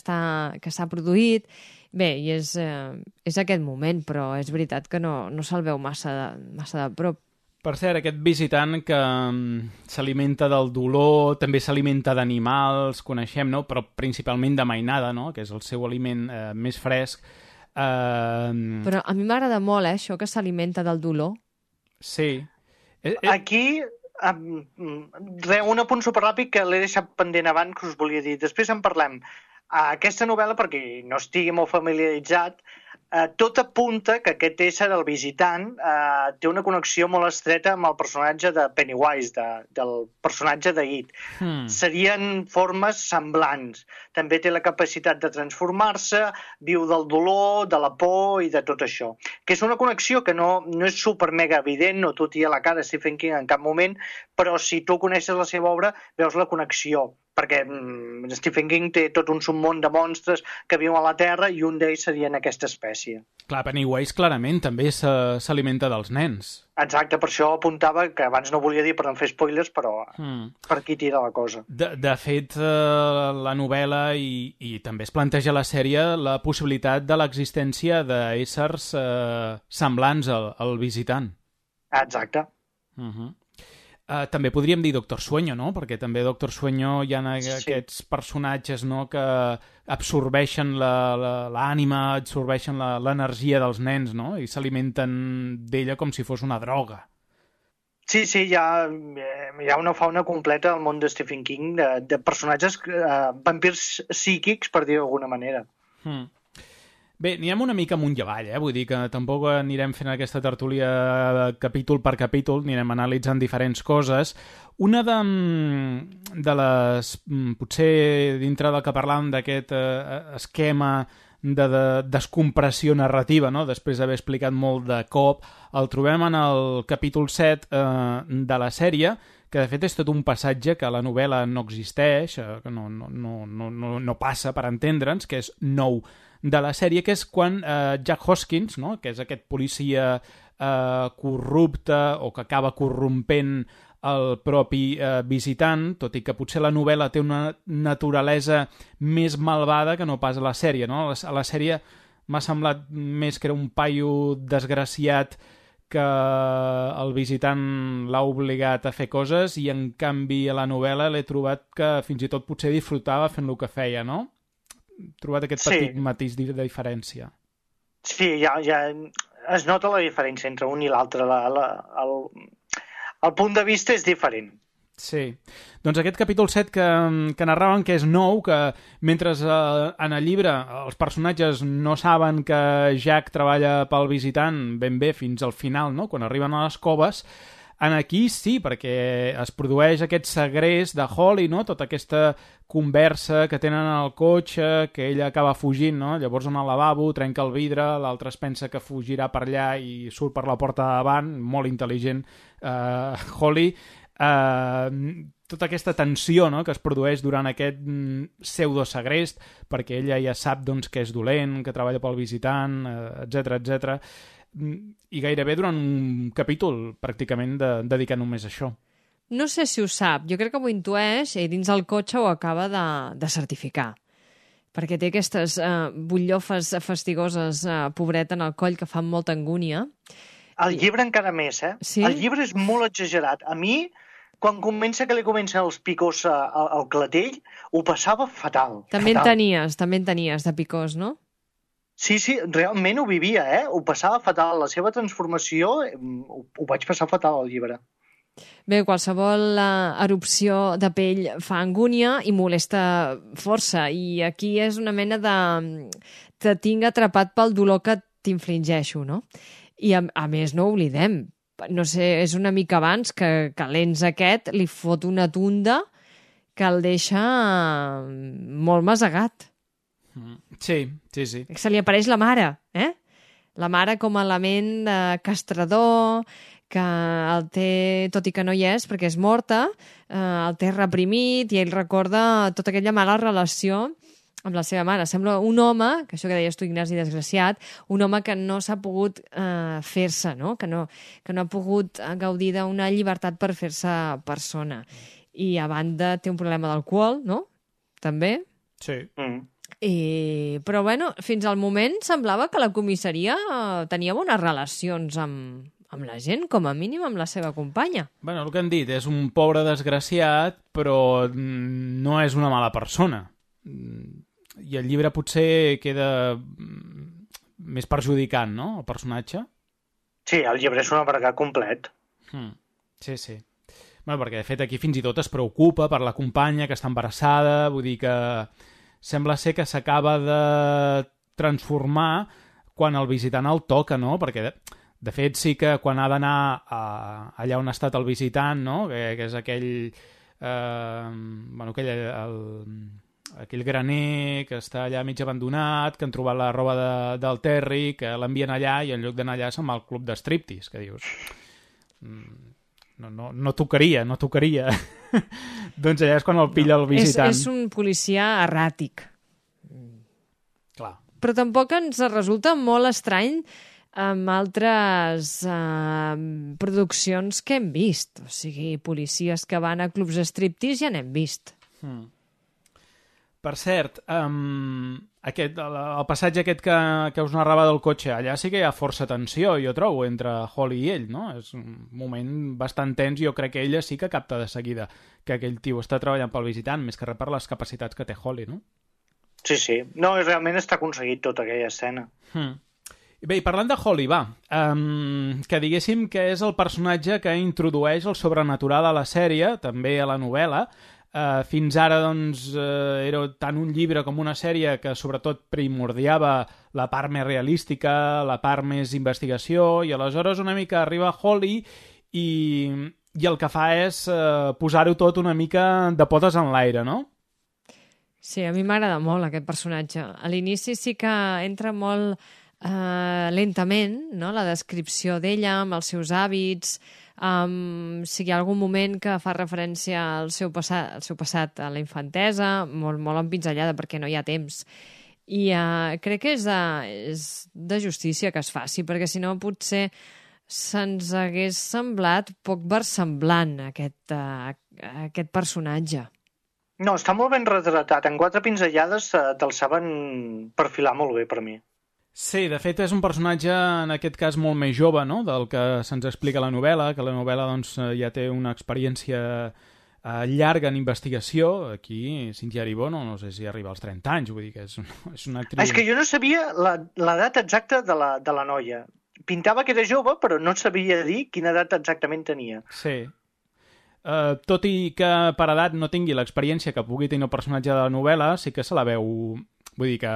s'ha produït. Bé, i és aquest moment, però és veritat que no se'l veu massa de prop. Per cert, aquest visitant que s'alimenta del dolor, també s'alimenta d'animals, coneixem, no? Però principalment de mainada, no? Que és el seu aliment més fresc. Però a mi m'agrada molt, això, que s'alimenta del dolor. Sí. Aquí, un apunt superràpid que l'he deixat pendent abans, que us volia dir. Després en parlem. Aquesta novel·la, perquè no estigui molt familiaritzat, tot apunta que aquest ésser, el visitant, té una connexió molt estreta amb el personatge de Pennywise, del personatge de It. Serien formes semblants. També té la capacitat de transformar-se, viu del dolor, de la por i de tot això. Que és una connexió que no és super mega evident, no t'ho tira a la cara Stephen King en cap moment, però si tu coneixes la seva obra, veus la connexió. Perquè Stephen King té tot un submón de monstres que viuen a la Terra i un d'ells seria en aquesta espècie. Clar, Pennywise clarament també s'alimenta dels nens. Exacte, per això apuntava, que abans no volia dir per no fer spoilers, però per aquí tira la cosa. De fet, la novel·la i també es planteja a la sèrie la possibilitat de l'existència d'éssers semblants al visitant. Exacte. També podríem dir Doctor Sueño, no? Perquè també a Doctor Sueño hi ha aquests personatges, no?, que absorbeixen l'ànima, absorbeixen l'energia dels nens, no? I s'alimenten d'ella com si fos una droga. Sí, hi ha una fauna completa al món de Stephen King, de personatges vampirs psíquics, per dir-ho d'alguna manera. Bé, anirem una mica amunt i avall, vull dir que tampoc anirem fent aquesta tertúlia capítol per capítol, anirem analitzant diferents coses. Una de les, potser dintre del que parlàvem d'aquest esquema de descompressió narrativa, no? Després d'haver explicat molt de cop, el trobem en el capítol 7 de la sèrie, que de fet és tot un passatge que a la novel·la no existeix, que no passa per entendre'ns, que és nou de la sèrie, que és quan Jack Hoskins, no?, que és aquest policia corrupte o que acaba corrompent el propi visitant, tot i que potser la novel·la té una naturalesa més malvada que no pas a la sèrie, no? A la sèrie m'ha semblat més que era un paio desgraciat que el visitant l'ha obligat a fer coses i en canvi a la novel·la l'he trobat que fins i tot potser disfrutava fent el que feia, no? He trobat aquest petit matís de diferència. Sí, ja es nota la diferència entre un i l'altre. El punt de vista és diferent. Sí. Doncs aquest capítol 7 que narraven que és nou, que mentre en el llibre els personatges no saben que Jack treballa pel visitant ben bé fins al final, no?, quan arriben a les coves, en aquí sí, perquè es produeix aquest segrest de Holly, no?, tota aquesta conversa que tenen al cotxe, que ella acaba fugint, no? Llavors en el lavabo trenca el vidre, l'altre es pensa que fugirà per allà i surt per la porta de davant, molt intel·ligent Holly. Tota aquesta tensió, no?, que es produeix durant aquest pseudosegrest, perquè ella ja sap, doncs, que és dolent, que treballa pel visitant, etc. I gairebé durant un capítol pràcticament dedicat només a això. No sé si ho sap, jo crec que ho intueix i dins el cotxe ho acaba de certificar, perquè té aquestes butllofes fastigoses, pobreta, en el coll que fan molta angúnia. El llibre encara més, Sí? El llibre és molt exagerat. A mi, quan comença que li comencen els picors al clatell, ho passava fatal. També en tenies de picors, no? Sí, realment ho vivia, ho passava fatal. La seva transformació ho vaig passar fatal al llibre. Bé, qualsevol erupció de pell fa angúnia i molesta força, i aquí és una mena de... te tinc atrapat pel dolor que t'infligeixo, no? I a més no oblidem, no sé, és una mica abans que l'ens aquest li fot una tunda que el deixa molt masegat. Sí. Se li apareix la mare, La mare com a element castrador, que el té, tot i que no hi és, perquè és morta, el té reprimit i ell recorda tota aquella mala relació amb la seva mare. Sembla un home, que això que deies tu, Ignasi, desgraciat, un home que no s'ha pogut fer-se, no? Que no ha pogut gaudir d'una llibertat per fer-se persona. I a banda té un problema d'alcohol, no? També. Sí. Però bueno, fins al moment semblava que la comissaria tenia bones relacions amb amb la gent, com a mínim amb la seva companya. Bueno, el que han dit és un pobre desgraciat, però no és una mala persona. I el llibre potser queda més perjudicant, no?, el personatge. Sí, el llibre és un amargat complet. Sí, sí. Bueno, perquè, de fet, aquí fins i tot es preocupa per la companya que està embarassada, vull dir que sembla ser que s'acaba de transformar quan el visitant el toca, no?, perquè de fet sí que quan ha d'anar allà on ha estat el visitant, no?, que és aquell aquell graner que està allà mig abandonat, que han trobat la roba del Terry, que l'envien allà i en lloc d'anar allà se'n va al club de striptease, que dius no tocaria doncs allà és quan el pilla el visitant. És un policia erràtic. Clar. Però tampoc ens resulta molt estrany amb altres produccions que hem vist. O sigui, policies que van a clubs de striptease ja n'hem vist. Per cert, el passatge aquest que us narrava del cotxe, allà sí que hi ha força tensió, jo trobo, entre Holly i ell, no? És un moment bastant tens, jo crec que ella sí que capta de seguida que aquell tio està treballant pel visitant, més que res per les capacitats que té Holly, no? Sí, sí. No, realment està aconseguit tota aquella escena. Bé, i parlant de Holly, que diguéssim que és el personatge que introdueix el sobrenatural a la sèrie, també a la novel·la. Fins ara, doncs, era tant un llibre com una sèrie que sobretot primordiava la part més realística, la part més investigació, i aleshores una mica arriba Holly i el que fa és posar-ho tot una mica de potes en l'aire, no? Sí, a mi m'agrada molt aquest personatge. A l'inici sí que entra molt lentament, no?, la descripció d'ella, amb els seus hàbits, si hi ha algun moment que fa referència al seu passat, a la infantesa, molt, molt empinzellada perquè no hi ha temps. I crec que és de justícia que es faci, perquè si no potser se'ns hagués semblat poc versemblant aquest personatge. No, està molt ben retratat. En 4 pinzellades te'l saben perfilar molt bé per mi. Sí, de fet és un personatge en aquest cas molt més jove, no?, del que se'ns explica a la novel·la, que la novel·la doncs, ja té una experiència llarga en investigació. Aquí Cynthia Erivo no sé si arriba als 30 anys, vull dir que és una actriu... És que jo no sabia l'edat exacta de la noia. Pintava que era jove, però no sabia dir quina edat exactament tenia. Sí. Tot i que per edat no tingui l'experiència que pugui tenir el personatge de la novel·la, sí que se la veu... Vull dir que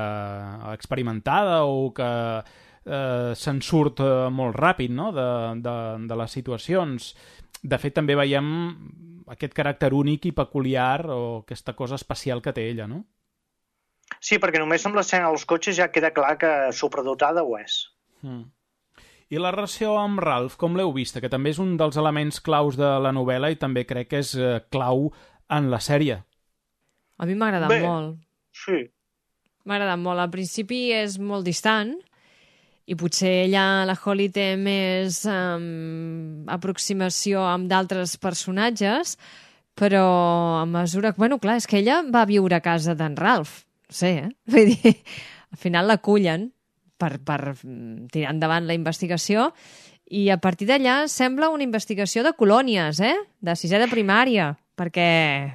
experimentada o que se'n surt molt ràpid, no?, de les situacions. De fet, també veiem aquest caràcter únic i peculiar o aquesta cosa especial que té ella, no? Sí, perquè només amb l'escena dels cotxes ja queda clar que supradotada ho és. I la relació amb Ralph, com l'heu vista? Que també és un dels elements claus de la novel·la i també crec que és clau en la sèrie. A mi m'ha agradat molt. Sí. M'ha agradat molt. Al principi és molt distant i potser ella, la Holly, té més aproximació amb d'altres personatges, però a mesura... Bueno, clar, és que ella va viure a casa d'en Ralph. No sé, Vull dir, al final l'acullen per tirar endavant la investigació i a partir d'allà sembla una investigació de colònies, de 6è de primària, perquè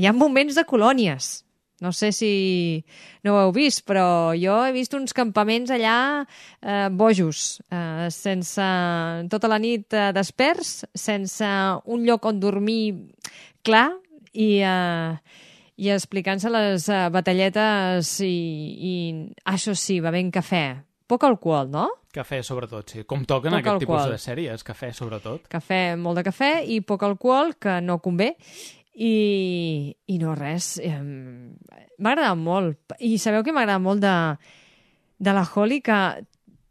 hi ha moments de colònies. No sé si no ho heu vist, però jo he vist uns campaments allà bojos, sense tota la nit desperts, sense un lloc on dormir clar i explicant-se les batalletes i això sí, bevent cafè. Poc alcohol, no? Cafè, sobretot, sí. Com toquen poc aquest alcohol. tipus de sèries, cafè, sobretot. Cafè, molt de cafè i poc alcohol, que no convé. I no res, m'ha agradat molt. I sabeu que m'ha agradat molt de la Holly, que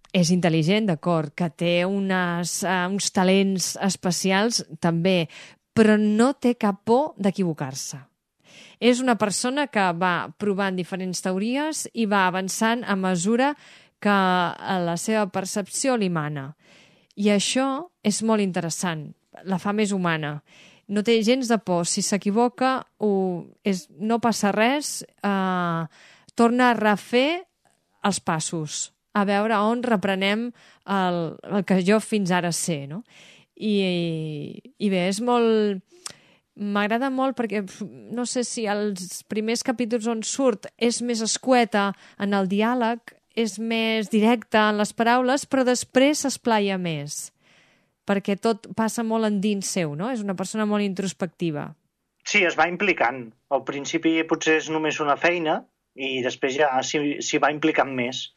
és intel·ligent, d'acord, que té uns talents especials també, però no té cap por d'equivocar-se. És una persona que va provant diferents teories i va avançant a mesura que la seva percepció li mana. I això és molt interessant, la fa més humana. No té gens de por. Si s'equivoca, no passa res, torna a refer els passos. a veure on reprenem el que jo fins ara sé, no? I bé, és molt... M'agrada molt perquè no sé si els primers capítols on surt és més escueta en el diàleg, és més directa en les paraules, però després s'esplaia més, perquè tot passa molt endins seu, no? És una persona molt introspectiva. Sí, es va implicant. Al principi potser és només una feina i després ja s'hi va implicant més.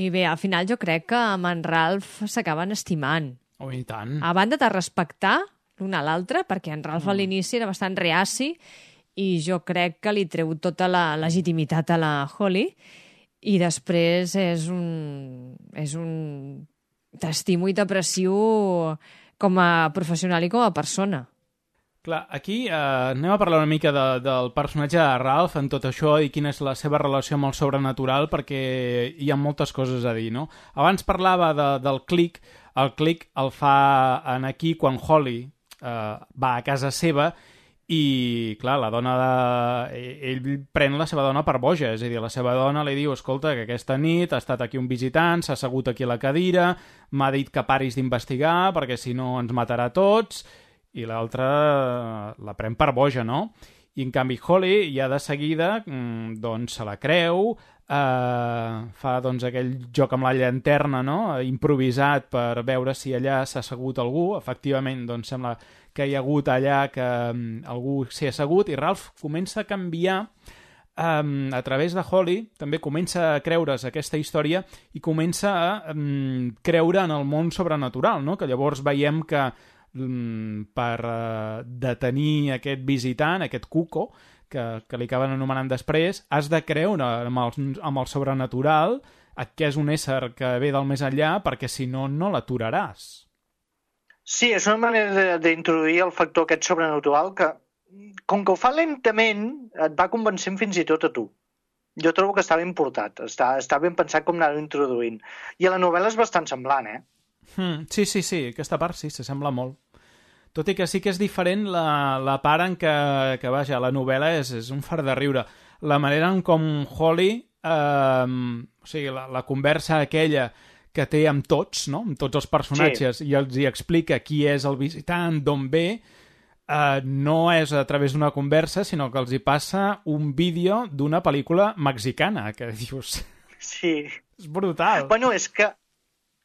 I bé, al final jo crec que amb en Ralph s'acaben estimant. Oh, i tant. A banda de respectar l'un a l'altre, perquè en Ralph a l'inici era bastant reaci i jo crec que li treu tota la legitimitat a la Holly i després és un t'estimo i t'aprecio com a professional i com a persona. Clar, aquí anem a parlar una mica del personatge de Ralph en tot això i quina és la seva relació amb el sobrenatural, perquè hi ha moltes coses a dir, no? Abans parlava del clic. El clic el fa en aquí quan Holly va a casa seva i, clar, la dona ell pren la seva dona per boja, és a dir, la seva dona li diu, escolta, que aquesta nit ha estat aquí un visitant, s'ha assegut aquí a la cadira, m'ha dit que paris d'investigar perquè si no ens matarà a tots, i l'altra la pren per boja, no? I en canvi Holly ja de seguida doncs se la creu, fa doncs aquell joc amb la llanterna, no? Improvisat per veure si allà s'ha assegut algú. Efectivament, doncs sembla que hi ha hagut allà que algú s'hi ha assegut i Ralph comença a canviar a través de Holly, també comença a creure's aquesta història i comença a creure en el món sobrenatural, no? Que llavors veiem que per detenir aquest visitant, aquest Cuco, que li acaben anomenant després, has de creure amb el sobrenatural, que és un ésser que ve del més enllà, perquè si no, no l'aturaràs. Sí, és una manera d'introduir el factor aquest sobrenatural que, com que ho fa lentament, et va convencent fins i tot a tu. Jo trobo que està ben portat, està ben pensat com anar-ho introduint. I a la novel·la és bastant semblant, eh? Sí, aquesta part sí, s'assembla molt. Tot i que sí que és diferent la part en que vaja, la novel·la és un fart de riure. La manera en com Holly, o sigui, la conversa aquella que té amb tots, no? Amb tots els personatges, sí. I els hi explica qui és el visitant, d'on ve, no és a través d'una conversa, sinó que els hi passa un vídeo d'una pel·lícula mexicana, que dius... Sí. És brutal. Bueno, és que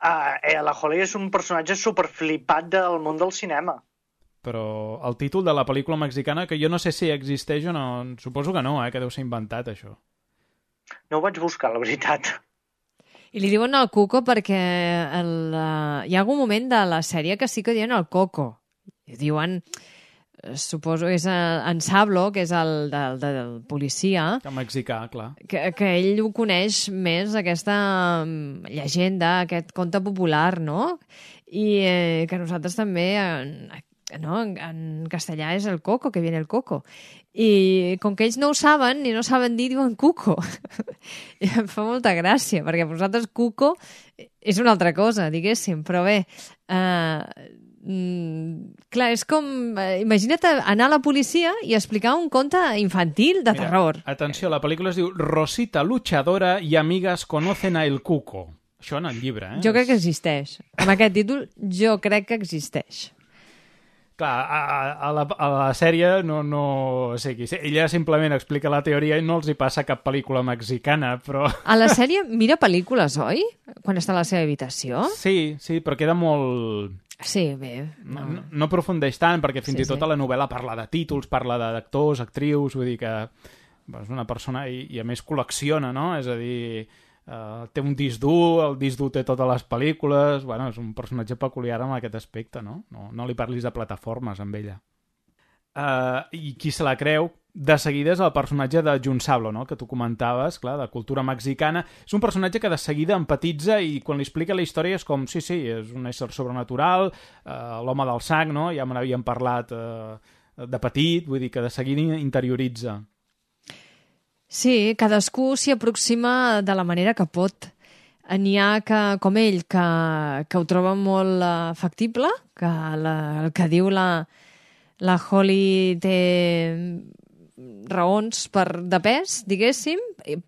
la Holly és un personatge superflipat del món del cinema. Però el títol de la pel·lícula mexicana, que jo no sé si existeix o no, suposo que no, que deu ser inventat, això. No ho vaig buscar, la veritat. I li diuen el Cuco perquè hi ha algun moment de la sèrie que sí que diuen el Coco. I diuen, suposo que és en Sablo, que és el del policia. El mexicà, clar. Que ell ho coneix més, aquesta llegenda, aquest conte popular, no? I que nosaltres també... No? En castellà és el coco, que viene el coco. I com que ells no ho saben, ni no saben dir, diuen cuco. I em fa molta gràcia, perquè per nosaltres cuco és una altra cosa, diguéssim. Però bé, clar, és com... Imagina't anar a la policia i explicar un conte infantil de terror. Atenció, la pel·lícula es diu Rosita Luchadora y amigas conocen a el cuco. Això en el llibre, Jo crec que existeix. Amb aquest títol, jo crec que existeix. Clar, a la sèrie no o sigui, ella simplement explica la teoria i no els hi passa cap pel·lícula mexicana, però... A la sèrie mira pel·lícules, oi? Quan està a la seva habitació? Sí, però queda molt... Sí, bé. No aprofundeix tant, perquè fins i tot a la novel·la parla de títols, parla d'actors, actrius, vull dir que és una persona i a més col·lecciona, no? És a dir... té un disc dur, el disc dur té totes les pel·lícules, bueno, és un personatge peculiar en aquest aspecte, no? No li parlis de plataformes amb ella. I qui se la creu de seguida és el personatge de Jun Sablo, no? Que tu comentaves, clar, de cultura mexicana. És un personatge que de seguida empatitza i quan li explica la història és com, sí, és un ésser sobrenatural, l'home del sang, no? Ja me n'havíem parlat de petit, vull dir que de seguida interioritza. Sí, cadascú s'hi aproxima de la manera que pot. N'hi ha que, com ell, que ho troba molt factible, que el que diu la Holly té raons de pes, diguéssim,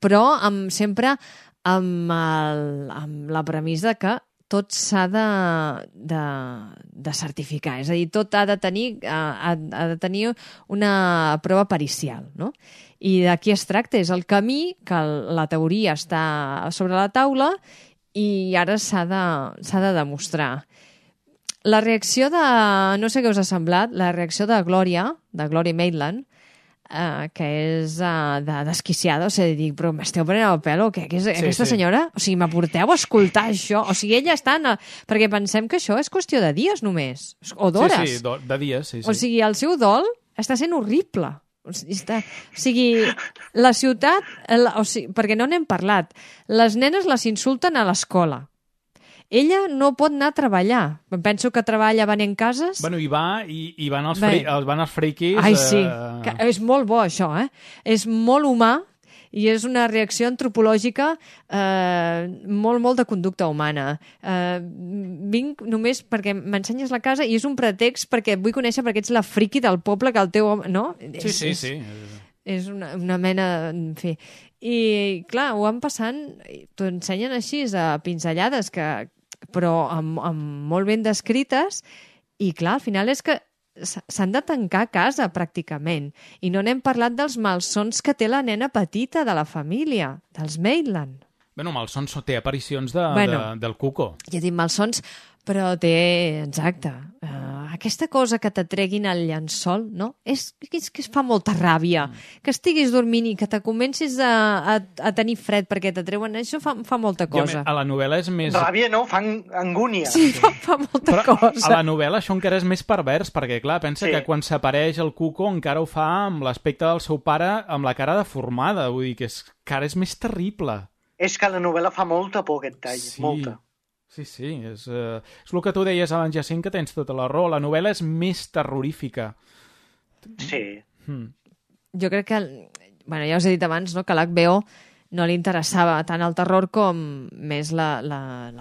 però sempre amb la premissa que tot s'ha de certificar. És a dir, tot ha de tenir una prova pericial, no? I d'aquí es tracta, és el camí que la teoria està sobre la taula i ara s'ha de demostrar. La reacció no sé què us ha semblat, la reacció de Gloria Maitland, que és desquiciada, o sigui, dic, però m'esteu prenent el pèl o què? Aquesta senyora? O sigui, m'aporteu a escoltar això? O sigui, ella està... Perquè pensem que això és qüestió de dies només, o d'hores. Sí, de dies, sí. O sigui, el seu dol està sent horrible. O sigui, la ciutat... perquè no n'hem parlat. Les nenes les insulten a l'escola. Ella no pot anar a treballar. Penso que treballa venent cases. Bueno, i van els friquis... Ai, sí. És molt bo, això, eh? És molt humà i és una reacció antropològica molt de conducta humana. Vinc només perquè m'ensenyes la casa i és un pretext perquè et vull conèixer perquè ets la friqui del poble que el teu home... No? Sí. És una mena... En fi. I, clar, ho van passant... T'ho ensenyen així, a pinzellades, però amb molt ben descrites, i, clar, al final és que s'han de tancar a casa, pràcticament. I no n'hem parlat dels malsons que té la nena petita de la família, dels Maitland. Bueno, malsons té aparicions del Cuco. Ja dic malsons, però té... Exacte. Aquesta cosa que t'atreguin al llençol, no? És que es fa molta ràbia. Que estiguis dormint i que te comencis a tenir fred perquè t'atreuen... Això fa molta cosa. A la novel·la és més... Ràbia no, fa angúnia. Sí, fa molta cosa. A la novel·la això encara és més pervers, perquè, clar, pensa que quan s'apareix el Cuco encara ho fa amb l'aspecte del seu pare amb la cara deformada. Vull dir que encara és més terrible. És que la novel·la fa molta por, aquest tall. Sí. Molta. Sí, és el que tu deies abans, Jacint, que tens tota la raó. La novel·la és més terrorífica. Sí. Jo crec que, bueno, ja us he dit abans, no, que l'HBO no li interessava tant el terror com més la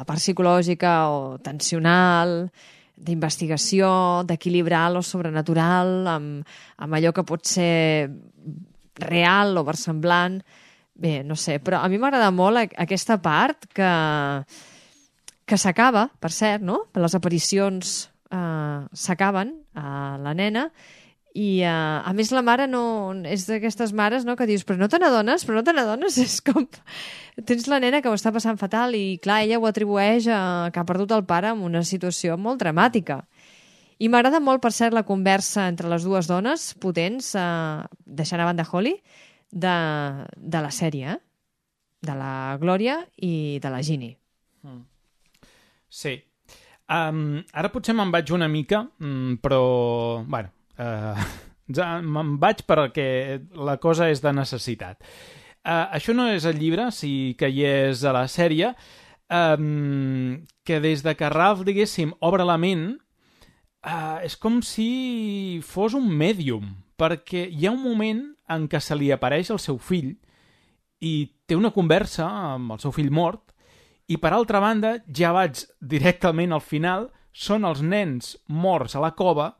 part psicològica o tensional, d'investigació, d'equilibrar lo sobrenatural amb allò que pot ser real o versemblant. Bé, no sé, però a mi m'agrada molt aquesta part que s'acaba, per cert, no? Les aparicions s'acaben a la nena i, a més, la mare no... És d'aquestes mares, no?, que dius, però no te n'adones? És com... Tens la nena que ho està passant fatal i, clar, ella ho atribueix que ha perdut el pare en una situació molt dramàtica. I m'agrada molt, per cert, la conversa entre les dues dones potents, deixant a banda Holly, de la sèrie, de la Glòria i de la Ginny. Sí. Ara potser me'n vaig una mica, però, bueno, me'n vaig perquè la cosa és de necessitat. Això no és el llibre, sí que hi és a la sèrie, que des de que Ralph, diguéssim, obre la ment, és com si fos un mèdium, perquè hi ha un moment en què se li apareix el seu fill i té una conversa amb el seu fill mort. I, per altra banda, ja vaig directament al final, són els nens morts a la cova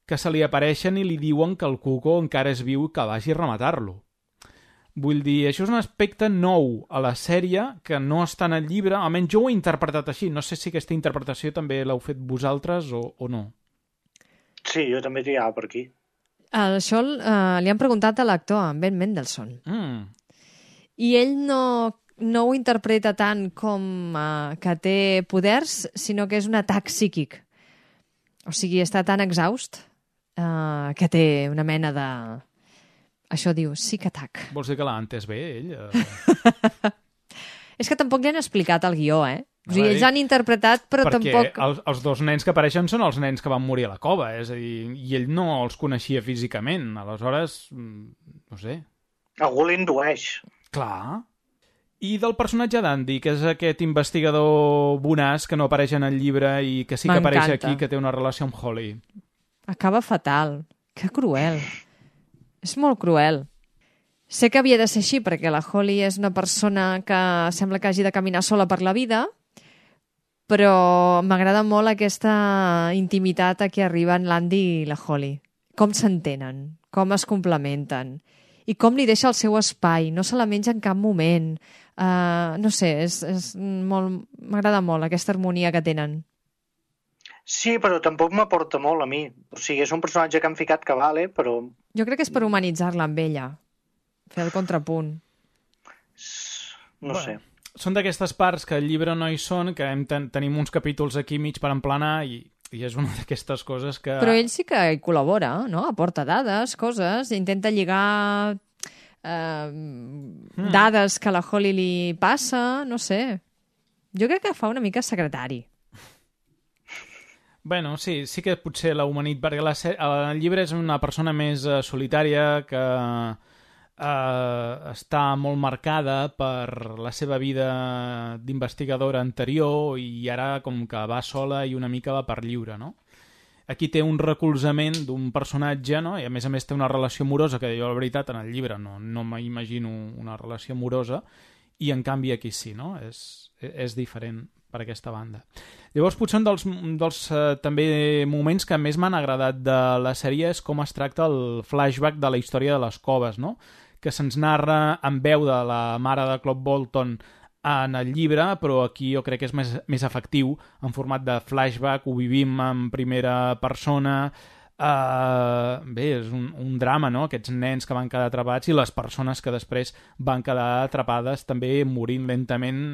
que se li apareixen i li diuen que el Cuco encara és viu i que vagi a rematar-lo. Vull dir, això és un aspecte nou a la sèrie que no està en el llibre, almenys jo ho he interpretat així. No sé si aquesta interpretació també l'heu fet vosaltres o no. Sí, jo també triava per aquí. Això li han preguntat a l'actor, a Ben Mendelsohn. I ell no ho interpreta tant com que té poders, sinó que és un atac psíquic. O sigui, està tan exhaust que té una mena de... Això diu, psic atac. Vols dir que l'ha entès bé, ell? És que tampoc li han explicat el guió, eh? O sigui, ells han interpretat, però tampoc... Perquè els dos nens que apareixen són els nens que van morir a la cova, és a dir, i ell no els coneixia físicament. Aleshores, no sé... Algú l'indueix. Clar... I del personatge d'Andy, que és aquest investigador bonàs que no apareix en el llibre i que sí que apareix aquí, que té una relació amb Holly. Acaba fatal. Que cruel. És molt cruel. Sé que havia de ser així perquè la Holly és una persona que sembla que hagi de caminar sola per la vida, però m'agrada molt aquesta intimitat a què arriben l'Andy i la Holly. Com s'entenen, com es complementen i com li deixa el seu espai, no se la menja en cap moment. No sé, m'agrada molt aquesta harmonia que tenen. Sí, però tampoc m'aporta molt a mi. O sigui, és un personatge que han ficat que vale, però... Jo crec que és per humanitzar-la amb ella, fer el contrapunt. No sé. Són d'aquestes parts que al llibre no hi són, que tenim uns capítols aquí mig per emplenar i és una d'aquestes coses que... Però ell sí que hi col·labora, no? Aporta dades, coses, intenta lligar dades que a la Holly li passa, no sé. Jo crec que fa una mica secretari. Bueno, sí que potser l'ha humanit, perquè el llibre és una persona més solitària que està molt marcada per la seva vida d'investigadora anterior i ara com que va sola i una mica va per lliure, no? Aquí té un recolzament d'un personatge, no? I a més té una relació amorosa, que jo la veritat en el llibre no m'imagino una relació amorosa, i en canvi aquí sí, no? És diferent per aquesta banda. Llavors, potser un dels també moments que més m'han agradat de la sèrie és com es tracta el flashback de la història de les coves, no? Que se'ns narra en veu de la mare de Cloud Bolton en el llibre, però aquí jo crec que és més efectiu en format de flashback, ho vivim en primera persona. Bé, és un drama, no? Aquests nens que van quedar atrapats i les persones que després van quedar atrapades també morint lentament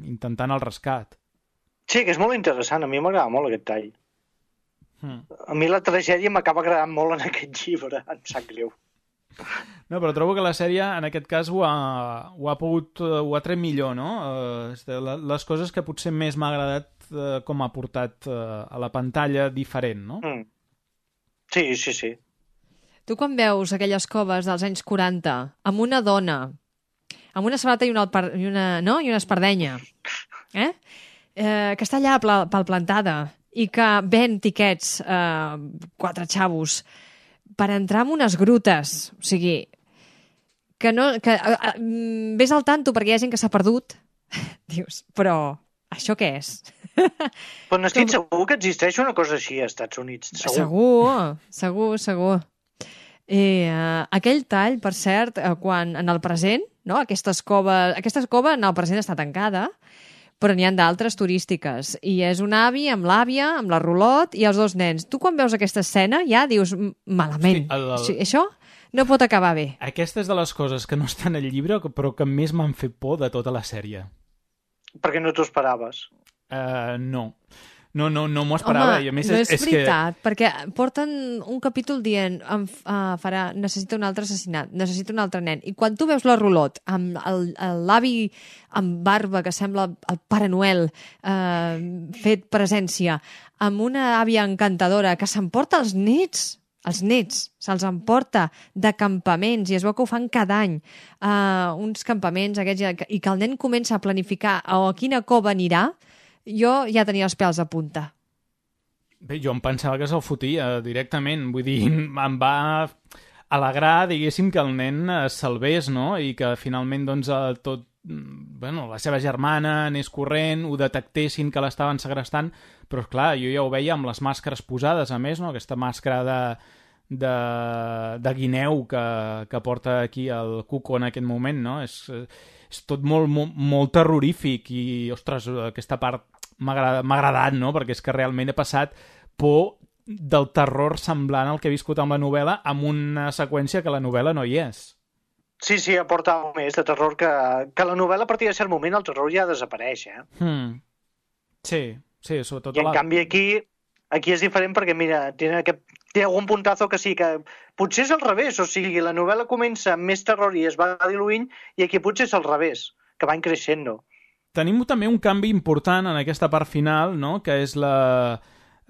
intentant el rescat. Sí, que és molt interessant. A mi m'agrada molt aquest tall. A mi la tragèdia m'acaba agradant molt en aquest llibre. Em sap greu. No, però trobo que la sèrie en aquest cas ho ha tret millor, no? Les coses que potser més m'ha agradat com ha portat a la pantalla diferent, no? Sí. Tu quan veus aquelles coves dels anys 40 amb una dona, amb una sabata i una espardenya, que està allà palplantada i que ven tiquets 4 xavos per entrar en unes grutes, o sigui, que ves al tanto perquè hi ha gent que s'ha perdut, dius, però això què és? Però n'estic segur que existeix una cosa així als Estats Units. Segur. I aquell tall, per cert, quan en el present, no? Aquesta cova en el present està tancada, però n'hi ha d'altres turístiques. I és un avi amb l'àvia, amb la rulot i els 2 nens. Tu quan veus aquesta escena ja dius, malament. Sí, això no pot acabar bé. Aquesta és de les coses que no estan al llibre, però que més m'han fet por de tota la sèrie. Perquè no t'ho esperaves. No m'ho esperava. Home, I a més, no és veritat, perquè porten un capítol dient necessita un altre assassinat, necessita un altre nen. I quan tu veus la rulot amb l'avi amb barba que sembla el Pare Noel fet presència, amb una àvia encantadora que s'emporta els nets se'ls emporta de campaments i es veu que ho fan cada any, uns campaments aquests, i que el nen comença a planificar a quina cova anirà, jo ja tenia els pèls a punta. Bé, jo em pensava que se'l fotia directament, vull dir, em va alegrar, diguéssim, que el nen es salvés, no? I que finalment, doncs, la seva germana anés corrent, ho detectessin que l'estaven segrestant, però, clar, jo ja ho veia amb les màscares posades, a més, no? Aquesta màscara de guineu que porta aquí el Cuco en aquest moment, no? És tot molt terrorífic i, ostres, aquesta part m'ha agradat, no? Perquè és que realment he passat por del terror semblant al que he viscut amb la novel·la, amb una seqüència que la novel·la no hi és. Sí, aporta més de terror que la novel·la a partir de cert moment el terror ja desapareix, Sí, sobretot... I en canvi aquí és diferent perquè, mira, té algun puntazo que sí, que potser és al revés, o sigui, la novel·la comença amb més terror i es va diluint, i aquí potser és al revés, que van creixent. Tenim també un canvi important en aquesta part final, no?, que és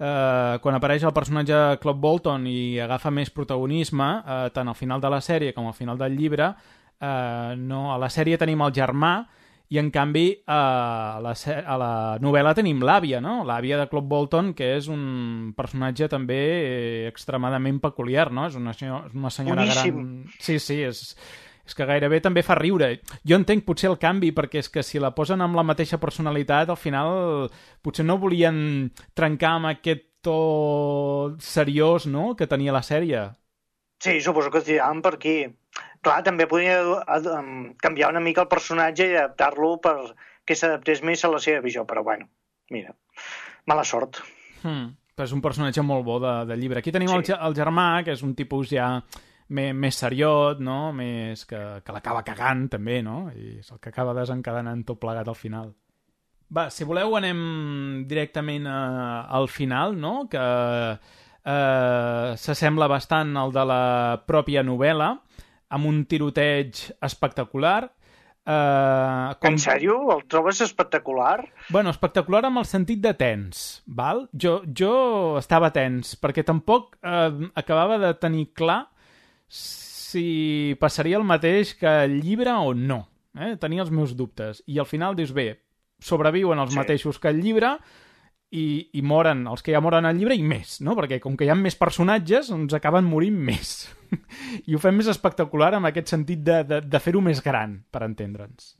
quan apareix el personatge Cloud Bolton i agafa més protagonisme, tant al final de la sèrie com al final del llibre. A la sèrie tenim el germà, i en canvi a la novel·la tenim l'àvia, no? L'àvia de Cloud Bolton, que és un personatge també extremadament peculiar, no? És una senyora boníssim. Gran... Sí, és que gairebé també fa riure. Jo entenc potser el canvi, perquè és que si la posen amb la mateixa personalitat, al final potser no volien trencar amb aquest to seriós, no?, que tenia la sèrie. Sí, suposo que es tiraven per aquí. Clar, també podia canviar una mica el personatge i adaptar-lo perquè s'adaptés més a la seva visió, però bueno, mira, mala sort. Però és un personatge molt bo de llibre. Aquí tenim el germà, que és un tipus ja més seriot, no? Més que l'acaba cagant, també, no? I és el que acaba desencadenant tot plegat al final. Va, si voleu anem directament al final, no? Que s'assembla bastant al de la pròpia novel·la, amb un tiroteig espectacular. En sèrio? El trobes espectacular? Bueno, espectacular amb el sentit de tens, val? Jo estava tens, perquè tampoc acabava de tenir clar si passaria el mateix que el llibre o no. Tenia els meus dubtes. I al final dius, bé, sobreviuen els mateixos que el llibre i moren els que ja moren al llibre i més, no? Perquè com que hi ha més personatges, ens acaben morint més. I ho fem més espectacular amb aquest sentit de fer-ho més gran, per entendre'ns.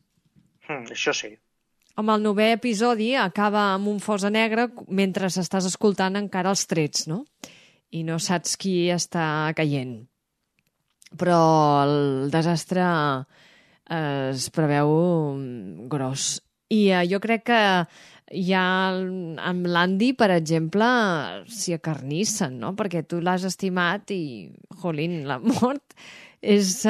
Això sí. Amb el 9è episodi acaba amb un fosa negre mentre estàs escoltant encara els trets, no? I no saps qui està caient. Però el desastre es preveu gros. I jo crec que ja amb l'Andy, per exemple, s'hi acarnissen, no? Perquè tu l'has estimat i, jolín, la mort és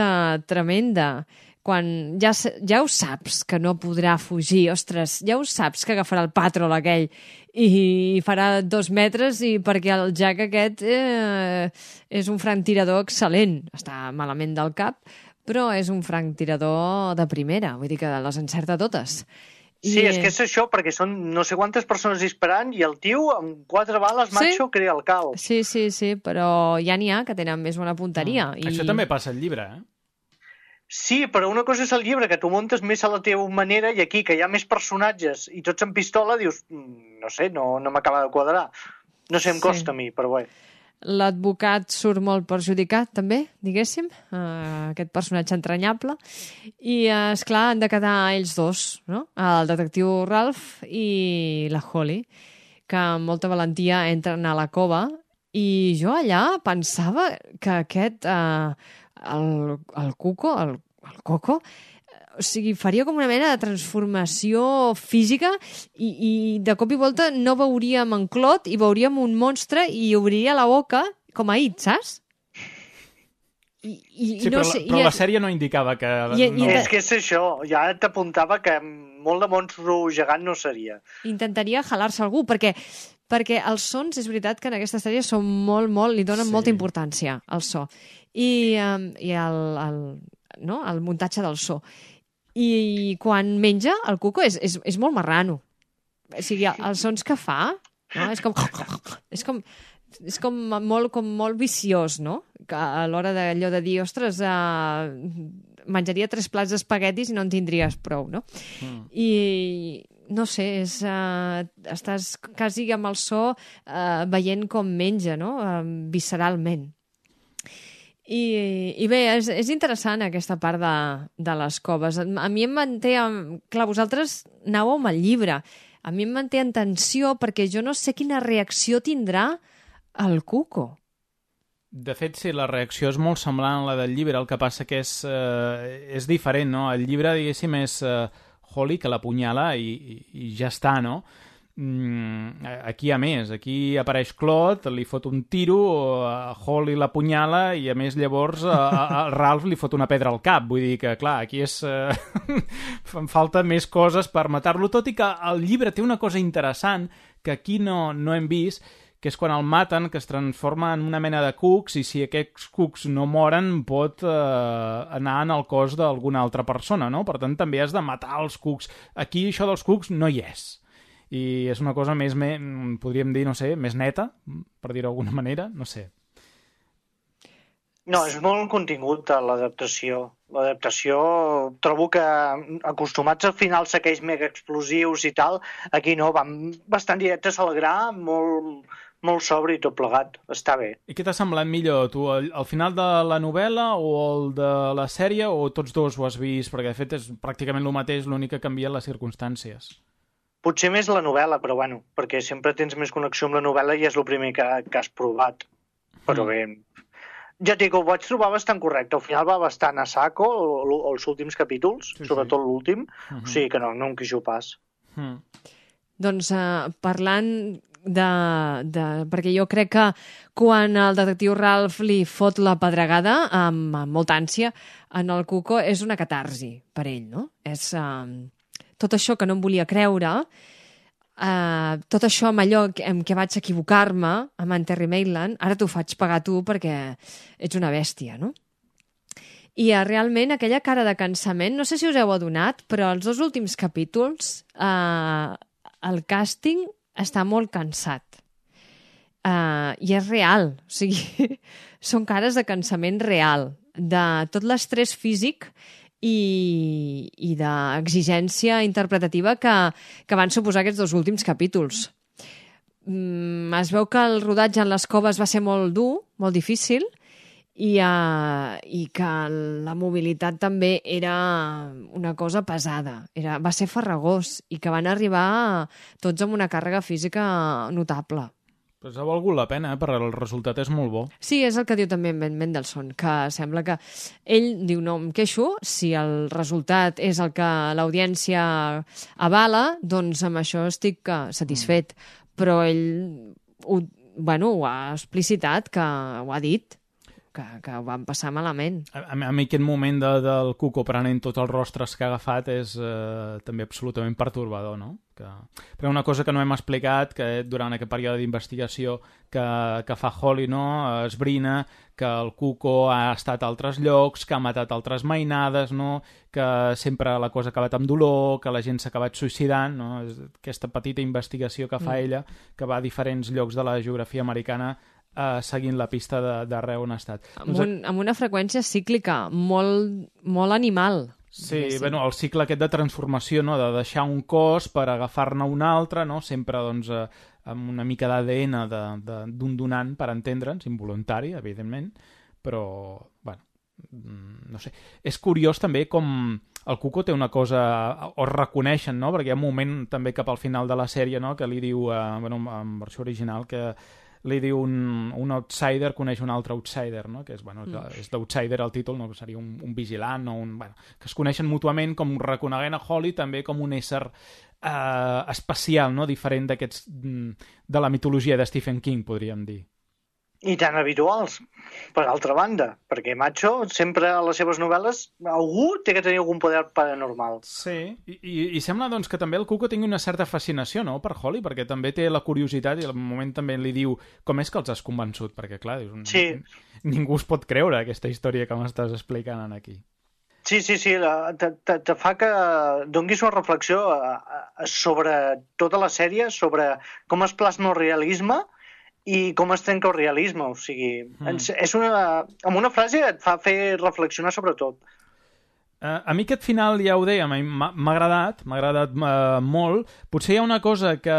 tremenda. Quan ja ho saps que no podrà fugir, ostres, ja ho saps que agafarà el patrol aquell i farà 2 metres i perquè el Jack aquest és un franctirador excel·lent. Està malament del cap, però és un franctirador de primera, vull dir que les encerta totes. Sí, és que és això, perquè són no sé quantes persones disparant i el tio amb 4 bales macho crea el caos. Sí, però ja n'hi ha que tenen més bona punteria. Això també passa al llibre, Sí, però una cosa és el llibre, que tu muntes més a la teva manera, i aquí, que hi ha més personatges i tots amb pistola, dius, no sé, no m'acaba de quadrar. No sé, em costa a mi, però bé. L'advocat surt molt perjudicat, també, diguéssim, aquest personatge entranyable. I, esclar, han de quedar ells dos, no? El detectiu Ralph i la Holly, que amb molta valentia entren a la cova. I jo allà pensava que aquest, el Cuco, el Coco, o sigui, faria com una mena de transformació física i de cop i volta no veuríem en Claude i veuríem un monstre i obriria la boca com a It, saps? Però la sèrie no indicava que... És que és això, ja t'apuntava que molt de monstru gegant no seria. Intentaria jalar-se algú, perquè els sons, és veritat que en aquesta sèrie són molt, li donen molta importància al so. I el muntatge del so. I quan menja, el Cuco és molt marrano. O sigui, els sons que fa, no? És com molt viciós, no? Que a l'hora d'allò de dir, ostres, menjaria 3 plats d'espaguetis i no en tindries prou, no? I no sé, estàs quasi amb el so veient com menja, no? Visceralment. I bé, és interessant aquesta part de les coves. A mi em manté... Clar, vosaltres anàveu amb el llibre. A mi em manté en tensió perquè jo no sé quina reacció tindrà el Cuco. De fet, sí, la reacció és molt semblant a la del llibre, el que passa que és diferent, no? El llibre, diguéssim, és Holly que l'apunyala i ja està, no? Aquí hi ha més, aquí apareix Claude, li fot un tiro, Holly l'apunyala i a més llavors a Ralph li fot una pedra al cap, vull dir que clar, aquí fan falta més coses per matar-lo, tot i que el llibre té una cosa interessant que aquí no hem vist, que és quan el maten, que es transforma en una mena de cucs i si aquests cucs no moren pot anar en el cos d'alguna altra persona, no? Per tant també has de matar els cucs. Aquí això dels cucs no hi és. I és una cosa més, podríem dir, no sé, més neta, per dir-ho d'alguna manera, no sé. No, és molt contingut l'adaptació. L'adaptació, trobo que acostumats al final a aquells mega explosius i tal, aquí no, van bastant directes al gra, molt sobri i tot plegat. Està bé. I què t'ha semblat millor, tu, el final de la novel·la o el de la sèrie, o tots dos ho has vist? Perquè, de fet, és pràcticament el mateix, l'únic que ha canviat les circumstàncies. Potser més la novel·la, però bueno, perquè sempre tens més connexió amb la novel·la i és el primer que has provat. Però bé, Ja et dic, ho vaig trobar bastant correcte. Al final va bastant a saco, els últims capítols, sobretot l'últim. O sigui que no em queixo pas. Doncs parlant perquè jo crec que quan el detectiu Ralph li fot la pedregada amb molta ànsia en el Cuco és una catarsi per ell, no? És tot això que no em volia creure, tot això amb allò en què vaig equivocar-me amb en Terry Maitland, ara t'ho faig pagar tu perquè ets una bèstia, no? I realment aquella cara de cansament, no sé si us heu adonat, però els 2 últims capítols el càsting està molt cansat. I és real. O sigui, són cares de cansament real, de tot l'estrès físic i d'exigència interpretativa que van suposar aquests 2 últims capítols. Es veu que el rodatge en les coves va ser molt dur, molt difícil, i que la mobilitat també era una cosa pesada, va ser farragós i que van arribar tots amb una càrrega física notable. Pues ha valgut la pena, perquè el resultat és molt bo. Sí, és el que diu també Ben Mendelsohn, que sembla que ell diu no em queixo, si el resultat és el que l'audiència avala, doncs amb això estic satisfet. Però ell ho ha explicitat, que ho ha dit, que ho van passar malament. A mi aquest moment del Cuco prenent tots els rostres que ha agafat és també absolutament pertorbador, no? Però una cosa que no hem explicat, que durant aquest període d'investigació que fa Holly, no? Esbrina que el Cuco ha estat a altres llocs, que ha matat altres mainades, no? Que sempre la cosa ha acabat amb dolor, que la gent s'ha acabat suïcidant, no? Aquesta petita investigació que fa ella, que va a diferents llocs de la geografia americana seguint la pista d'arreu on ha estat. Amb una freqüència cíclica, molt animal. Sí, bueno, el cicle aquest de transformació, no? De deixar un cos per agafar-ne un altre, no? Sempre doncs, amb una mica d'ADN d'un donant, per entendre'ns, involuntari, evidentment, però, bueno, no sé. És curiós també com el Cuco té una cosa, o reconeixen, no? Perquè hi ha un moment també cap al final de la sèrie, no? Que li diu, en versió original, que li diu un outsider coneix un altre outsider, no? Que és, és d'outsider el títol, no? Que seria un vigilant o que es coneixen mútuament, com reconeguent a Holly també com un ésser especial, no? Diferent d'aquests de la mitologia de Stephen King, podríem dir. I tan habituals, per altra banda, perquè Macho sempre a les seves novel·les algú té que tenir algun poder paranormal. Sí, i sembla doncs que també el Cuco tingui una certa fascinació, no?, per Holly, perquè també té la curiositat i al moment també li diu com és que els has convençut, perquè clar, sí. Ningú es pot creure aquesta història que m'estàs explicant aquí. Sí, te fa que donguis una reflexió sobre tota la sèrie, sobre com es plasma el realisme i com es trenca el realisme, o sigui, amb una frase et fa fer reflexionar sobre tot. A mi aquest final, ja ho dèiem, m'ha agradat molt. Potser hi ha una cosa que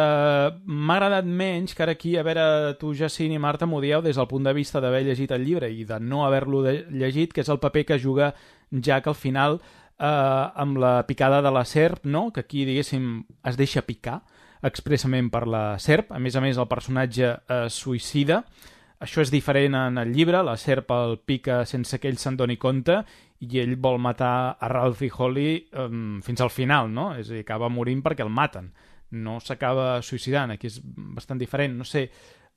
m'ha agradat menys, que ara aquí, a veure, tu, Jacint i Marta, m'ho dieu des del punt de vista d'haver llegit el llibre i de no haver-lo llegit, que és el paper que juga Jack al final amb la picada de la serp, no? Que aquí, diguéssim, es deixa picar expressament per la serp. A més, el personatge suïcida. Això és diferent en el llibre. La serp el pica sense que ell se'n doni compte i ell vol matar a Ralph i Holly fins al final, no? És a dir, acaba morint perquè el maten. No s'acaba suïcidant. Aquí és bastant diferent. No sé,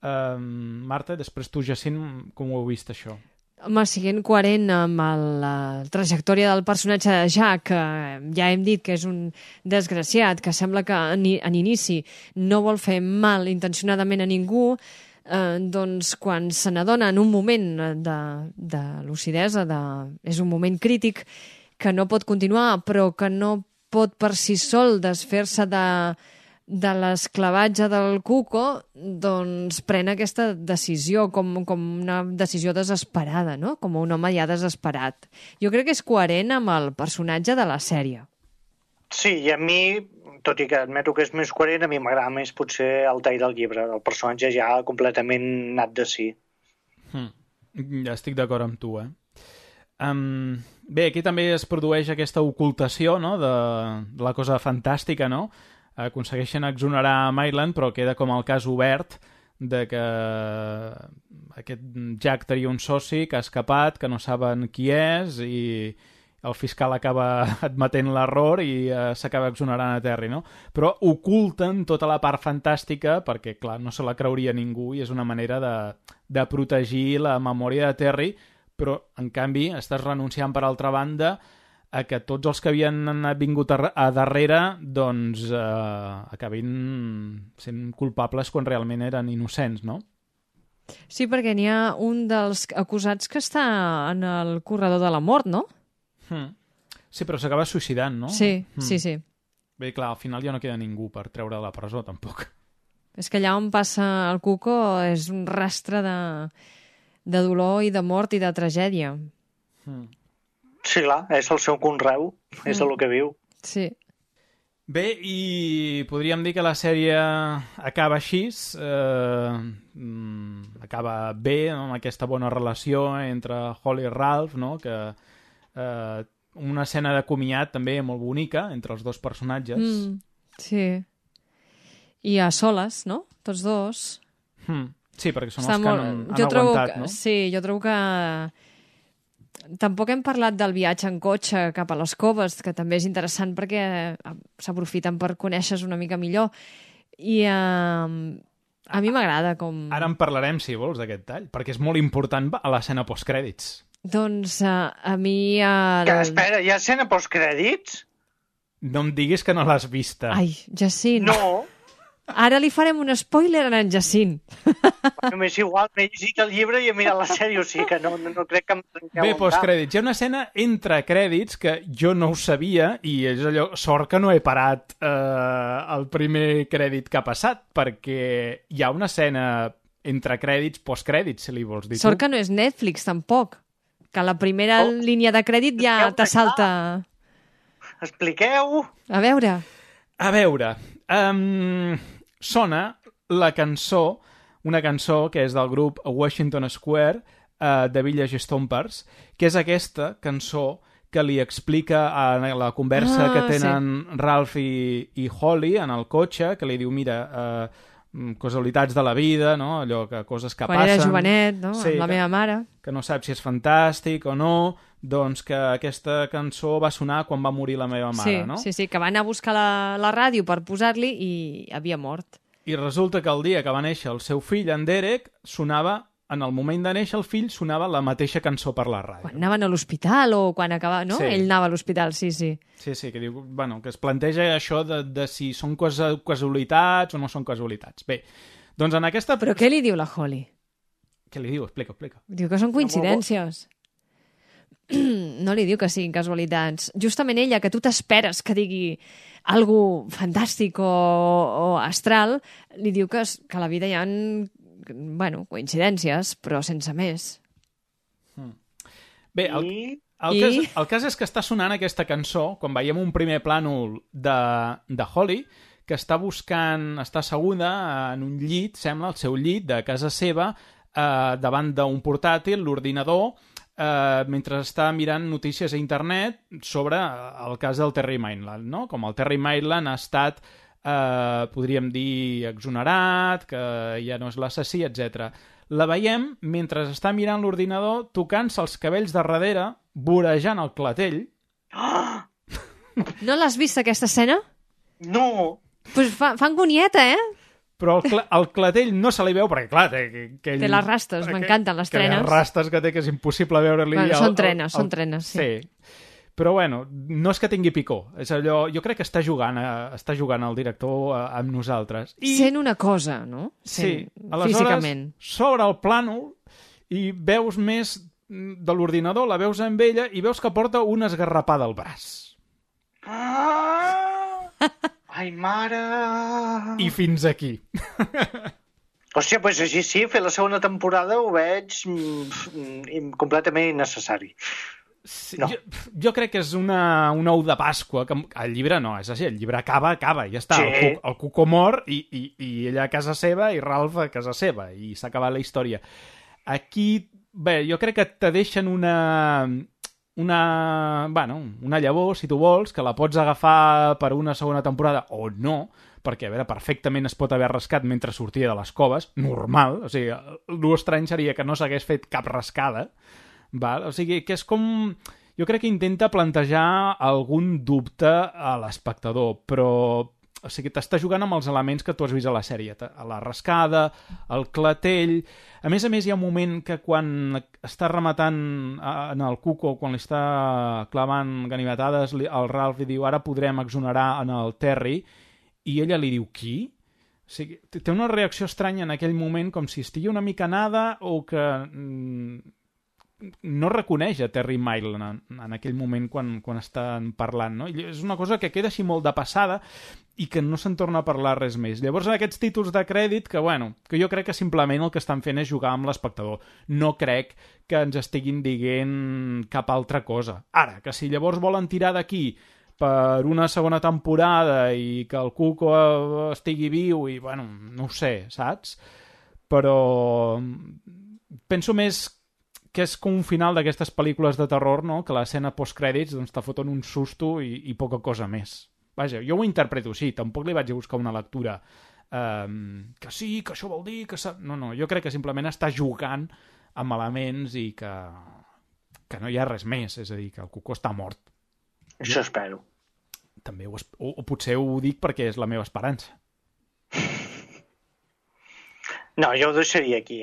Marta, després tu, Jacint, com ho heu vist, això? Home, siguent coherent amb la trajectòria del personatge de Jack, que ja hem dit que és un desgraciat, que sembla que en inici no vol fer mal intencionadament a ningú, doncs quan se n'adona en un moment de lucidesa, és un moment crític que no pot continuar, però que no pot per si sol desfer-se de l'esclavatge del Cuco, doncs pren aquesta decisió com una decisió desesperada, no? Com un home ja desesperat. Jo crec que és coherent amb el personatge de la sèrie. Sí, i a mi, tot i que admeto que és més coherent, a mi m'agrada més potser el tall del llibre, el personatge ja completament nat de si. Ja estic d'acord amb tu, Bé, aquí també es produeix aquesta ocultació, no?, de la cosa fantàstica, no?, aconsegueixen exonerar Maitland, però queda com el cas obert de que aquest Jack tenia un soci que ha escapat, que no saben qui és, i el fiscal acaba admetent l'error i s'acaba exonerant a Terry, no? Però oculten tota la part fantàstica perquè, clar, no se la creuria ningú i és una manera de protegir la memòria de Terry, però, en canvi, estàs renunciant, per altra banda, a que tots els que havien vingut a darrere doncs acabin sent culpables quan realment eren innocents, no? Sí, perquè n'hi ha un dels acusats que està en el corredor de la mort, no? Sí, però s'acaba suïcidant, no? Sí, sí. Bé, clar, al final ja no queda ningú per treure de la presó, tampoc. És que allà on passa el Cuco és un rastre de dolor i de mort i de tragèdia. Sí, clar, és el seu conreu, és el que viu. Sí. Bé, i podríem dir que la sèrie acaba així, acaba bé, no? Amb aquesta bona relació entre Holly i Ralph, no? Que una escena de comiat també molt bonica entre els dos personatges. Sí. I a soles, no? Tots dos. Sí, perquè són els que han aguantat, no? Sí, jo trobo que tampoc hem parlat del viatge en cotxe cap a les coves, que també és interessant perquè s'aprofiten per conèixer una mica millor. I a mi m'agrada com... Ara en parlarem, si vols, d'aquest tall, perquè és molt important a l'escena postcrèdits. Doncs a mi... Espera, hi ha escena postcrèdits? No em diguis que no l'has vista. Ai, Jacint. No. Ara li farem un spoiler a en Jacint. Només igual, m'he llegit el llibre i he mirat la sèrie, o sigui que no crec que em trenqueu. Bé, postcrèdits. Hi ha una escena entre crèdits que jo no ho sabia i és allò, sort que no he parat el primer crèdit que ha passat, perquè hi ha una escena entre crèdits, postcrèdits, si li vols dir. Sort que no és Netflix, tampoc. Que la primera línia de crèdit ja te salta... Expliqueu! A veure, sona la cançó, una cançó que és del grup Washington Square, de Village Stompers, que és aquesta cançó que li explica a la conversa que tenen Ralph i Holly en el cotxe, que li diu, mira, casualitats de la vida, no? Allò que coses que quan passen... era jovenet, no? Sí, amb la meva mare. Que no saps si és fantàstic o no, doncs que aquesta cançó va sonar quan va morir la meva mare, no? Sí, que va anar a buscar la ràdio per posar-li i havia mort. I resulta que el dia que va néixer el seu fill, en Derek, sonava, en el moment de néixer el fill, sonava la mateixa cançó per la ràdio. Quan anaven a l'hospital o quan acabava... No? Sí. Ell anava a l'hospital, sí. Sí, que diu, bueno, que es planteja això de si són casualitats o no són casualitats. Bé, doncs en aquesta... Però què li diu la Holly? Què li diu? Explica. Diu que són coincidències. No li diu que siguin casualitats. Justament ella, que tu t'esperes que digui algo fantàstic o astral, li diu que a la vida hi ha coincidències, però sense més. Bé, el cas és que està sonant aquesta cançó quan veiem un primer plànol de Holly, que està asseguda en un llit, sembla, el seu llit de casa seva, davant d'un portàtil, l'ordinador, mentre està mirant notícies a internet sobre el cas del Terry Maitland, no? Com el Terry Maitland ha estat, podríem dir, exonerat, que ja no és l'assassí, etc. La veiem mentre està mirant l'ordinador, tocant-se els cabells de darrere, vorejant el clatell. No l'has vist, aquesta escena? No! Pues fa angonieta, Però el clatell no se li veu perquè, clar, té les rastes, m'encanten les trenes. Les rastes que té, que és impossible veure-li... Bueno, són trenes, sí. Però, bueno, no és que tingui picor. És allò... Jo crec que està jugant el director amb nosaltres. Sent una cosa, no? Sí. Aleshores, físicament. s'obre el plànol i veus més de l'ordinador, la veus amb ella i veus que porta una esgarrapada al braç. Ai, mare! I fins aquí. Hòstia, doncs així sí, fer la segona temporada ho veig completament innecessari. Sí, no. jo crec que és un ou de Pasqua, que el llibre no, és així, el llibre acaba, ja està, sí. El Cuco mor i ella a casa seva i Ralph a casa seva, i s'ha acabat la història. Aquí, bé, jo crec que te deixen una llavor, si tu vols, que la pots agafar per una segona temporada o no, perquè, a veure, perfectament es pot haver rascat mentre sortia de les coves, normal, o sigui, l'estrany seria que no s'hagués fet cap rascada, val? O sigui, que és com... Jo crec que intenta plantejar algun dubte a l'espectador, però... O sigui, t'està jugant amb els elements que tu has vist a la sèrie, a la rascada, el clatell... A més, hi ha un moment que quan està rematant en el Cuco, quan li està clavant ganivetades, el Ralph li diu ara podrem exonerar en el Terry, i ella li diu qui? O sigui, té una reacció estranya en aquell moment, com si estigui una mica nada o que no reconeix a Terry Maitland en aquell moment quan estan parlant, no? I és una cosa que queda així molt de passada i que no se'n torna a parlar res més. Llavors, aquests títols de crèdit que jo crec que simplement el que estan fent és jugar amb l'espectador. No crec que ens estiguin dient cap altra cosa. Ara, que si llavors volen tirar d'aquí per una segona temporada i que el Cuco estigui viu i, no ho sé, saps? Però penso més que és com un final d'aquestes pel·lícules de terror, no? Que l'escena postcrèdits te foten un susto i poca cosa més. Vaja, jo ho interpreto així, tampoc li vaig a buscar una lectura que sí, que això vol dir que... No, jo crec que simplement està jugant amb elements i que no hi ha res més, és a dir, que el Cuco està mort. Això espero. També o potser ho dic perquè és la meva esperança. No, jo ho deixaria aquí,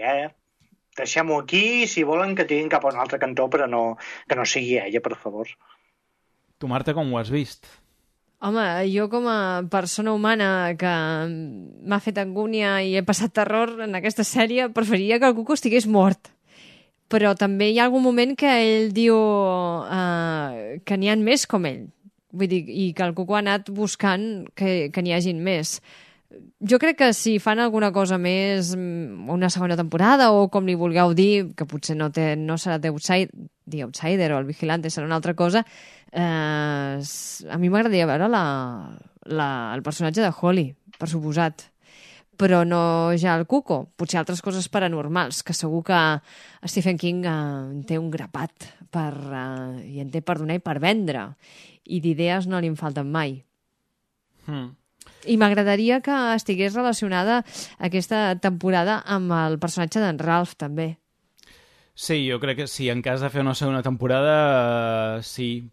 Deixem-ho aquí, si volen que tirin cap a un altre cantó, però que no sigui ella, per favor. Tu, Marta, com ho has vist? Home, jo com a persona humana que m'ha fet angúnia i he passat terror en aquesta sèrie, preferiria que el Cuco estigués mort. Però també hi ha algun moment que ell diu que n'hi ha més com ell. Vull dir, i que el Cuco ha anat buscant que n'hi hagin més. Jo crec que si fan alguna cosa més, una segona temporada, o com li vulgueu dir, que potser no serà The Outsider o el Vigilante, serà una altra cosa, a mi m'agradaria veure el personatge de Holly, per suposat. Però no ja el Cuco, potser altres coses paranormals, que segur que Stephen King en té un grapat i en té per donar i per vendre, i d'idees no li en falten mai. I m'agradaria que estigués relacionada aquesta temporada amb el personatge d'en Ralph, també. Sí, jo crec que sí, en cas de fer una segona temporada, sí,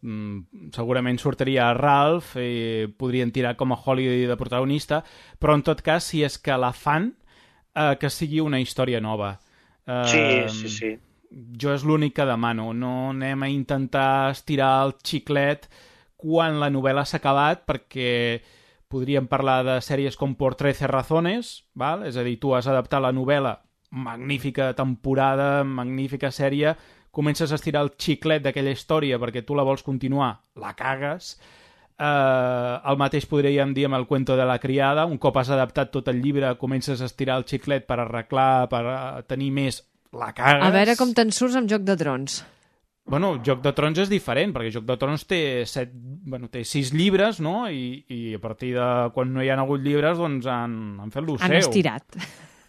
segurament sortiria Ralph i podrien tirar com a Holly de protagonista, però en tot cas, si és que la fan, que sigui una història nova. Sí. Jo és l'únic que demano, no anem a intentar estirar el xiclet quan la novel·la s'ha acabat, perquè podríem parlar de sèries com Por 13 razones, val? És a dir, tu has adaptat la novel·la, magnífica temporada, magnífica sèrie, comences a estirar el xiclet d'aquella història perquè tu la vols continuar, la cagues. El mateix podríem dir amb el cuento de la criada, un cop has adaptat tot el llibre, comences a estirar el xiclet per arreglar, per tenir més, la cagues. A veure com te'n surts amb Joc de Trons. Bueno, Joc de Trons és diferent, perquè Joc de Trons té 6 llibres, no? I a partir de quan no hi ha hagut llibres, doncs han fet lo seu. Han estirat.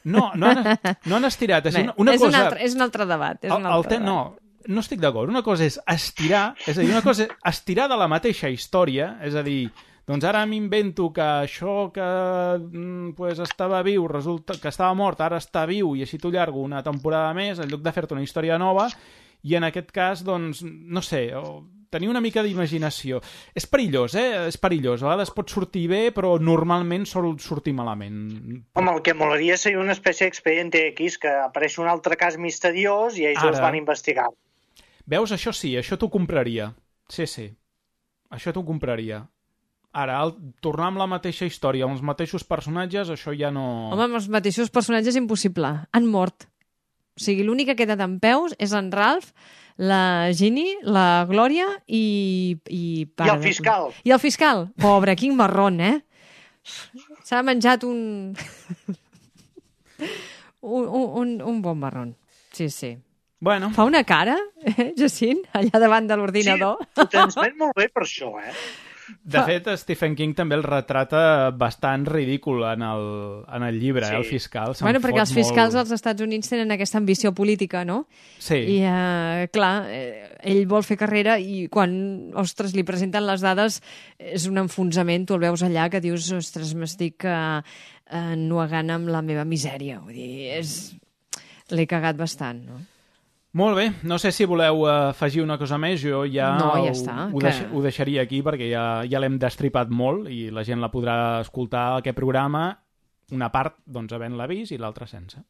No han estirat. És un altre debat. No estic d'acord. Una cosa és estirar, és a dir, una cosa és estirar de la mateixa història, és a dir, doncs ara m'invento que això que estava viu, resulta que estava mort, ara està viu, i així t'ho llargo una temporada més, en lloc de fer-te una història nova. I en aquest cas, doncs, no sé, tenir una mica d'imaginació. És perillós, És perillós. A vegades pot sortir bé, però normalment sol sortir malament. Home, el que molaria seria una espècie d'expedient X, que apareix un altre cas misteriós i ells els van investigar. Veus, això sí, això t'ho compraria. Sí. Això t'ho compraria. Ara, tornar amb la mateixa història, amb els mateixos personatges, això ja no... Home, amb els mateixos personatges és impossible. Han mort. O sigui, l'únic que queda d'en peus és en Ralph, la Ginny, la Glòria i el fiscal. I el fiscal. Pobre, quin marrón, S'ha menjat un bon marrón. Sí. Bueno. Fa una cara, Jacint, allà davant de l'ordinador. Sí, ho transmet molt bé per això, De fet, Stephen King també el retrata bastant ridícul en el llibre, el fiscal. Perquè els fiscals als Estats Units tenen aquesta ambició política, no? Sí. I, clar, ell vol fer carrera i quan, ostres, li presenten les dades és un enfonsament, tu el veus allà que dius, ostres, m'estic ennuegant amb la meva misèria. Vull dir, l'he cagat bastant, no? Molt bé, no sé si voleu afegir una cosa més, jo ja, ho deixaria aquí perquè ja l'hem destripat molt i la gent la podrà escoltar aquest programa, una part doncs havent-la vist i l'altra sense.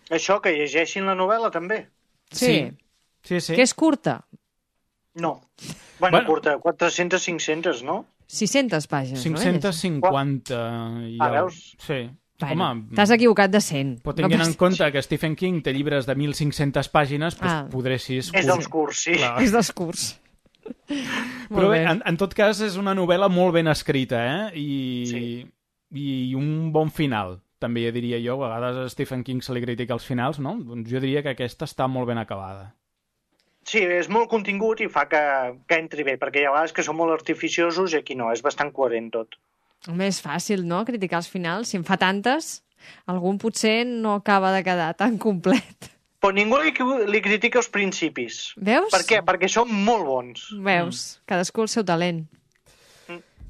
Això, que llegeixin la novel·la també? Sí. Que és curta? No. Bueno, curta, 400-500, no? 600 pàgines, 550. Veus? Sí. Bueno, t'has equivocat de 100. Però tenint en compte que Stephen King té llibres de 1.500 pàgines, doncs podressis... És dels curts, sí. Clar. És dels curts. Però bé, en tot cas és una novel·la molt ben escrita, i un bon final, també diria jo. A vegades a Stephen King se li critica els finals, no? Doncs jo diria que aquesta està molt ben acabada. Sí, és molt contingut i fa que entri bé, perquè hi ha vegades que són molt artificiosos i aquí no, és bastant coherent tot. Home, és fàcil, no?, criticar els finals. Si en fa tantes, algun potser no acaba de quedar tan complet. Però ningú li critica els principis. Veus? Per què? Perquè són molt bons. Veus? Cadascú el seu talent.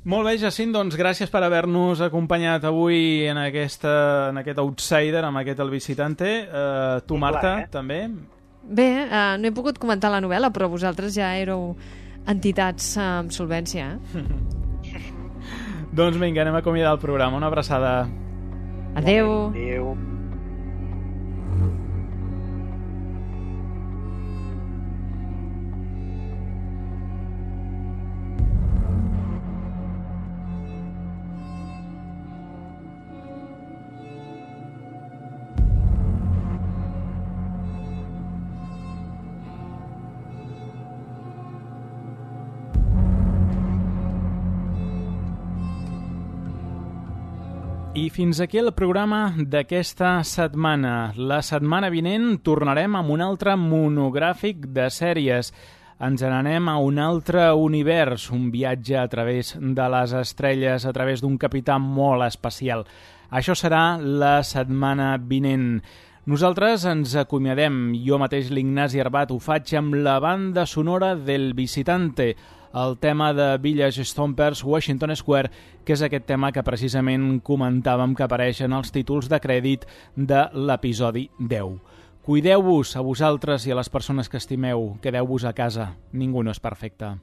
Molt bé, Jacint, doncs gràcies per haver-nos acompanyat avui en aquest outsider, amb aquest El Visitante. Tu, Marta, també? Bé, no he pogut comentar la novel·la, però vosaltres ja éreu entitats amb solvència, Doncs vinga, anem a acomiadar el programa. Una abraçada. Adéu. Adéu. I fins aquí el programa d'aquesta setmana. La setmana vinent tornarem amb un altre monogràfic de sèries. Ens n'anem a un altre univers, un viatge a través de les estrelles, a través d'un capità molt especial. Això serà la setmana vinent. Nosaltres ens acomiadem. Jo mateix, l'Ignasi Arbat, ho faig amb la banda sonora del Visitante, el tema de Village Stompers, Washington Square, que és aquest tema que precisament comentàvem que apareix en els títols de crèdit de l'episodi 10. Cuideu-vos a vosaltres i a les persones que estimeu. Quedeu-vos a casa. Ningú no és perfecte.